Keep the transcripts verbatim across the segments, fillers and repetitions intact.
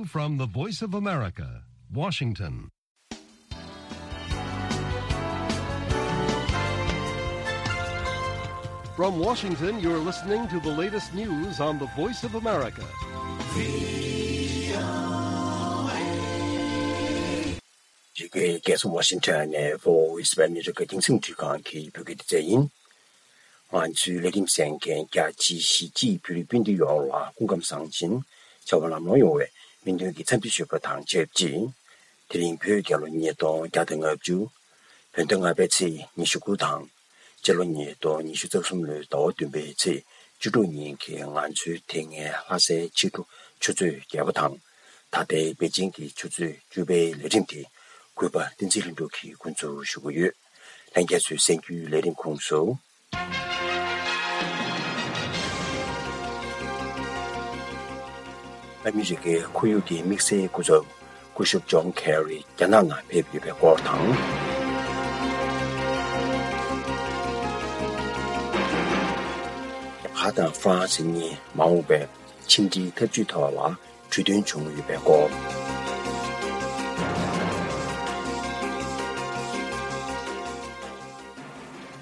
From the Voice of America, Washington. From Washington, you're listening to the latest news on the Voice of America. འདི་གའི་རྒྱལ་ས་ཝ་ཤིང་ཊོན་ནས་Voice of America རྒྱང་སྲིང་འཕྲིན་ཁང་གི་བོད་སྐད་སྡེ་ཚན་ཡིན། ང་ཚོའི་ལས་རིམ་གསན་མཁན་རྒྱ་ཆེའི་གཞིས་བྱེས་བོད་རིགས་སྤུན་ཟླ་ཡོངས་ལ་སྐུ་ཁམས་བཟང་ཞིང་བྱ་བ་ལམ་ལྷོང་ཡོང་བའི་སྨོན་འདུན་གྱི་འཚམས་འདྲི་ཞུ་བ་དང་ཆབས་ཅིག་དེ་རིང་བོད་རྒྱལ་ལོ་ཉིས་སྟོང་བརྒྱ་དང་ལྔ་བཅུ། བོད་ཟླ་ལྔ་པའི་ཚེས་ཉི་ཤུ་དགུ་དང་། སྤྱི་ལོ་ཉིས་སྟོང་ཉི་ཤུ་རྩ་གསུམ་ལོའི་ཟླ་བ་བདུན་པའི་ཚེས་བཅུ་དྲུག་ཉིན་གྱི་ང་ཚོའི་དེ་སྔའི་ལྷ་སའི་ཕྱི་དྲོ་ཆུ་ཚོད་བརྒྱད་པ་དང་། ད་ལྟའི་པེ་ཅིང་གི་ཆུ་ཚོད་བཅུ་པའི་ལས་རིམ་དེ་གུས་པ་བསྟན་འཛིན་ལྷུན་གྲུབ་ཀྱིས་འགོ་འཛུགས་ཞུ་གི་ཡོད། ལྷན་རྒྱས་ཚོས་གསན་རྒྱུའི་ལས་རིམ་ཁོངས་སུ། ཨ་མི་རི་ཀའི་ཁོར་ཡུག་གི་དམིགས་བསལ་སྐུ་ཚབ་སྐུ་ཞབས་ཇོན་ཁེ་རི་རྒྱ་ནག་ནང་ཕེབས་ཡོད་པའི་སྐོར་དང་། རྒྱ་གར་དང་ཧྥ་རན་སི་གཉིས་མ་འོངས་པའི་ཕྱི་འབྲེལ་འཐབ་ཇུས་ཐོག་ལ་གྲོས་མཐུན་བྱུང་ཡོད་པའི་སྐོར།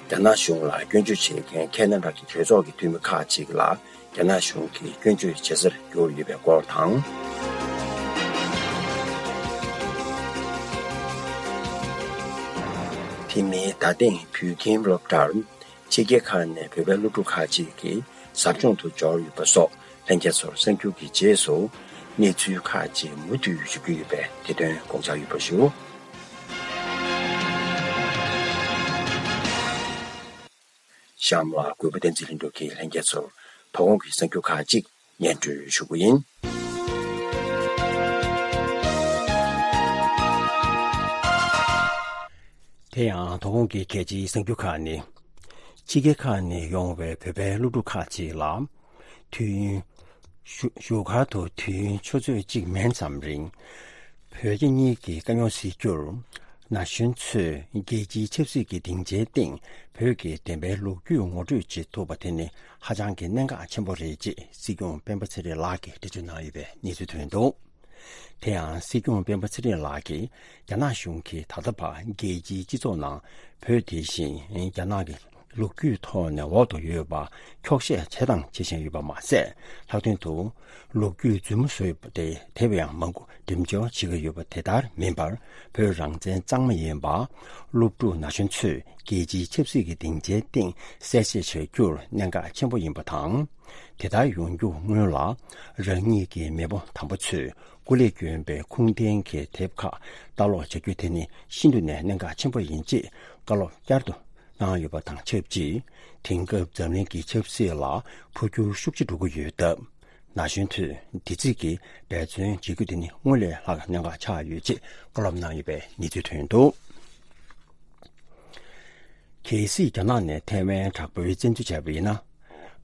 རྒྱ་ནག་གཞུང་ལ་སྐྱོན་བརྗོད་བྱེད་མཁན་ཁེ་ན་ཌ་གི་གྲོས་ཚོགས་ཀྱི་འཐུས་མི་ཁག་ཅིག་ལ་རྒྱ་ནག་གཞུང་གིས་སྐྱོན་བརྗོད་བྱེད་སར་གྱུར་ཡོད་པའི་སྐོར་དང་། དེ་མིན་ད་ཐེངས་བོད་ཁྱིམ་སློབ་གྲྭར་ཕྱི་རྒྱལ་ཁག་ནས་བོད་པའི་སློབ་ཕྲུག་ཁག་ཅིག་གིས་ཟབ་སྦྱོང་དུ་འབྱོར་ཡོད་པ་སོགས་ལྷན་རྒྱས་ཚོར་གསར་འགྱུར་གྱི་རྗེས་སུ་གནས་ཚུལ་ཁག་ཅིག་མུ་མཐུད་ཞུ་རྒྱུ་ཡོད་པས་དེ་དོན་དགོངས་འཇགས་ཡོད་པ་ཞུ། གཤམ་ལ་གུས་པ་བསྟན་འཛིན་ལྷུན་གྲུབ་ཀྱིས་ལྷན་རྒྱས་ཚོར་དོ་དགོང་གི་གསར་འགྱུར་ཁག་ཅིག་སྙན་སྒྲོན་ཞུ་གི་ཡིན། དེ་ཡང་དོ་དགོང་གི་གལ་ཆེའི་གསར་འགྱུར་ཁག་ནི། ཕྱི་རྒྱལ་ཁག་ནས་ཡོང་བའི་བོད་པའི་སློབ་ཕྲུག་ཁག་ཅིག་ལ། དུས་ཡུན། བཞུགས་བཞུགས་སྒར་དུ་དུས་ཡུན་ཆུ་ཚོད་གཅིག་མན་ཙམ་རིང་། བོད་རྒྱ་གཉིས་ཀྱི་དཀའ་རྙོག་སེལ་རྒྱུར། ན་གཞོན་ཚོས་རྒྱལ་སྤྱིའི་ཆབ་སྲིད་ཀྱི་སྡིངས་ཆའི་སྟེང་བོད་ཀྱི་བདེན་པའི་ལོ་རྒྱུས་ངོ་སྤྲོད་བྱེད་ཐུབ་པ་དེ་ནི་ཧ་ཅང་གི་གནད་འགག་ཆེན་པོ་རེད་ཅེས་སྲིད་སྐྱོང་སྤེན་པ་ཚེ་རིང་ལགས་ཀྱིས་འགྲེལ་བརྗོད་གནང་ཡོད་པའི་གནས་ཚུལ་ཐོན་འདུག་དེ་ཡང་སྲིད་སྐྱོང་སྤེན་པ་ཚེ་རིང་ལགས་ཀྱིས་རྒྱ་ནག་གཞུང་གིས་ད་ལྟ་བར་རྒྱལ་སྤྱིའི་སྤྱི་ཚོགས་ནང་བོད་དེ་བཞིན་རྒྱ་ནག་གི་ལོ་རྒྱུས་ཐོག་ནས་འོག་ཏུ་ཡོད་པ་འཁྱོག་བཤད་བྱས་དང་བྱེད་བཞིན་ཡོད་པ་མ་ཟད། ལྷག་དོན་དུ་ལོ་རྒྱུས་རྫུན་མ་བཟོས་པ་དེ་དེ་བས་ཡང་མང་པོ་འགྲེམས་འཇོག་བྱེད་ཀྱི་ཡོད་པ་དེ་ལྟར་མིན་པར། བོད་རང་བཙན་གཙང་མ་ཡིན་པ། སློབ་ཕྲུག་ན་གཞོན་ཚོས་རྒྱལ་སྤྱིའི་ཆབ་སྲིད་ཀྱི་སྡིངས་ཆའི་སྟེང་གསལ་བཤད་བྱ་རྒྱུར་གནད་འགག་ཆེན་པོ་ཡིན་པ་དང་། དེ་ལྟར་ཡོང་རྒྱུ་སྔོན་ལ། རང་ཉིད་ཀྱི་མེས་པོ་དམ་པ་ཚོས་སྐུ་ལས་བསྐྱོན་པའི་ཁུངས་ལྡན་གྱི་དེབ་ཁག་ལྟ་ཀློག་བྱ་རྒྱུ་དེ་ནི་ཤིན་ཏུ་ནས་གནད་འགག་ཆེན་པོ་ཡིན་ཅེས་བཀའ་སློབ་བསྐྱར་དུ་གནང་ཡོད་པ་དང་ཆབས་ཅིག་དེང་སྐབས་འཛམ་གླིང་གི་ཆབ་སྲིད་ལ་འཕོ་འགྱུར་ཤུགས་ཆེ་འགྲོ་གི་ཡོད་སྟབས། ན་གཞོན་ཚོས་དེ་རྩིས་ཀྱིས་འབད་བརྩོན་བྱེད་རྒྱུ་དེ་ནི་སྔོན་ལས་ལྷག་གནད་འགག་ཆགས་ཡོད་ཅེས་བཀའ་སློབ་གནང་ཡོད་པའི་གནས་ཚུལ་ཐོན་འདུག་གལ་སྲིད་རྒྱ་ནག་ནས་ཐའེ་ཝན་དྲག་པོའི་བཙན་འཛུལ་བྱས་པ་ཡིན་ན།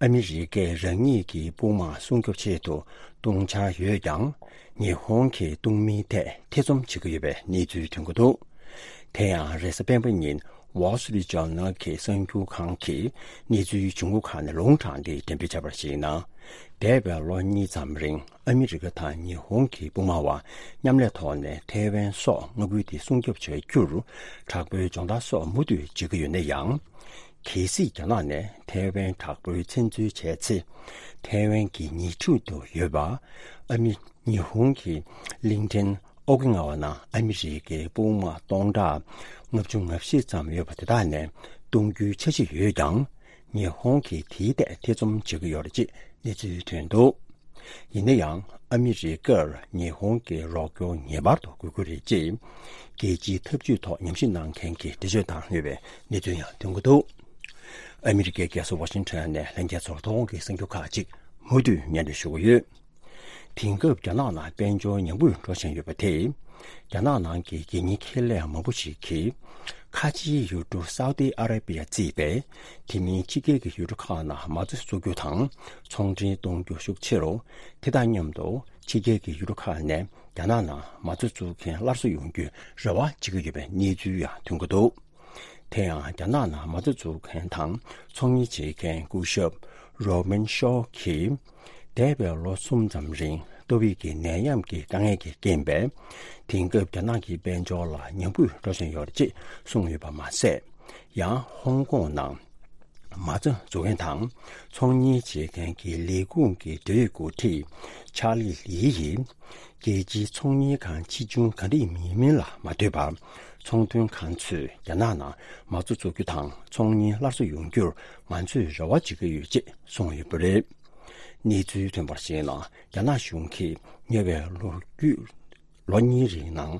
ཨ་མི་རི་ཀས་རང་ཉིད་ཀྱི་དཔུང་དམག་སྲུང་སྐྱོབ་ཆེད་དུ་གཏོང་འཆར་ཡོད་ཀྱང་། ཉི་ཧོང་གིས་གཏོང་མིན་ཐད་ཐེ་ཚོམ་བྱེད་ཀྱི་ཡོད་པའི་གནས་ཚུལ་ཐོན་གྱི་འདུག་དེ་ཡང་རེས་གཟའ་སྤེན་པ་ཉིན་Wall Street Journal གྱི་གསར་འགྱུར་ཁང་གིས་གནས་ཚུལ་བྱུང་ཁུངས་ཁག་ནས་ལུང་དྲངས་ཏེ་འགྲེམས་སྤེལ་བྱས་པར་གཞིགས་ན། འདས་པའི་ལོ་གཉིས་ཙམ་རིང་ཨ་མི་རི་ཀ་དང་ཉི་ཧོང་གི་དཔུང་དམག་བར་མཉམ་ལས་ཐོག་ནས་ཐའེ་ཝན་སོགས་མངའ་ཁུལ་དེ་སྲུང་སྐྱོབ་བྱ་རྒྱུར་དྲག་པོའི་སྦྱོང་བརྡར་སོགས་མུ་མཐུད་བྱེད་ཀྱི་ཡོད་ན་ཡང་། གལ་སྲིད་རྒྱ་ནག་ནས་ཐའེ་ཝན་དྲག་པོའི་བཙན་འཛུལ་བྱས་ཚེ། ཐའེ་ཝན་གྱི་ཉེ་འཁྲིས་དུ་ཡོད་པ་ཨ་མི་ཉི་ཧོང་གི་གླིང་ཕྲན་ཨོ་ཀི་ནག་བ་ནང་ཨ་མི་རི་ཀའི་དཔུང་དམག་སྟོང་ཕྲག་ལྔ་བཅུ་ང་བཞི་ཙམ་ཡོད་པ་དེ་དག་ནས་གཏོང་རྒྱུའི་འཆར་གཞི་ཡོད་ཀྱང་། ཉི་ཧོང་གིས་དེའི་ཐད་ཐེ་ཚོམ་བྱེད་ཀྱི་ཡོད་རེད་ཅེས་གནས་ཚུལ་ཐོན་འདུག་ཡིན་ན་ཡང་ཨ་མི་རི་ཀར་ཉི་ཧོང་གི་རོགས་སྐྱོར་ངེས་པར་དུ་དགོས་ཀྱི་རེད་ཅེས་རྒྱལ་སྤྱིའི་འཐབ་ཇུས་ཐོག་ཉམས་ཞིབ་གནང་མཁན་གྱིས་འགྲེལ་བརྗོད་བཏང་ཡོད་པའི་གནས་ཚུལ་ཡང་ཐོན་གྱི་འདུག་ཨ་མི་རི་ཀའི་རྒྱལ་ས་ཝ་ཤིང་ཊོན་ནས་ལྷན་རྒྱས་ཚོར་དོ་དགོང་གི་གསར་འགྱུར་ཁག་ཅིག་མུ་མཐུད་སྙན་སྒྲོན་ཞུ་གི་ཡོད། དེང་སྐབས་རྒྱ་ནག་ནང་དཔལ་འབྱོར་ཉམས་རྒུད་འགྲོ་བཞིན་ཡོད་པ་དེས། རྒྱ་ནག་ནང་གི་གད་སྙིགས་ཁེ་ལས་མང་པོ་ཞིག་གིས། ཁ་ཆེའི་ཡུལ་གྲུ་སའུ་ཏི་ཨ་ར་པི་ཡ་བརྩིས་པའི་དེ་མིན་ཕྱི་རྒྱལ་གྱི་ཡུལ་གྲུ་ཁག་ནང་མ་རྩ་བཙུགས་རྒྱུ་དང་ཚོང་འབྲེལ་གཏོང་རྒྱུ་ཤུགས་ཆེ་རུ། དེ་དང་མཉམ་དུ་ཕྱི་རྒྱལ་གྱི་ཡུལ་གྲུ་ཁག་ནས་རྒྱ་ནག་ནང་མ་རྩ་བཙུགས་མཁན་སླར་གསོ་ཡོང་རྒྱུའི་རེ་བ་བྱེད་ཀྱི་ཡོད་པའི་གནས་ཚུལ་ཡང་ཐོན་གྱི་འདུག་དེ་ཡང་རྒྱ་ནག་ནང་མ་རྩ་འཛུགས་མཁན་དང་ཚོང་གཉེར་བྱེད་མཁན་སྐུ་ཞབས་རོ་མན་ཤོ་གིས། འདས་པའི་ལོ་གསུམ་ཙམ་རིང་ ཀོ་བིད་ཀྱི་ནད་ཡམས་ཀྱི་དཀའ་ངལ་གྱི་རྐྱེན་པས། དེང་སྐབས་རྒྱ་ནག་གི་དཔལ་འབྱོར་ལ་ཉམས་རྒུད་འགྲོ་བཞིན་ཡོད་རེད་ཅེས་གསུངས་ཡོད་པ་མ་ཟད། ཡང་ཧོང་ཀོང་ནང་མ་རྩ་འཛུགས་མཁན་དང་ཚོང་གཉེར་བྱེད་མཁན་གྱི་ལས་ཁུངས་ཀྱི་འབྲེལ་ཡོད་འགོ་ཁྲིད་ཆཱ་ལི་ལི་ཡིས། རྒྱལ་སྤྱིའི་ཚོང་གཉེར་ཁང་ཆེ་ཆུང་ག་འདྲ་ཡིན་མིན་ལ་མ་ལྟོས་པར། ཚོང་དོན་ཁང་ཚོས་རྒྱ་ནག་ནང་མ་རྩ་འཛུགས་རྒྱུ་དང་ཚོང་གཉེར་སླར་གསོ་ཡོང་རྒྱུར་ང་ཚོས་རེ་བ་བྱེད་ཀྱི་ཡོད་ཅེས་གསུངས་ཡོད་པ་རེད། གནས་ཚུལ་ཐོན་པར་གཞིགས་ན། རྒྱ་ནག་གཞུང་གིས་ཉེ་བའི་ལོ་རྒྱུས་ལོ་གཉིས་རིང་ནང་།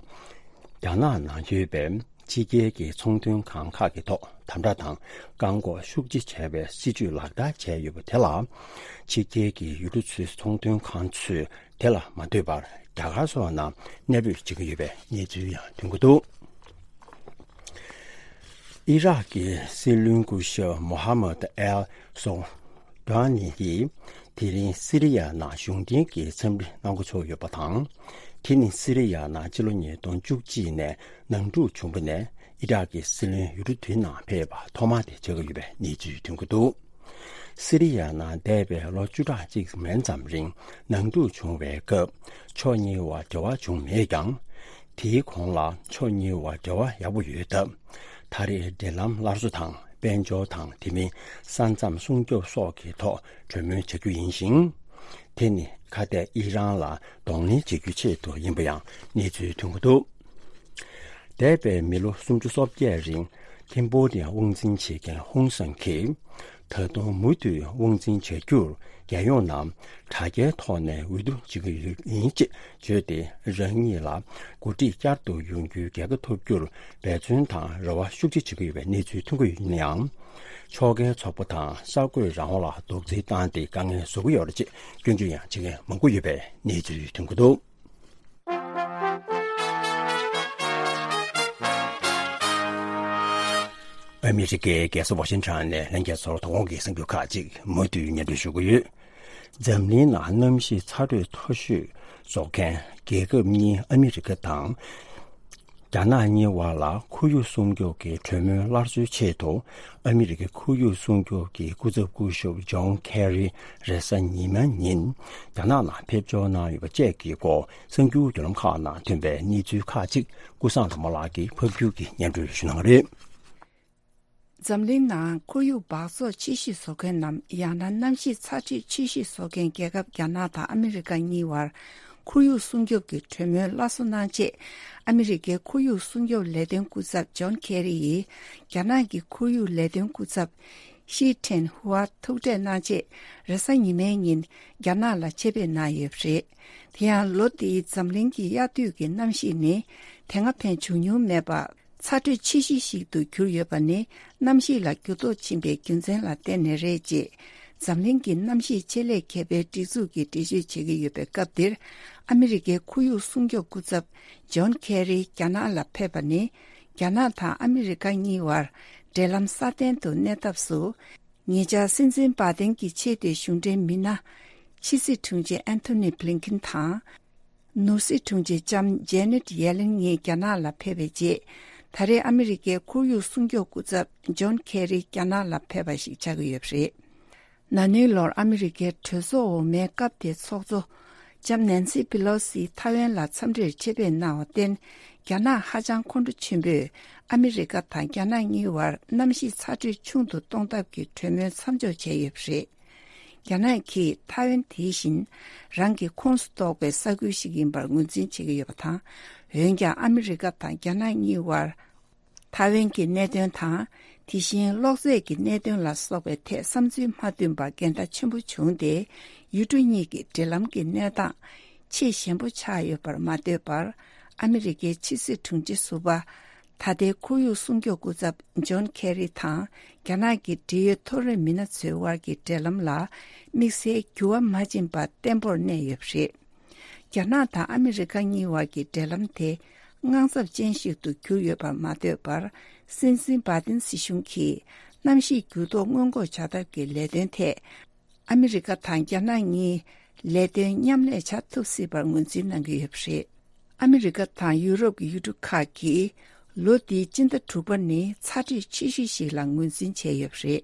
རྒྱ་ནག་ནང་ཡོད་པའི་ཕྱི་རྒྱལ་གྱི་ཚོང་དོན་ཁང་ཁག་གི་ཐོག་དམ་དྲག་དང་བཀག་འགོག་ཤུགས་ཆེ་བྱས་པའི་སྲིད་ཇུས་ལག་བསྟར་བྱས་ཡོད་པ་དེ་ལ། ཕྱི་རྒྱལ་གྱི་ཡུལ་གྲུ་ཚོའི་ཚོང་དོན་ཁང་ཚོས་དེ་ལ་མ་ལྟོས་པར་རྒྱ་གར་སོགས་ནང་གནས་སྤོས་བྱེད་ཀྱི་ཡོད་པའི་གནས་ཚུལ་ཡང་ཐོན་གྱི་འདུག་ཨི་རག་གི་སྲིད་བློན་སྐུ་ཞབས་མོ་ཧ་མད་ཨེལ་སོ་ཌོ་ནི་ཡིས་དེ་རིང་སི་རི་ཡ་ནང་གཞུང་འབྲེལ་གྱི་འཚམས་འདྲི་གནང་འགོ་ཚུགས་ཡོད་པ་དང་། དེ་ནི་སི་རི་ཡ་ནང་ཕྱི་ལོ་ཉིས་སྟོང་བཅུ་གཅིག་ནས་ནང་འཁྲུག་བྱུང་བ་ནས་ཨི་རག་གི་སྲིད་བློན་ཡུལ་གྲུ་དེའི་ནང་ཕེབས་པ་ཐོག་མ་དེ་ཆགས་ཀྱི་ཡོད་པའི་གནས་ཚུལ་ཐོན་གྱི་འདུག་སི་རི་ཡ་ནང་འདས་པའི་ལོ་བཅུ་ཕྲག་གཅིག་མན་ཙམ་རིང་ནང་འཁྲུག་བྱུང་བའི་སྐབས་ཕྱོགས་གཉིས་བར་འབྲེལ་བ་བྱུང་མེད་ཀྱང་། དེའི་གོང་ལ་ཕྱོགས་གཉིས་བར་འབྲེལ་བ་ཡག་པོ་ཡོད་སྟབས། ད་རེས་འབྲེལ་ལམ་སླར་གསོ་དང་དཔལ་འབྱོར་དང་དེ་མིན་ས་མཚམས་སྲུང་སྐྱོབ་སོགས་ཀྱི་ཐོག་གྲོས་མོལ་བྱ་རྒྱུ་ཡིན་ཞིང་། དེ་ནི་ཁ་གཏད་ཨི་རན་ལ་གདོང་ལེན་བྱེད་རྒྱུའི་ཆེད་དུ་ཡིན་པ་ཡང་གནས་ཚུལ་ཐོན་གྱི་འདུག་འདས་པའི་མི་ལོ་སུམ་ཅུ་སོ་བརྒྱད་རིང་ཀེམ་བོ་ཌི་ཡ་དབང་འཛིན་བྱེད་མཁན་ཧུང་སན་གྱིས། ད་དུང་མུ་མཐུད་དབང་འཛིན་བྱ་རྒྱུར་རྒྱལ་ཡོངས་ནང་དྲ་རྒྱའི་ཐོག་ནས་འོས་བསྡུ་བྱེད་ཀྱི་ཡོད་ཡིན་ཅེས་བརྗོད་དེ། རང་ཉིད་ལ་འགོ་ཁྲིད་བསྐྱར་དུ་ཡོང་རྒྱུའི་རྒྱལ་ཁ་ཐོབ་རྒྱུར་འབད་བརྩོན་དང་རེ་བ་ཤུགས་ཆེ་བྱེད་ཀྱི་ཡོད་པའི་གནས་ཚུལ་ཐོན་གྱི་ཡོད་ན་ཡང་། ཕྱོགས་འགལ་ཚོགས་པ་དང་གསར་འགོད་རང་དབང་ལ་རྡོག་རྫིས་བཏང་སྟེ་དཀའ་ངལ་བཟོ་གི་ཡོད་རེད་ཅེས་སྐྱོན་བརྗོད་ཡང་བྱེད་མཁན་མང་པོ་ཡོད་པའི་གནས་ཚུལ་ཐོན་གྱི་འདུག་ཨ་མི་རི་ཀའི་རྒྱལ་ས་ཝ་ཤིང་ཊོན་ནས་ལྷན་རྒྱས་ཚོར་དོ་དགོང་གི་གསར་འགྱུར་ཁག་ཅིག་མུ་མཐུད་སྙན་སྒྲོན་ཞུ་གི་ཡོད། འཛམ་གླིང་ནང་གནམ་གཤིས་ཚ་དྲོད་མཐོ་ཤོས་བཟོ་མཁན་རྒྱལ་ཁབ་གཉིས་ཨ་མི་རི་ཀ་དང་རྒྱ་ནག་གཉིས་བར་ལ་ཁོར་ཡུག་སྲུང་སྐྱོབ་ཀྱི་གྲོས་མོལ་སླར་གསོའི་ཆེད་དུ། ཨ་མི་རི་ཀའི་ཁོར་ཡུག་སྲུང་སྐྱོབ་ཀྱི་སྐུ་ཚབ་སྐུ་ཞབས་ཇོན་ཁེ་རི་རེས་གཟའ་ཉི་མའི་ཉིན་རྒྱ་ནག་ནང་ཕེབས་འབྱོར་གནང་ཡོད་པ་བཅས་ཀྱི་སྐོར་གསར་འགྱུར་བརྒྱུད་ལམ་ཁག་ནང་ཐོན་པའི་གནས་ཚུལ་ཁག་ཅིག་ཀུན་བཟང་ལྷ་མོ་ལགས་ཀྱིས་ཕབ་སྒྱུར་གྱིས་སྙན་སྒྲོན་ཞུ་གནང་གི་རེད། འཛམ་གླིང་ནང་ཁོར་ཡུག་འབག་བཙོག་ཆེ་ཤོས་བཟོ་མཁན་ནམ། ཡང་ན་གནམ་གཤིས་ཚ་དྲོད་ཆེ་ཤོས་བཟོ་མཁན་རྒྱལ་ཁབ་རྒྱ་ནག་དང་ཨ་མི་རི་ཀ་གཉིས་བར་ཁོར་ཡུག་སྲུང་སྐྱོབ་ཀྱི་གྲོས་མོལ་སླར་གསོ་གནང་ཆེད། ཨ་མི་རི་ཀའི་ཁོར་ཡུག་སྲུང་སྐྱོབ་ལས་དོན་སྐུ་ཚབ་ཇོན་ཁེ་རི་ཡིས་རྒྱ་ནག་གི་ཁོར་ཡུག་ལས་དོན་སྐུ་ཚབ་ཤི་ཁྲེན་ཧུའ་ཐུག་འཕྲད་གནང་ཆེད་རེས་གཟའ་ཉི་མའི་ཉིན་རྒྱ་ནག་ལ་ཆེད་ཕེབས་གནང་ཡོད་པ་རེད། དེ་ཡང་ལོ་འདིའི་འཛམ་གླིང་གི་དབྱར་དུས་ཀྱི་གནམ་གཤིས་ནི་དེ་སྔ་ཕན་བྱུང་མྱོང་མེད་པ། ཚ་དྲོད་ཆེ་ཤོས་ཤིག་ཏུ་གྱུར་ཡོད་པ་ནི་གནམ་གཤིས་ལ་འགྱུར་ལྡོག་ཕྱིན་པའི་རྒྱུ་མཚན་ལ་བརྟེན་ནས་རེད་ཅེས། འཛམ་གླིང་གི་གནམ་གཤིས་ཆེད་ལས་མཁས་པའི་སྒྲིག་འཛུགས་ཀྱིས་འགྲེལ་བརྗོད་བྱེད་ཀྱི་ཡོད་པའི་སྐབས་འདིར། ཨ་མི་རི་ཀའི་ཁོར་ཡུག་སྲུང་སྐྱོབ་སྐུ་ཚབ་ཇོན་ཁེ་རི་རྒྱ་ནག་ལ་ཕེབས་པ་ནི། རྒྱ་ནག་དང་ཨ་མི་རི་ཀ་གཉིས་བར་འབྲེལ་ལམ་སྲ་བརྟན་དུ་གནས་ཐབས་སུ། ཉེ་ཆར་སྲིད་འཛིན་བྷ་དན་གྱི་ཆེས་མཐོའི་གཞུང་འབྲེལ་མི་སྣ། ཕྱི་སྲིད་དྲུང་ཆེ་ཨན་ཐོ་ནི་བྷི་ལིན་ཁིན་དང་། ནོར་སྲིད་དྲུང་ཆེ་ལྕམ་ཇེ་ནེད་ཡེ་ལིན་གཉིས་རྒྱ་ནག་ལ་ཕེབས་པའི་རྗེས། ད་རེས་ཨ་མི་རི་ཀའི་ཁོར་ཡུག་སྲུང་སྐྱོབ་སྐུ་ཚབ་ཇོན་ཁེ་རི་རྒྱ་ནག་ལ་ཕེབས་པ་ཞིག་ཆགས་ཀྱི་ཡོད་པ་རེད། ན་ནིང་ལོར་ཨ་མི་རི་ཀའི་གྲོས་ཚོགས་འོག་མའི་སྐབས་དེའི་ཚོགས་གཙོ་ལྕམ་ནན་སི་པི་ལོ་སི་ཐའེ་ཝན་ལ་འཚམས་འདྲིར་ཆེད་ཕེབས་གནང་བར་བརྟེན། རྒྱ་ནག་ཧ་ཅང་ཁོང་ཁྲོ་ཆེན་པོས་ཨ་མི་རི་ཀ་དང་རྒྱ་ནག་གཉིས་བར་གནམ་གཤིས་ཚ་དྲོད་ཆུང་དུ་གཏོང་ཐབས་ཀྱི་གྲོས་མོལ་མཚམས་འཇོག་བྱས་ཡོད་པ་རེད། རྒྱ་ནག་གིས་ཐའེ་ཝན་དེ་བཞིན་རང་གི་ཁོངས་སུ་གཏོགས་པའི་ས་ཁུལ་ཞིག་ཡིན་པར་ངོས་འཛིན་བྱེད་ཀྱི་ཡོད་པ་དང་། འོན་ཀྱང་ཨ་མི་རི་ཀ་དང་རྒྱ་ནག་གཉིས་བར་ཐའེ་ཝན་གྱི་གནད་དོན་དང་། དེ་བཞིན་གློག་རྫས་ཀྱི་གནད་དོན་ལ་སོགས་པའི་ཐད་བསམ་ཚུལ་མ་མཐུན་པར་འགལ་ཟླ་ཆེན་པོ་བྱུང་སྟེ། ཡུལ་གྲུ་གཉིས་ཀྱི་འབྲེལ་ལམ་གྱི་གནས་སྟངས་ཆེས་ཞན་པོ་ཆགས་ཡོད་པར་མ་ལྟོས་པར། ཨ་མི་རི་ཀའི་ཕྱི་སྲིད་དྲུང་ཆེ་ཟུར་པ་ད་ལྟའི་ཁོར་ཡུག་སྲུང་སྐྱོབ་སྐུ་ཚབ་ཇོན་ཁེ་རི་དང་རྒྱ་ནག་གི་འབྲེལ་ཡོད་མཐོ་རིམ་མི་སྣ་ཚོའི་དབར་གྱི་འབྲེལ་ལམ་ལ་དམིགས་བསལ་འགྱུར་བ་མ་ཕྱིན་པ་བརྟན་པོར་གནས་ཡོད་པ་རེད། རྒྱ་ནག་དང་ཨ་མི་རི་ཀ་གཉིས་བར་གྱི་འབྲེལ་ལམ་དེ་དངངས་འཚབ་ཅན་ཞིག་ཏུ་གྱུར་ཡོད་པར་མ་ལྟོས་པར། སྲིད་འཛིན་བྷ་དིན་སྲིད་གཞུང་གིས་གནམ་གཤིས་འགྱུར་ལྡོག་སྔོན་འགོག་བྱ་ཐབས་ཀྱི་ལས་དོན་ཐད། ཨ་མི་རི་ཀ་དང་རྒྱ་ནག་གཉིས་ལས་དོན་མཉམ་ལས་བྱ་ཐུབ་སྲིད་པར་ངོས་འཛིན་གནང་གི་ཡོད་པ་རེད། ཨ་མི་རི་ཀ་དང་ཡུ་རོབ་ཀྱི་ཡུལ་གྲུ་ཁག་གིས་ལོ་འདིའི་སྤྱི་ཟླ་དྲུག་པ་ནི་ཚ་དྲོད་ཆེ་ཤོས་ཤིག་ལ་ངོས་འཛིན་བྱས་ཡོད་པ་རེད།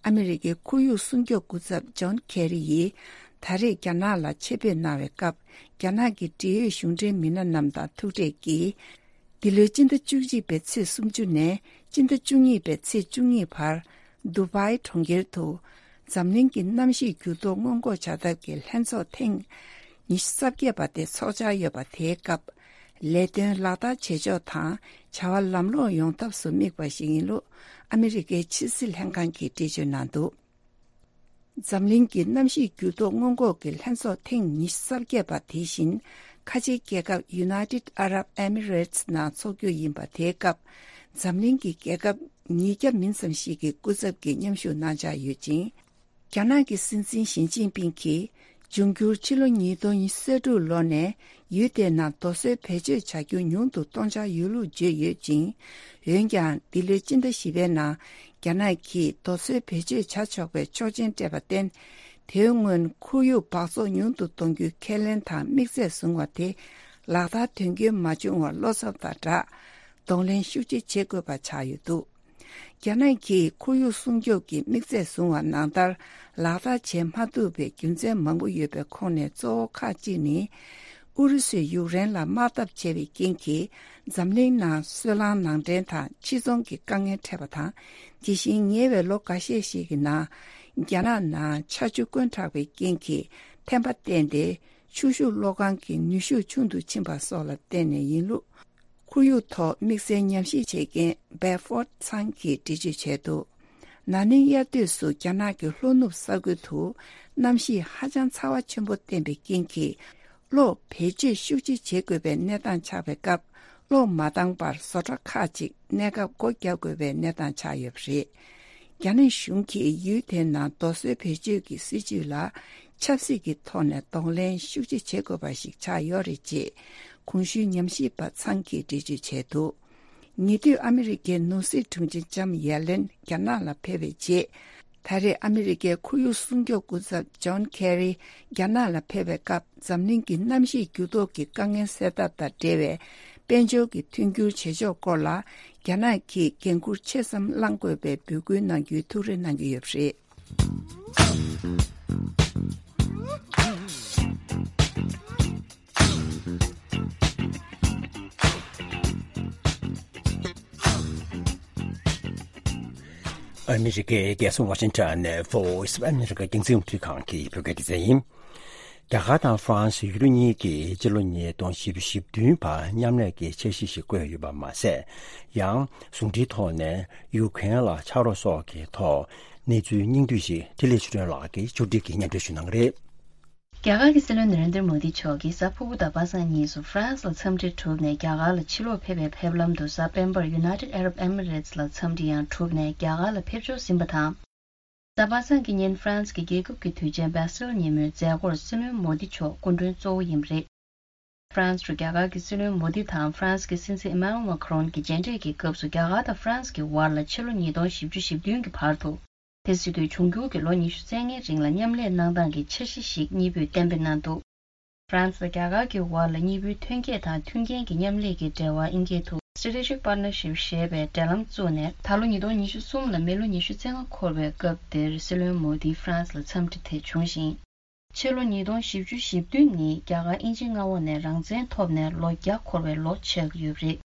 ཨ་མི་རི་ཀའི་ཁོར་ཡུག་སྲུང་སྐྱོབ་སྐུ་ཚབ་ཇོན་ཁེ་རི་ཡིས་ ད་རེས་རྒྱ་ནག་ལ་ཆེད་ཕེབས་གནང་བའི་སྐབས། རྒྱ་ནག་གི་འབྲེལ་ཡོད་གཞུང་འབྲེལ་མི་སྣ་རྣམས་དང་ཐུག་འཕྲད་ཀྱིས། འདི་ལོའི་སྤྱི་ཟླ་བཅུ་གཅིག་པའི་ཚེས་སུམ་ཅུ་ནས་སྤྱི་ཟླ་བཅུ་གཉིས་པའི་ཚེས་བཅུ་གཉིས་བར། དུ་བྷའི་གྲོང་ཁྱེར་དུ། འཛམ་གླིང་གི་གནམ་གཤིས་འགྱུར་ལྡོག་སྔོན་འགོག་བྱ་ཐབས་ཀྱི་ལྷན་ཚོགས་ཐེངས་ཉི་ཤུ་རྩ་བརྒྱད་པ་དེ་ཚོགས་འཆར་ཡོད་པ་དེའི་སྐབས། ལས་དོན་ལག་བསྟར་བྱེད་ཕྱོགས་དང་བྱ་བ་ལམ་ལྷོང་ཡོང་ཐབས་སུ་དམིགས་པ་ཞིག་ཡིན་ལུགས་ཨ་མི་རི་ཀའི་ཕྱི་སྲིད་ལྷན་ཁང་གིས་འགྲེལ་བརྗོད་གནང་འདུག་འཛམ་གླིང་གི་གནམ་གཤིས་འགྱུར་ལྡོག་སྔོན་འགོག་གི་ལྷན་ཚོགས་ཐེངས་ཉི་ཤུ་རྩ་བརྒྱད་པ་དེ་བཞིན་ཁ་ཆེའི་རྒྱལ་ཁབ་United Arab Emirates ནང་འཚོགས་རྒྱུ་ཡིན་པ་དེའི་སྐབས། འཛམ་གླིང་གི་རྒྱལ་ཁབ་ཉིས་བརྒྱ་མིན་ཙམ་ཞིག་གི་སྐུ་ཚབ་ཀྱིས་མཉམ་ཞུགས་གནང་འཆར་ཡོད་ཅིང་། རྒྱ་ནག་གི་སྲིད་འཛིན་ཞི་ཅིན་ཕིང་གིས། འབྱུང་འགྱུར་ཕྱི་ལོ་ཉིས་སྟོང་ཉི་ཤུ་རྩ་དྲུག་ལོ་ནས་ཡུལ་དེའི་ནང་རྡོ་སོལ་བེད་སྤྱོད་བྱ་རྒྱུ་ཉུང་དུ་གཏོང་འཆར་ཡོད་ལུགས་བརྗོད་ཡོད་ཅིང་། འོན་ཀྱང་འདི་ལོའི་སྤྱི་ཟླ་བཞི་པའི་ནང་རྒྱ་ནག་གིས་རྡོ་སོལ་བེད་སྤྱོད་བྱ་ཆོག་པའི་ཆོག་མཆན་སྤྲད་པར་བརྟེན། དེའི་སྔོན་ཁོར་ཡུག་འབག་བཙོག་ཉུང་དུ་གཏོང་རྒྱུའི་ཁས་ལེན་དང་དམིགས་ཚད་བཟུང་བ་དེ་ལག་བསྟར་དོན་འཁྱོལ་མ་བྱུང་བར་བློ་འཚབ་དང་སྦྲགས། གདོང་ལེན་ཤུགས་ཆེ་བྱེད་དགོས་པ་ཆགས་ཡོད་འདུག་རྒྱ་ནག་གིས་ཁོར་ཡུག་སྲུང་སྐྱོབ་ཀྱི་དམིགས་ཚད་བཟུང་བ་ནང་ལྟར་ལག་བསྟར་བྱེད་མ་ཐུབ་པའི་རྒྱུ་མཚན་མང་པོ་ཡོད་པའི་ཁོངས་ནས་གཙོ་བོ་ཁག་ཅིག་ནི། ཨུ་རུ་སུས་ཡུཀ་རེན་ལ་དམག་འཐབ་བྱས་པའི་རྐྱེན་གྱིས་འཛམ་གླིང་ནང་སོལ་རླངས་ནང་འདྲེན་དང་ཕྱིར་ཚོང་གི་དཀའ་ངལ་འཕྲད་པ་དང་། དེ་བཞིན་ཉེ་བའི་ལོ་འགའ་ཤས་ཤིག་གི་ནང་རྒྱ་ནག་ནང་ཆར་ཆུ་དཀོན་དྲགས་པའི་རྐྱེན་གྱིས་ཐན་པ་བསྟན་ཏེ། ཆུ་ཤུགས་གློག་ཁང་གི་ནུས་ཤུགས་ཆུང་དུ་ཕྱིན་པ་སོགས་ལ་བརྟེན་ནས་ཡིན་ལུགས། ཁོར་ཡུག་ཐོག་དམིགས་བསལ་ཉམས་ཞིབ་བྱེད་མཁན་Bedford ཚང་གིས་འགྲེལ་བརྗོད་བྱས་འདུག་ན་ནིང་དབྱར་དུས་སུ་རྒྱ་ནག་གི་ལྷོ་ནུབ་ས་ཁུལ་དུ་གནམ་གཤིས་ཧ་ཅང་ཚ་བ་ཆེན་པོ་བསྟན་པའི་རྐྱེན་གྱིས། གློག་བེད་སྤྱོད་ཤུགས་ཆེ་བྱེད་དགོས་པའི་གནས་སྟངས་ཆགས་པའི་སྐབས། གློག་མ་བཏང་བར་བཟོ་གྲྭ་ཁག་ཅིག་གནས་སྐབས་སྒོ་བརྒྱབ་དགོས་པའི་གནས་སྟངས་ཆགས་ཡོད་པ་རེད། རྒྱ་ནག་གཞུང་གིས་ཡུལ་དེའི་ནང་རྡོ་སོལ་བེད་སྤྱོད་ཀྱི་སྲིད་ཇུས་ལ་ཆབ་སྲིད་ཀྱི་ཐོག་ནས་གདོང་ལེན་ཤུགས་ཆེ་བྱེད་དགོས་པ་ཞིག་ཆགས་ཡོད་རེད་ཅེས་གོང་ཞུས་ཉམས་ཞིབ་པ་ཚང་གིས་འགྲེལ་བརྗོད་བྱས་འདུག་ཉེ་དུས་ཨ་མི་རི་ཀའི་ནོར་སྲིད་དྲུང་ཆེ་ལྕམ་ཡེ་ལེན་རྒྱ་ནག་ལ་ཕེབས་པའི་རྗེས། ད་རེས་ཨ་མི་རི་ཀའི་ཁོར་ཡུག་སྲུང་སྐྱོབ་སྐུ་ཚབ་ཇོན་ཁེ་རི་རྒྱ་ནག་ལ་ཕེབས་པའི་སྐབས། འཛམ་གླིང་གི་གནམ་གཤིས་འགྱུར་ལྡོག་གི་དཀའ་ངལ་སེལ་ཐབས་དང་འབྲེལ་བའི་དཔལ་འབྱོར་གྱི་མཐུན་འགྱུར་བྱེད་ཕྱོགས་སྐོར་ལ་རྒྱ་ནག་གིས་འགན་འཁུར་ཆེ་ཙམ་བླང་དགོས་པའི་འབོད་སྐུལ་གནང་རྒྱུའི་ཐུགས་རེ་གནང་གི་ཡོད་པ་རེད། ཨ་མི་རི་ཀའི་རྒྱལ་ས་ཝ་ཤིང་ཊོན་ནས་Voice of America རྒྱང་སྲིང་རླུང་འཕྲིན་ཁང་གི་བོད་སྐད་སྡེ་ཚན་ཡིན། རྒྱ་གར་དང་ཧྥ་རན་སི་ཡུལ་གྲུ་གཉིས་ཀྱིས་ཕྱི་ལོ་ཉིས་སྟོང་བཞི་བཅུ་ཞེ་བདུན་བར་མཉམ་ལས་ཀྱི་འཆར་གཞི་ཞིག་བཀོད་ཡོད་པ་མ་ཟད། ཡང་ཟུང་འབྲེལ་ཐོག་ནས་ཡུ་ཁུ་རེན་ལ་ཕྱག་རོགས་སོགས་ཀྱི་ཐོག་གནས་ཚུལ་སྙིང་བསྡུས་ཤིག་འཕྲིན་ལས་ཆོས་སྒྲོན་ལགས་ཀྱིས་ཕྱོགས་སྒྲིག་གིས་སྙན་སྒྲོན་ཞུ་གནང་གི་རེད། རྒྱ་གར་གྱི་སྲིད་བློན་ནེ་རེན་དྲ་མོ་དི་མཆོག་གིས་གཟའ་ཕུར་བུ་དང་པ་སངས་གཉིས་སུ་ཧྥ་རན་སི་ལ་འཚམས་འདྲི་གྲུབ་ནས་རྒྱ་གར་ལ་ཕྱིར་ལོག་ཕེབས་པའི་ཕེབས་ལམ་དུ། གཟའ་སྤེན་པར་United Arab Emirates ལ་འཚམས་འདྲི་ཡང་གྲུབ་ནས་རྒྱ་གར་ལ་ཕེབས་འབྱོར་ཟིན་པ་དང་། གཟའ་པ་སངས་ཀྱི་ཉིན་ཧྥ་རན་སི་གི་རྒྱལ་ཁབ་ཀྱི་དུས་ཆེན་Bastille ཉིན་མོའི་མཛད་སྒོར་སྲིད་བློན་མོ་དི་མཆོག་སྐུ་མགྲོན་གཙོ་བོ་ཡིན་པ་རེད། ཧྥ་རན་སི་རུ་རྒྱ་གར་གྱི་སྲིད་བློན་མོ་དི་དང་ཧྥ་རན་སི་གི་སྲིད་འཛིན་ཨི་མ་ནུ་ཨེལ་མཱ་ཁ་རོན་གྱི་མཇལ་འཕྲད་ཀྱི་སྐབས་སུ། རྒྱ་གར་དང་ཧྥ་རན་སི་གི་བར་ལ་ཕྱི་ལོ་ཉིས་སྟོང་བཞི་བཅུ་ཞེ་བདུན་གྱི་བར་དུ། དེ་སྲིད་དུས་འབྱུང་འགྱུར་གྱི་ལོ་ཉི་ཤུ་རྩ་ལྔའི་རིང་ལ་མཉམ་ལས་གནང་སྟངས་ཀྱི་འཆར་གཞི་ཞིག་གཉིས་པོས་གཏན་འབེབས་གནང་འདུག་ཧྥ་རན་སི་དང་རྒྱ་གར་གྱི་བར་ལ་གཉིས་པོའི་ཐོན་སྐྱེད་དང་མཐུན་རྐྱེན་གྱི་མཉམ་ལས་ཀྱི་འབྲེལ་བ་ཨིན་སྐད་དུ་Strategic Partnership ཞེས་པའི་འབྲེལ་ལམ་བཙུགས་ནས། ད་ལོ་ཉིས་སྟོང་ཉི་ཤུ་གསུམ་ལ་མི་ལོ་ཉི་ཤུ་རྩ་ལྔ་འཁོར་བའི་སྐབས་དེར་སྲིད་བློན་མོ་དིའི་ཧྥ་རན་སི་ལ་འཚམས་འདྲི་དེ་བྱུང་ཞིང་། ཕྱི་ལོ་ཉིས་སྟོང་བཞི་བཅུ་ཞེ་བདུན་ནི་རྒྱ་གར་དབྱིན་ཇི་མངའ་འོག་ནས་རང་བཙན་ཐོབ་ནས་ལོ་བརྒྱ་འཁོར་བའི་ལོ་ཆགས་ཀྱི་ཡོད་པ་རེད།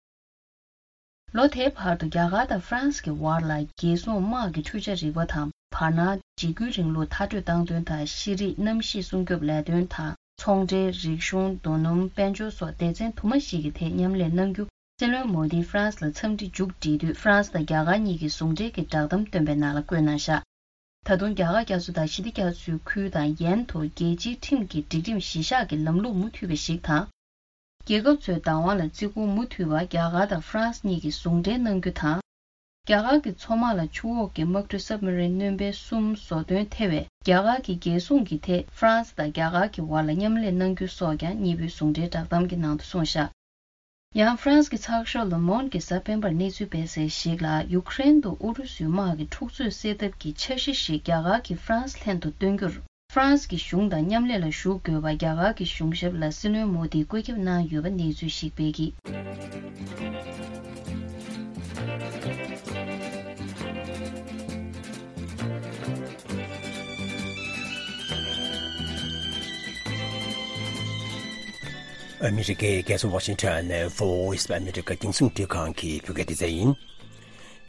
ལོ་དེའི་བར་དུ་རྒྱ་གར་དང་ཧྥ་རན་སི་གི་བར་ལ་རྒྱལ་སྲུང་དམག་གི་འཕྲུལ་ཆས་རིག་པ་དང་། བར་སྣང་འཇིགས་སྐུལ་རིང་ལུགས་མཐར་སྐྲོད་བཏང་དོན་དང་། ཤེས་རིག་གནམ་གཤིས་སྲུང་སྐྱོབ་ལས་དོན་དང་། ཚོང་འབྲེལ། རིག་གཞུང་། རྡོ་སྣུམ། དཔལ་འབྱོར་སོགས་སྡེ་ཚན་དུ་མ་ཞིག་གི་ཐད་མཉམ་ལས་གནང་རྒྱུ། སྲིད་བློན་མོ་དིས་ཧྥ་རན་སི་ལ་འཚམས་འདྲི་མཇུག་བསྒྲིལ་དུས། ཧྥ་རན་སི་དང་རྒྱ་གར་གཉིས་ཀྱི་ཟུང་འབྲེལ་གྱི་བསྒྲགས་གཏམ་བཏོན་པའི་ནང་ལ་བཀོད་གནང་བཞག་ད་དུང་རྒྱ་གར་རྒྱ་མཚོ་དང་ཞི་བདེ་རྒྱ་མཚོའི་ཁུལ་དང་ཡན་དུ་རྒྱལ་སྤྱིའི་ཁྲིམས་ཀྱི་སྒྲིག་ཁྲིམས་གཞི་བཞག་གི་ལམ་ལུགས་མུ་མཐུད་པ་ཞིག་དང་། རྒྱལ་ཁབ་ཚོའི་བདག་དབང་ལ་བརྩི་བཀུར་མུ་མཐུད་པ་རྒྱ་གར་དང་ཧྥ་རན་སི་གཉིས་ཀྱིས་ཟུང་འབྲེལ་གནང་རྒྱུ་དང་། རྒྱ་གར་གྱི་མཚོ་དམག་ལ་ཆུ་འོག་གི་དམག་གྲུ་སབ་མ་རིན་སྣོན་པའི་གསུམ་བཟོ་འདོན་ཐེ་བའི་རྒྱ་གར་གྱི་རྒྱལ་སྲུང་གི་ཐད་ཧྥ་རན་སི་དང་རྒྱ་གར་གྱི་བར་ལ་མཉམ་ལས་གནང་རྒྱུ་སོགས་ཀྱང་གཉིས་པོའི་ཟུང་འབྲེལ་བསྒྲགས་གཏམ་གྱི་ནང་དུ་གསུངས་བཞག་ཡང་ཧྥ་རན་སི་གི་ཚགས་ཤོག་Le Monde གིས་གཟའ་སྤེན་པར་གནས་ཚུལ་སྤེལ་གསལ་ཞིག་ལ། ཡུ་ཁུ་རེན་དུ་ཨུ་རུ་སུའི་དམག་གི་འཁྲུག་རྩོད་སེལ་ཐབས་ཀྱི་འཆར་གཞི་ཞིག་རྒྱ་གར་གྱིས་ཧྥ་རན་སི་ལྷན་དུ་བཏོན་རྒྱུར། ཧྥ་རན་སི་གི་གཞུང་དང་མཉམ་ལས་ལ་ཞུགས་དགོས་པ་རྒྱ་གར་གྱི་གཞུང་ཞབས་ལ་སྲིད་བློན་མོ་དིས་བཀོད་ཁྱབ་གནང་ཡོད་པ་གནས་ཚུལ་ཞིག་སྤེལ་གྱིས། ཨ་མི་རི་ཀའི་རྒྱལ་ས་ཝ་ཤིང་ཊོན་ནས་Voice of America རྒྱང་སྲིང་རླུང་འཕྲིན་ཁང་གི་བོད་སྐད་སྡེ་ཚན་ཡིན།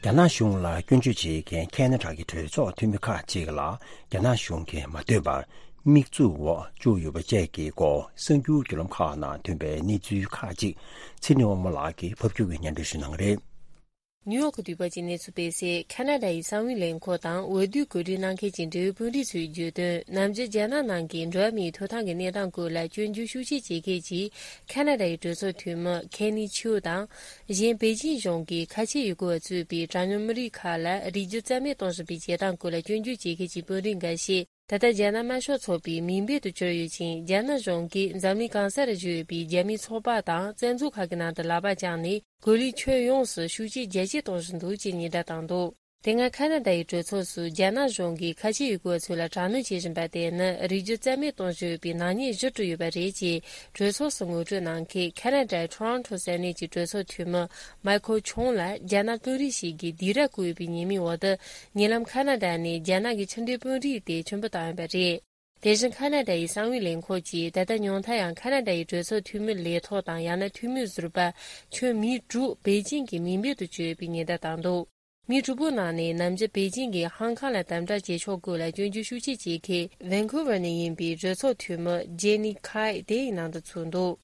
རྒྱ་ནག་གཞུང་ལ་སྐྱོན་བརྗོད་བྱེད་མཁན་ཁེ་ན་ཌ་གི་གྲོས་ཚོགས་འཐུས་མི་ཁག་ཅིག་ལ་རྒྱ་ནག་གཞུང་གིས་མ་འདོད་པར་དམིགས་འཛུགས་འོག་བཅུག་ཡོད་པ་བཅས་ཀྱི་སྐོར་གསར་འགྱུར་བརྒྱུད་ལམ་ཁག་ནང་ཐོན་པའི་གནས་ཚུལ་ཁག་ཅིག་ཚེ་རིང་དབང་མོ་ལགས་ཀྱིས་ཕབ་སྒྱུར་གྱིས་སྙན་སྒྲོན་ཞུ་གནང་གི་རེད། ནིའུ་ཡོག་གི་དུས་བབ་ཀྱི་གནས་ཚུལ་སྤེལ་གསལ། ཁ་ན་ཌ་ཡི་གསང་བའི་ལས་ཁུངས་དང་འོས་བསྡུའི་གོ་སྒྲིག་གནང་མཁན་གྱི་འབྲེལ་ཡོད་དཔོན་རིགས་ཚོས་བརྗོད་དོན། ནམ་རྒྱུན་རྒྱ་ནག་ནང་གི་འགྲོ་བ་མིའི་ཐོབ་ཐང་གི་གནས་སྟངས་སྐོར་ལ་སྐྱོན་བརྗོད་ཤུགས་ཆེ་བྱེད་མཁན་གྱི་ཁ་ན་ཌ་ཡི་གྲོས་ཚོགས་འཐུས་མི་ཁེ་ནི་ཆིའུ་དང་། གཞན་པེ་ཅིན་གཞུང་གིས་ཁ་ཆེ་ཡུ་གུར་བ་གཙོས་པའི་གྲངས་ཉུང་མི་རིགས་ཁག་ལ་རིགས་རྒྱུད་རྩ་མེད་གཏོང་བཞིན་པའི་བྱེད་སྟངས་སྐོར་ལ་སྐྱོན་བརྗོད་བྱེད་མཁན་གྱི་དཔོན་རིགས་འགའ་ཤས། ད་ལྟ་རྒྱ་ནག་དམར་ཤོག་ཚོགས་པའི་མིང་འབོད་དུ་གྱུར་ཡོད་ཅིང་། རྒྱ་ནག་གཞུང་གིས་འཛམ་གླིང་གང་སར་བཞུགས་ཡོད་པའི་རྒྱ་མིའི་ཚོགས་པ་དང་བཙན་འཛུལ་ཁག་གི་ནང་དུ་ལག་པ་བརྐྱངས་ནས། གོ་ལའི་ཁྱོན་ཡོངས་སུ་ཤུགས་རྐྱེན་རྒྱ་ཆེ་གཏོང་བཞིན་འདུག་ཅེས་ཉེན་བརྡ་བཏང་འདུག་དེ་སྔ་ཁ་ན་ཌ་ཡི་གྲོས་ཚོགས་སུ་རྒྱ་ནག་གཞུང་གིས་ཁ་ཆེ་ཡུ་གུར་བ་ཚོ་ལ་དྲག་གནོན་བྱེད་བཞིན་པ་དེ་ནི་རིགས་རྒྱུད་རྩ་མེད་གཏོང་བཞིན་ཡོད་པའི་ནག་ཉེས་གཞིར་གྲུབ་ཡོད་པ་རེད་ཅེས་གྲོས་ཚོགས་སུ་ངོ་སྤྲོད་གནང་མཁན་ཁ་ན་ཌའི་ཊོ་རོན་ཊོ་ས་གནས་ཀྱི་གྲོས་ཚོགས་འཐུས་མི་མའི་ཁལ་ཆོང་ལ་རྒྱ་ནག་དཔོན་རིགས་ཤིག་གིས་སྡིགས་ར་བསྐུལ་ཡོད་པའི་ཉེས་མིང་འོག་ཏུ། ཉེ་ལམ་ཁ་ན་ཌ་ནས་རྒྱ་ནག་གི་ཕྱི་འབྲེལ་དཔོན་རིགས་དེ་ཁྱོན་འབོད་བཏང་ཡོད་པ་རེད། དེ་བཞིན་ཁ་ན་ཌ་ཡི་གསང་བའི་ལས་ཁུངས་ཀྱིས་ད་ལྟ་ཉུང་མཐའ་ཡང་ཁ་ན་ཌ་ཡི་གྲོས་ཚོགས་འཐུས་མི་ལས་ཐོག་དང་། ཡང་ན་འཐུས་མི་ཟུར་པ་ཁྱོན་མི་དྲུག་པེ་ཅིང་གི་མིང་འབོད་དུ་གྱུར་ཡོད་པའི་ཉེན་བརྡ་བཏང་འདུག་མི་དྲུག་པོའི་ནང་ནས་ནམ་རྒྱུན་པེ་ཅིང་གིས་ཧང་ཁང་ལ་དམ་དྲག་བྱེད་ཕྱོགས་སྐོར་ལ་སྐྱོན་བརྗོད་ཤུགས་ཆེ་བྱེད་མཁན་ཝན་ཁུ་ཝར་ནས་ཡིན་པའི་གྲོས་ཚོགས་འཐུས་མི་ཇེ་ནི་ཁའེ་དེ་ཡི་ནང་དུ་ཚུད་འདུག་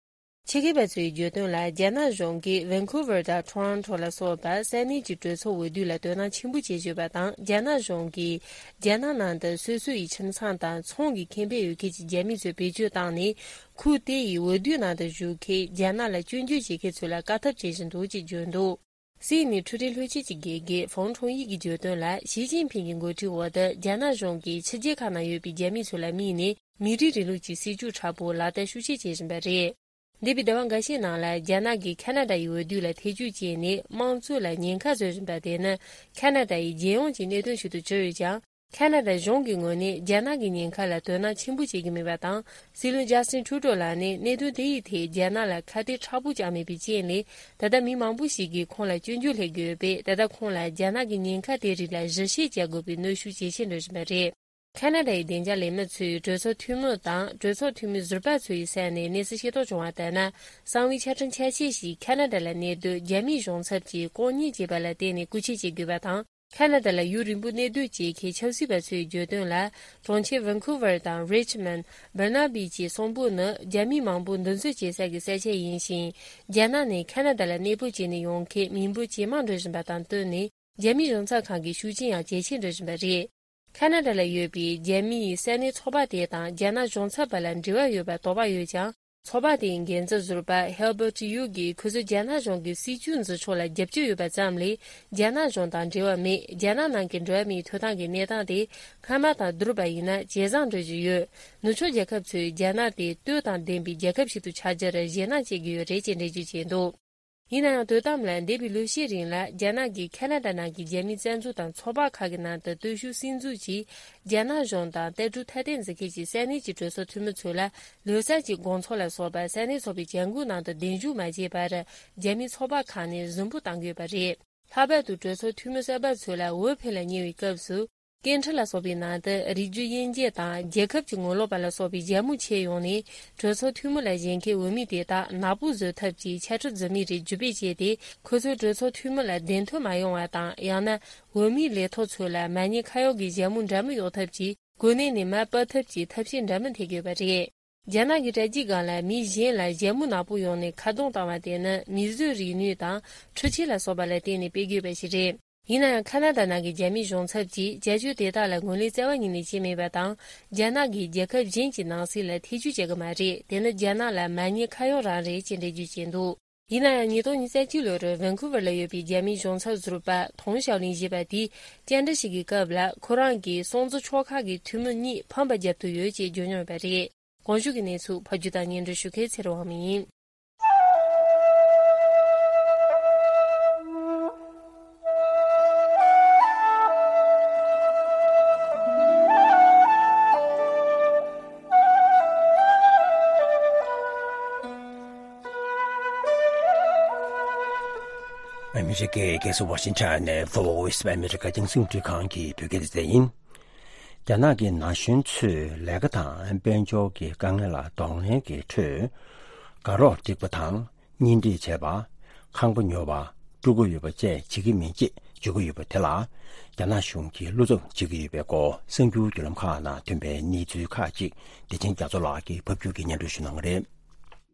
ཆེད་མཁས་པ་ཚོའི་བརྗོད་དོན་ལ། རྒྱ་ནག་གཞུང་གིས་ཝན་ཁུ་ཝར་དང་ཊོ་རོན་ཊོ་ལ་སོགས་པ་ས་གནས་ཀྱི་གྲོས་ཚོགས་འོས་བསྡུ་ལ་དོ་སྣང་ཆེན་པོ་བྱེད་བཞིན་ཡོད་པ་དང་། རྒྱ་ནག་གཞུང་གིས་རྒྱ་ནག་ནང་དུ་སོ་སོ་ཡི་ཁྱིམ་ཚང་དང་ཚོང་གི་ཁེ་ཕན་ཡོད་མཁན་གྱི་རྒྱ་མི་ཚོ་བེད་སྤྱོད་བཏང་ནས། ཁུལ་དེ་ཡི་འོས་བསྡུའི་ནང་དུ་ཞུགས་མཁན་རྒྱ་ནག་ལ་སྐྱོན་བརྗོད་བྱེད་མཁན་ཚོ་ལ་དཀའ་ཐུབ་བྱེད་བཞིན་འདུག་ཅེས་བརྗོད་འདུག་སིད་ནི་འཕྲུལ་རིག་ལྷན་ཁང་གི་དགེ་རྒན་ཧྥང་ཁྲུང་ཡི་གིས་བརྗོད་དོན་ལ། ཞི་ཅིན་ཕིང་གི་འགོ་ཁྲིད་འོག་ཏུ་རྒྱ་ནག་གཞུང་གིས་ཕྱི་རྒྱལ་ཁག་ནང་ཡོད་པའི་རྒྱ་མི་ཚོ་ལ་དམིགས་ནས་མི་རིགས་རིང་ལུགས་ཀྱི་སྲིད་ཇུས་དྲག་པོ་ལག་བསྟར་ཤུགས་ཆེ་བྱེད་བཞིན་པ་རེད། འདས་པའི་ཟླ་བ་འགའ་ཤས་ནང་ལ་རྒྱ་ནག་གིས་ཁ་ན་ཌ་ཡི་འོས་བསྡུ་ལ་ཐེ་ཇུས་བྱས་ནས་དམངས་གཙོ་ལ་ཉེན་ཁ་བཟོ་བཞིན་པ་དེ་ནི་ཁ་ན་ཌ་ཡི་རྒྱལ་ཡོངས་ཀྱི་གནད་དོན་ཞིག་ཏུ་གྱུར་ཡོད་ཀྱང་། ཁ་ན་ཌ་གཞུང་གི་ངོས་ནས་རྒྱ་ནག་གི་ཉེན་ཁ་ལ་དོ་སྣང་ཆེན་པོ་བྱེད་ཀྱི་མེད་པ་དང་། སྲིད་བློན་ཇ་སི་ཊིན་ཊུ་ཌོ་ལགས་ནས་གནད་དོན་དེ་ཡི་ཐད་རྒྱ་ནག་ལ་ཁ་གཏད་མཁྲེགས་པོ་བཅངས་མེད་པའི་རྐྱེན་ལས། ད་ལྟ་མི་མང་པོ་ཞིག་གིས་ཁོང་ལ་སྐྱོན་བརྗོད་སླེབས་ཀྱི་ཡོད་པས། ད་ལྟ་ཁོང་ལ་རྒྱ་ནག་གི་ཉེན་ཁ་དེ་རིགས་ལ་གཞི་བྱེད་བྱ་དགོས་པའི་གནོན་ཤུགས་ཇེ་ཆེར་འགྲོ་བཞིན་པ་རེད། ཁ་ན་ཌ་ཡི་བདེ་འཇགས་ལས་མི་ཚོས་གྲོས་ཚོགས་འཐུས་མི་དང་གྲོས་ཚོགས་འཐུས་མི་ཟུར་པ་ཚོ་ཡི་ས་ནས་གནས་ཚུལ་ཤེས་རྟོགས་བྱུང་བ་ལྟར་ན། གསང་བའི་ཆ་འཕྲིན་ཆ་ཤས་ཤིག་ཁ་ན་ཌ་ལ་གནས་སྡོད་རྒྱ་མིའི་གཞུང་ཚབ་ཀྱིས་ལྐོག་ཉན་བྱས་པ་ལ་བརྟེན་ནས་རྐུ་འཁྱེར་བྱེད་དགོས་པ་དང་། ཁ་ན་ཌ་ལ་ཡུན་རིང་པོ་གནས་སྡོད་བྱེད་མཁན་ཆབ་སྲིད་པ་ཚོའི་བརྗོད་དོན་ལ། གྲོང་ཁྱེར་ཝན་ཁུ་ཝར་དང་རི་ཆི་མོན། སྦར་ན་བི་བཅས་གསུམ་པོ་ནི་རྒྱ་མིའི་མང་པོ་འདུ་འཛོམས་བྱེད་ས་གི་ས་ཆ་ཡིན་ཞིང་། རྒྱ་ནག་ནས་ཁ་ན་ཌ་ལ་གནས་སྤོ་བྱས་ནས་ཡོང་མཁན་མི་འབོར་ཇེ་མང་འགྲོ་བཞིན་པ་དང་བསྟུན་ནས། རྒྱ་མིའི་གཞུང་ཚབ་ཁང་གི་ཤུགས་རྐྱེན་ཡང་ཇེ་ཆེར་འགྲོ་བཞིན་པ་རེད། ཁ་ན་ཌ་ལ་ཡོད་པའི་རྒྱ་མིའི་ས་གནས་ཚོགས་པ་དེ་དང་རྒྱ་ནག་གཞུང་ཚབ་པ་ལ་འབྲེལ་བ་ཡོད་པར་དོགས་པ་ཡོད་ཀྱང་། ཚོགས་པ་དེའི་འགན་འཛིན་ཟུར་པ་ཧེལ་བར་ཊི་ཡུ་གིས། ཁོ་ཚོས་རྒྱ་ནག་གཞུང་གི་སྲིད་བྱུས་འཛིན་ཕྱོགས་ལ་རྒྱབ་སྐྱོར་ཡོད་པ་ཙམ་ལས། རྒྱ་ནག་གཞུང་དང་འབྲེལ་བ་མེད། རྒྱ་ནག་ནང་གི་འགྲོ་བ་མིའི་ཐོབ་ཐང་གི་གནས་སྟངས་དེ་སྔ་མ་དང་བསྡུར་བ་ཡིན་ན་ཇེ་བཟང་འགྲོ་བཞིན་ཡོད། ནུབ་ཕྱོགས་རྒྱལ་ཁབ་ཚོས་རྒྱ་ནག་དེ་ལྟོས་དང་ལྡན་པའི་རྒྱལ་ཁབ་ཞིག་ཏུ་ཆགས་རྒྱུར་ཞེད་སྣང་བྱེད་ཀྱི་ཡོད་རེད་ཅེས་འགྲེལ་བརྗོད་བྱས་འདུག་ཡིན་ན་ཡང་། དོ་དམ་ལ་འདས་པའི་ལོ་ཤས་རིང་ལ་རྒྱ་ནག་གིས་ཁ་ན་ཌ་ནང་གི་རྒྱ་མིའི་བཙན་འཛུལ་དང་ཚོགས་པ་ཁག་གི་ནང་དུ་སྟོབས་ཤུགས་སྲིད་འཛུགས་ཀྱིས་རྒྱ་ནག་གཞུང་དང་ལྟ་གྲུབ་ཐ་དད་འཛིན་མཁན་གྱི་ས་གནས་ཀྱི་གྲོས་ཚོགས་འཐུས་མི་ཚོ་ལ་ལོ་གསར་གྱི་དགོང་ཚོགས་ལ་སོགས་པ་ས་གནས་ཚོགས་པའི་བྱ་འགུལ་ནང་དུ་གདན་ཞུ་མ་བྱས་པར་རྒྱ་མིའི་ཚོགས་པ་ཁག་ནས་ཟིང་འབུད་བཏང་གི་ཡོད་པ་རེད། ལྷག་པར་དུ་གྲོས་ཚོགས་འཐུས་མི་གསར་པ་ཚོ་ལ་འོས་འཕེན་ལ་ཉེ་བའི་སྐབས་སུ། སྐད་འཕྲིན་ལ་སོགས་པའི་ནང་དུ་རིགས་རྒྱུད་དབྱེ་འབྱེད་དང་རྒྱལ་ཁབ་ཀྱི་ངོ་ལོག་པ་ལ་སོགས་པའི་ཞྭ་མོ་ཕྱེ་ཡོང་ནས། གྲོས་ཚོགས་འཐུས་མི་ལ་བཞེངས་མཁན་འོས་མི་དེ་དག་ནག་པོ་བཟོ་ཐབས་ཀྱི་འཆད་ཁྲིད་རྫུན་མའི་རིགས་བརྒྱུད་སྤེལ་བྱས་ཏེ། ཁོ་ཚོས་གྲོས་ཚོགས་འཐུས་མི་ལ་བདེན་དོན་མ་ཡོང་བ་དང་། ཡང་ན་འོས་མིའི་ལས་ཐོག་ཚོ་ལ་མ་ཉེས་ཁ་གཡོག་གི་ཞྭ་མོ་འདྲ་མིན་གཡོག་ཐབས་ཀྱིས་གོ་གནས་ནས་མར་ཕབ་ཐབས་ཀྱི་ཐབས་ཤེས་འདྲ་མིན་འཐེན་གྱི་ཡོད་པ་རེད། རྒྱ་ནག་གི་དྲ་རྒྱའི་སྒང་ལ་མི་གཞན་ལ་ཞྭ་མོ་ནག་པོ་གཡོགས་ནས་ཁ་རྡུང་བཏང་བ་དེ་ནི་མིས་བཟོས་རིག་ནུས་དང་འཕྲུལ་ཆས་ལ་སོགས་པ་ལ་བརྟེན་ནས་སྤེལ་དགོས་པ་ཞིག་རེད། ཡིན་ན་ཡང་། ཁ་ན་ཌ་ནང་གི་རྒྱ་མིའི་གཞུང་ཚབ་ཀྱིས་བྱ་སྤྱོད་དེ་དག་ལ་ངོས་ལེན་རྩ་བ་ཉིད་ནས་བྱས་མེད་པ་དང་། རྒྱ་ནག་གིས་རྒྱལ་ཁབ་གཞན་གྱི་ནང་སྲིད་ལ་ཐེ་ཇུས་བྱེད་ཀྱི་མ་རེད། དེ་ནི་རྒྱ་ནག་ལ་མ་ཉེས་ཁ་གཡོག་རང་རེད་ཅེས་འགྲེལ་བརྗོད་བྱས་འདུག་ཡིན་ན་ཡང་། ཉིས་སྟོང་ཉི་ཤུ་རྩ་གཅིག་ལོར་ཝན་ཁུ་ཝར་ལ་ཡོད་པའི་རྒྱ་མིའི་གཞུང་ཚབ་ཟུར་པ་ཐོང་ཞའོ་ལིན་ཞེས་པ་དེས་བཅར་འདྲི་ཞིག་གི་སྐབས་ལ། ཁོ་རང་གིས་སྲུང་བརྩི་ཕྱོགས་ཁག་གི་འཐུས་མི་གཉིས་ཕམ་པ་བརྒྱབ་ཐུབ་ཡོད་ཅེས་བརྗོད་མྱོང་ཡོད་པ་རེད། གོང་ཞུས་ཀྱི་གནས་ཚུལ་ཕབ་སྒྱུར་དང་སྙན་སྒྲོན་ཞུ་མཁན་ཚེ་རིང་དབང་མོ་ཡིན། ཨ་མི་རི་ཀའི་རྒྱལ་ས་ཝ་ཤིང་ཊོན་ནས་Voice of America རྒྱང་སྲིང་རླུང་འཕྲིན་ཁང་གི་བོད་སྐད་སྡེ་ཚན་ཡིན། རྒྱ་ནག་གི་ན་གཞོན་ཚོས་ལས་ཀ་དང་དཔལ་འབྱོར་གྱི་དཀའ་ངལ་ལ་གདོང་ལེན་གྱི་ཁྲོད། ནད་རོགས་སྒྲིག་པ་དང་། གཉེན་སྒྲིག་བྱས་པ། ཁང་པ་ཉོ་བ། སྤྲུལ་སྐུ་ཡོད་པ་བཅས་བྱེད་ཀྱི་མིན་ཅེས་བརྗོད་ཀྱི་ཡོད་པ་དེ་ལ། རྒྱ་ནག་གཞུང་གིས་བློ་འཚབ་བྱེད་ཀྱི་ཡོད་པའི་སྐོར་གསར་འགྱུར་བརྒྱུད་ལམ་ཁག་ནང་ཐོན་པའི་གནས་ཚུལ་ཁག་ཅིག་བདེ་ཆེན་རྒྱ་མཚོ་ལགས་ཀྱིས་ཕབ་སྒྱུར་གྱིས་སྙན་སྒྲོན་ཞུ་གནང་གི་རེད།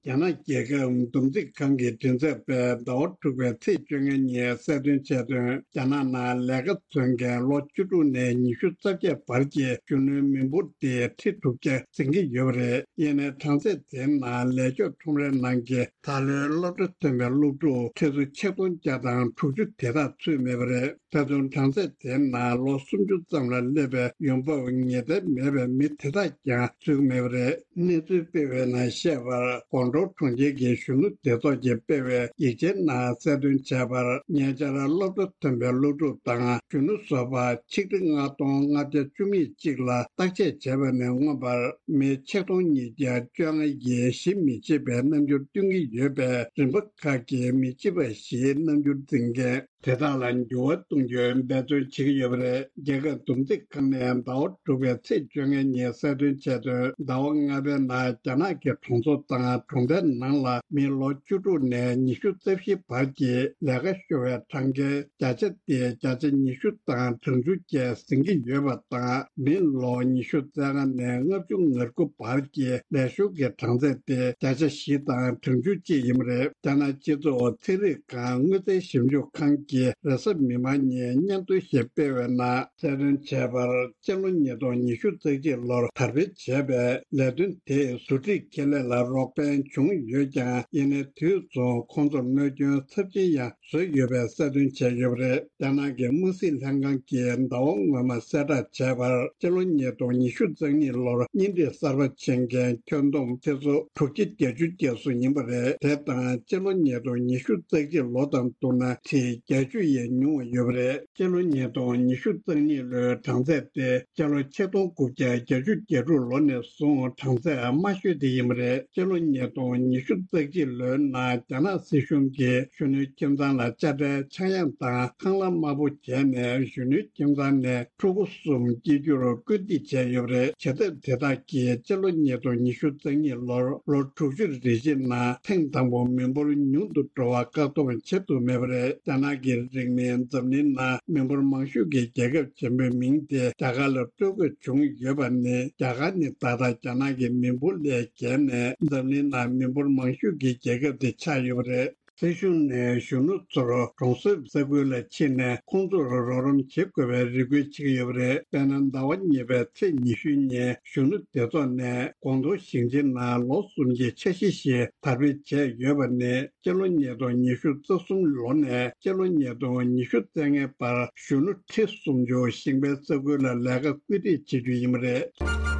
རྒྱ་ནག་རྒྱལ་ཁབ་བསྡོམས་རྩིས་ཁང་གི་མགྲིན་ཚབ་པས་ཟླ་བ་དྲུག་པའི་ཚེས་བཅོ་ལྔ་ཉིན་གསལ་སྟོན་བྱས་དོན། རྒྱ་ནག་ནང་ལས་ཀ་འཚོལ་མཁན་ལོ་བཅུ་དྲུག་ནས་ཉི་ཤུ་རྩ་བརྒྱད་བར་གྱི་གཞོན་ནུའི་མི་འབོར་དེ་ཁྲི་དྲུག་བརྒྱ་ཟིན་གྱི་ཡོད་པ་རེད། ཡིན་ནའི་གྲངས་ཚད་དེའི་ནང་ལས་ཕྱོགས་ཁྲོམ་རའི་ནང་གི་ད་ལོའི་སློབ་གྲྭ་ཐོན་པའི་སློབ་ཕྲུག་ཁྲི་ཚོ་ཆིག་སྟོང་བརྒྱ་དང་དྲུག་ཅུ་དེ་དག་ཚུད་མེད་པ་རེད། ད་དུང་གྲངས་ཚད་དེའི་ནང་ལོ་སུམ་ཅུ་ཙམ་ལ་སླེབས་པའི་ཡོང་འབབ་ངེས་གཏན་མེད་པའི་མི་དེ་དག་ཀྱང་ཚུད་མེད་པ་རེད། གནས་ཚུལ་སྤེལ་བའི་ནང་བཤད་པར། ཀོང་ཀྲོའུ་གྲོང་ཁྱེར་གྱི་གཞོན་ནུ་སྡེ་ཚོགས་ཀྱིས་སྤེལ་བའི་ཡིག་ཆའི་ནང་གསལ་སྟོན་བྱས་པར། ཉེ་ཆར་སློབ་གྲྭ་ཐོན་པའི་སློབ་ཕྲུག་དང་གཞོན་ནུ་བཟོ་པ་ཆིག་ཁྲི་ལྔ་སྟོང་ལྔ་བརྒྱ་བཅུ་གཅིག་ལ་བརྟག་དཔྱད་བྱས་པ་ནས་མངོན་པར། མི་ཆིག་སྟོང་ཉིས་བརྒྱ་བཅོ་ལྔ་ཡིས་ཞིབ་མི་བྱེད་པའི་རྣམ་འགྱུར་སྟོན་གྱི་ཡོད་པས། རིམ་པ་ཁག་གིས་མི་བྱེད་པ་བཞིའི་རྣམ་འགྱུར་འཛིན་མཁན་དེ་དག་ལ་འགྱུར་བ་གཏོང་རྒྱུའི་འབད་བརྩོན་བྱེད་ཀྱི་ཡོད་པ་རེད། རྒྱལ་ཁབ་བསྡོམས་རྩིས་ཁང་ནས་ཟླ་བ་དྲུག་པའི་ཚེས་བཅོ་ལྔ་ཉིན་གསལ་སྟོན་བྱས་དོན། ཟླ་བ་ལྔ་པའི་ནང་རྒྱ་ནག་གི་གྲོང་ཚོ་དང་གྲོང་རྡལ་ནང་ལ་མི་ལོ་བཅུ་དྲུག་ནས་ཉི་ཤུ་རྩ་བཞི་བར་གྱི་ལས་ཀ་ཤོར་བའི་གྲངས་ཀའི་བརྒྱ་ཆ་དེ་བརྒྱ་ཆ་ཉི་ཤུ་དང་གྲངས་ཆུང་བཅས་ཟིན་གྱི་ཡོད་པ་དང་། མི་ལོ་ཉི་ཤུ་རྩ་ལྔ་ནས་ལྔ་བཅུ་ང་དགུ་བར་གྱི་ལས་ཤོར་གྱི་གྲངས་ཚད་དེ་བརྒྱ་ཆ་བཞི་དང་གྲངས་ཆུང་གཅིག་ཡིན་པ་རེད། རྒྱ་ནག་སྤྱི་ཚོགས་ཚན་རིག་ཁང་དངུལ་རྩའི་ཞིབ་འཇུག་ཁང་གིས་རེས་གཟའ་མིག་དམར་ཉིན་སྙན་ཐོ་ཞིག་སྤེལ་བའི་ནང་གསལ་སྟོན་བྱས་པར། སྤྱི་ལོ་ཉིས་སྟོང་ཉི་ཤུ་རྩ་གཅིག་ལོར་དར་སྤེལ་བྱས་པའི་ལས་དོན་དེས་བཟོ་སྒྲིག་ཁེ་ལས་ལ་རོགས་ཕན་བྱུང་ཡོད་ཀྱང་། ཡིན་ནའི་དུས་མཚུངས་ཁོང་ཚོར་གནོད་སྐྱོན་ཚབས་ཆེན་ཡང་བཟོས་ཡོད་པའི་གསལ་སྟོན་བྱས་ཡོད་པ་རེད། རྒྱ་ནག་གི་དམག་སྲིད་ལྷན་ཁང་གིས་ཟླ་བ་སྔོན་མ་གསལ་བསྒྲགས་བྱས་པར། སྤྱི་ལོ་ཉིས་སྟོང་ཉི་ཤུ་རྩ་གཉིས་ལོར་གཉེན་སྒྲིག་གསར་པ་བྱེད་མཁན་ཁྱོན་བསྡོམས་ཁྲི་ཚོ་དྲུག་བརྒྱ་བརྒྱད་ཅུ་བརྒལ་སོང་ཡིན་པ་རེད། དེ་དང་སྤྱི་ལོ་ཉིས་སྟོང་ཉི་ཤུ་རྩ་གཅིག་ལོ་དང་བསྡུར་ན་ཁྲི་བརྒྱད་ཅུ་ཡས་ཉུང་བ་ཡོད་པ་རེད། སྤྱི་ལོ་ཉིས་སྟོང་ཉི་ཤུ་རྩ་གཉིས་ལོའི་གྲངས་ཚད་དེ་སྤྱི་ལོ་ཆིག་སྟོང་དགུ་བརྒྱ་བརྒྱད་ཅུ་གྱ་དྲུག་ལོ་ནས་བཟུང་གྲངས་ཚད་དམའ་ཤོས་དེ་ཡིན་པ་རེད། སྤྱི་ལོ་ཉིས་སྟོང་ཉི་ཤུ་རྩ་གཅིག་ལོའི་ནང་རྒྱ་ནག་སྲིད་གཞུང་གིས་གཞོན་ནུའི་ཁྱིམ་ཚང་ལ་དཔྱ་ཁྲལ་ཆག་ཡང་དང་ཁང་གླ་དམའ་པོ་བྱས་ནས། གཞོན་ནུའི་ཁྱིམ་ཚང་ནས་ཕྲུ་གུ་གསུམ་སྐྱེ་རྒྱུར་སྐུལ་འདེད་བྱས་ཡོད་པ་རེད། བྱེད་ཐབས་དེ་དག་གིས་སྤྱི་ལོ་ཉིས་སྟོང་ཉི་ཤུ་རྩ་གཉིས་ལོར་ལོ་དྲུག་ཅུ་རེ་བཞིའི་ནང་ཐེངས་དང་པོ་མི་འབོར་ཉུང་དུ་འགྲོ་བ་བཀག་སྡོམ་བྱེད་ཐུབ་མེད་པ་རེད། རྒྱ་ནག་གི་རིང་མིན་འཛམ་གླིང་ནང་མི་འབོར་མང་ཤོས་ཀྱི་རྒྱལ་ཁབ་ཆེན་པོའི་མིང་དེ་རྒྱ་གར་ལ་སྤྲོད་དགོས་བྱུང་ཡོད་པ་ནི། རྒྱ་གར་ནི་ད་ལྟ་རྒྱ་ནག་གི་མི་འབོར་ལས་བརྒལ་ནས་འཛམ་གླིང་ནང་མི་འབོར་མང་ཤོས་ཀྱི་རྒྱལ་ཁབ་དེ་ཆགས་ཡོད་པ་རེད། སྲིད་གཞུང་ནས་གཞོན་ནུ་ཚོར་གྲོང་གསེབ་ས་ཁུལ་ལ་ཕྱིན་ནས་ཁོང་ཚོར་རོགས་རམ་བྱེད་དགོས་པའི་རེ་སྐུལ་བྱེད་ཀྱི་ཡོད་པ་རེད། དཔེར་ན། ཟླ་བ་གཉིས་པའི་ཚེས་ཉི་ཤུ་ཉིན་གཞོན་ནུ་སྡེ་ཚོགས་ནས་ཀོང་ཏུང་ཞིང་ཆེན་ནང་ལོ་གསུམ་གྱི་འཆར་གཞི་ཞིག་དར་སྤེལ་བྱས་ཡོད་པ་ནི། སྤྱི་ལོ་ཉིས་སྟོང་ཉི་ཤུ་རྩ་གསུམ་ལོ་ནས་སྤྱི་ལོ་ཉིས་སྟོང་ཉི་ཤུ་རྩ་ལྔའི་བར་གཞོན་ནུ་ཁྲི་སུམ་ཅུ་ཞིང་པའི་ས་ཁུལ་ལ་ལས་ཀ་བཀོད་སྒྲིག་བྱེད་རྒྱུ་ཡིན་པ་རེད།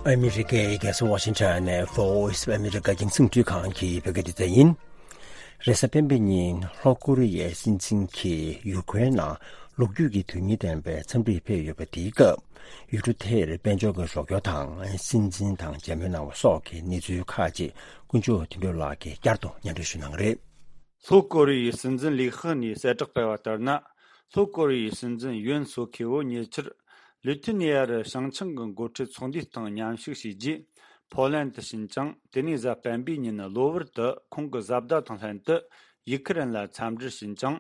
ཨ་མི་རི་ཀའི་རྒྱལ་ས་ཝ་ཤིང་ཊོན་ནས་Voice of America་རྒྱང་སྲིང་སྤྲོད་ཁང་གི་བོད་སྐད་སྡེ་ཚན་ཡིན། རེས་གཟའ་སྤེན་པའི་ཉིན་ལྷོ་ཀོ་རི་ཡའི་སྲིད་འཛིན་གྱིས་ཡུ་ཀེ་རེན་ནང་ལོ་རྒྱུས་ཀྱི་དོན་སྙིང་ལྡན་པའི་འཚམས་འདྲིར་ཕེབས་ཡོད་པ་དེའི་སྐབས། ཡུལ་གྲུ་དེར་དཔལ་འབྱོར་གྱི་རོགས་སྐྱོར་དང་། སྲིད་འཛིན་དང་མཇལ་མོལ་གནང་བ་སོགས་ཀྱི་གནས་ཚུལ་ཁག་ཅིག་དཀོན་མཆོག་དོན་གྲུབ་ལགས་ཀྱིས་བསྐྱར་དུ་སྙན་སྒྲོན་ཞུ་གནང་གི་རེད། ལྷོ་ཀོ་རི་ཡའི་སྲིད་འཛིན་ལི་ཁེ་ནས་གསལ་བསྒྲགས་སྤེལ་བ་ལྟར་ན། ལྷོ་ཀོ་རི་ཡའི་སྲིད་འཛིན་ཡོན་སོ་ཁེ་བོ་ཉེ་ཆར་ལི་ཐུ་ནི་ཡ་རུ་བྱང་ཆིངས་ཀྱི་འགོ་ཁྲིད་ཚོགས་འདུའི་སྟེང་མཉམ་ཞུགས་བྱས་རྗེས། ཕོ་ལན་དུ་ཕྱིན་ཅིང་། དེ་ནས་གཟའ་སྤེན་པའི་ཉིན་གློ་བུར་དུ་ཁོང་གི་བཟའ་ཟླ་དང་ལྷན་དུ་ཡུ་ཁི་རན་ལ་འཚམས་འདྲིར་ཕྱིན་ཅིང་།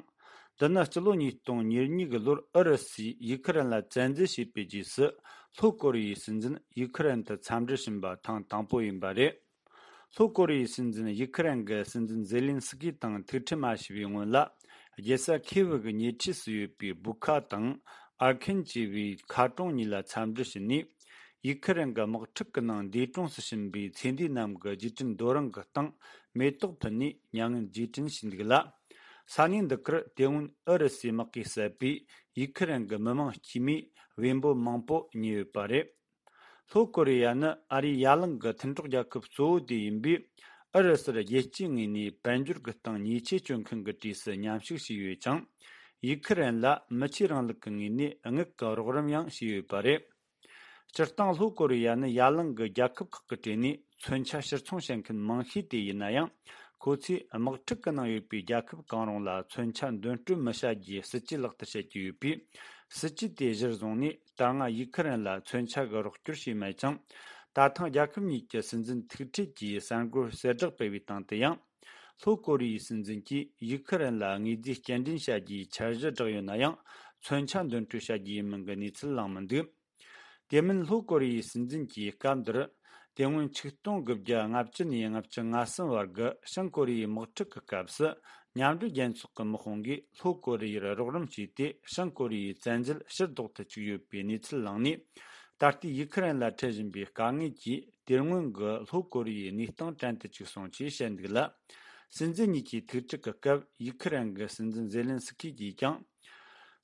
འདི་ནི་སྤྱི་ལོ་ཉིས་སྟོང་ཉེར་གཉིས་ཀྱི་ལོར་ཨུ་རུ་སུས་ཡུ་ཁི་རན་ལ་བཙན་འཛུལ་བྱས་པའི་རྗེས་སུ། ལྷོ་ཀོ་རི་ཡའི་སྲིད་འཛིན་ཡུ་ཁི་རན་དུ་འཚམས་འདྲིར་ཕྱིན་པ་ཐེངས་དང་པོ་ཡིན་པ་རེད། ལྷོ་ཀོ་རི་ཡའི་སྲིད་འཛིན་ཡུ་ཁི་རན་གྱི་སྲིད་འཛིན་ཛེ་ལིན་སི་ཀི་དང་ཐུག་འཕྲད་མ་བྱས་པའི་སྔོན་ལ། རྒྱལ་ས་ཁེ་བི་གི་ཉེ་འཁྲིས་སུ་ཡོད་པའི་བུ་ཁ་དང་ཨར་ཁན་ཅེས་པའི་མཁར་གྲོང་གཉིས་ལ་འཚམས་འདྲི་བྱས་ནས། ཡུ་ཁི་རན་གྱི་དམག་འཁྲུག་གི་ནང་འདས་གྲོངས་སུ་ཕྱིན་པའི་ཚེ་འདས་རྣམས་ཀྱི་རྗེས་དྲན་རྡོ་རིང་གི་སྟེང་མེ་ཏོག་ཕུལ་ནས་མྱ་ངན་རྗེས་དྲན་ཞུས་འདུག་ལ། ས་གནས་འདི་གར་དེ་སྔོན་ཨུ་རུ་སུའི་དམག་གིས་བསད་པའི་ཡུ་ཁི་རན་གྱི་མི་མང་དཀྱུས་མའི་བེམ་པོ་མང་པོ་རྙེད་ཡོད་པ་རེད། ལྷོ་ཀོ་རི་ཡ་ནི་ཨ་རིའི་ཡ་གླིང་གི་མཐུན་གྲོགས་རྒྱལ་ཁབ་གཙོ་བོ་དེ་ཡིན་པས། ཨུ་རུ་སུར་རྒྱལ་སྤྱིའི་ངོས་ནས་དཔལ་འབྱོར་གྱི་སྟེང་ཉེས་ཆད་གཅོད་མཁན་གྱི་གྲས་སུ་མཉམ་ཞུགས་བྱས་ཡོད་ཅིང་། ཡུ་ཁི་རན་ལ་མི་ཆོས་རིང་ལུགས་ཀྱི་ངོས་ནས་དངུལ་གྱི་རོགས་རམ་ཡང་བྱས་ཡོད་པ་རེད། སྤྱིར་བཏང་ལྷོ་ཀོ་རི་ཡ་ནི་ཡ་གླིང་གི་རྒྱལ་ཁབ་ཁག་གི་གྲས་ནས་མཚོན་ཆ་ཕྱིར་ཚོང་བྱེད་མཁན་མང་ཤོས་དེ་ཡིན་ན་ཡང་། ཁོ་ཚོས་དམག་འཁྲུག་གི་ནང་ཡོད་པའི་རྒྱལ་ཁབ་གང་རུང་ལ་མཚོན་ཆ་འདོན་སྤྲོད་མི་བྱ་རྒྱུའི་སྲིད་ཇུས་ལག་བསྟར་བྱེད་ཀྱི་ཡོད་པས། སྲིད་ཇུས་དེ་གཞིར་བཟུང་ནས་ད་སྔ་ཡུ་ཁུ་རེན་ལ་མཚོན་ཆ་གི་རོགས་སྐྱོར་བྱས་མེད་ཅིང་། ད་ཐེངས་རྒྱལ་ཁབ་གཉིས་ཀྱི་སྲིད་འཛིན་ཐུག་འཕྲད་ཀྱིས་གསར་འགོད་གསལ་བསྒྲགས་སྤེལ་བའི་སྟེང་དུ་ཡང་། ལྷོ་ཀོ་རི་ཡའི་སྲིད་འཛིན་གྱིས་ཡུ་ཁུ་རེན་ལ་དངོས་རྫས་སྐྱེལ་འདྲེན་བྱ་རྒྱུའི་འཆར་གཞི་བསྒྲགས་ཡོད་ན་ཡང་། མཚོན་ཆ་འདོན་སྤྲོད་བྱ་རྒྱུ་ཡིན་མིན་གྱི་གནས་ཚུལ་བླངས་མི་འདུག་དེ་མིན་ལྷོ་ཀོ་རི་ཡའི་སྲིད་འཛིན་གྱིས་སྐབས་འདིར། དེ་སྔོན་ཆིག་སྟོང་དགུ་བརྒྱ་ལྔ་བཅུ་ནས་ལྔ་བཅུ་ང་གསུམ་བར་གྱི་བྱང་ཀོ་རི་ཡའི་དམག་འཁྲུག་གི་སྐབས་སུ། མཉམ་འབྲེལ་རྒྱལ་ཚོགས་ཀྱི་དམག་དཔུང་གིས་ལྷོ་ཀོ་རི་ཡར་རོགས་རམ་བྱས་ཏེ། བྱང་ཀོ་རི་ཡའི་བཙན་འཛུལ་ཕྱིར་ལྡོག་ཏུ་བཅུག་ཡོད་པའི་གནས་ཚུལ་བླངས་ནས། ད་ལྟའི་ཡུ་ཁུ་རེན་ལ་འཕྲད་བཞིན་པའི་དཀའ་ངལ་གྱིས། དེ་སྔོན་གྱི་ལྷོ་ཀོ་རི་ཡའི་གནས་སྟངས་བྲན་དུ་བཅུག་སོང་ཅེས་བཤད་འདུག་ལ། སྲིད་འཛིན་གཉིས་ཀྱི་ཐུག་འཕྲད་ཀྱི་སྐབས། ཡུ་ཁུ་རེན་གྱི་སྲིད་འཛིན་ཛེ་ལན་སི་ཁི་གིས་ཀྱང་།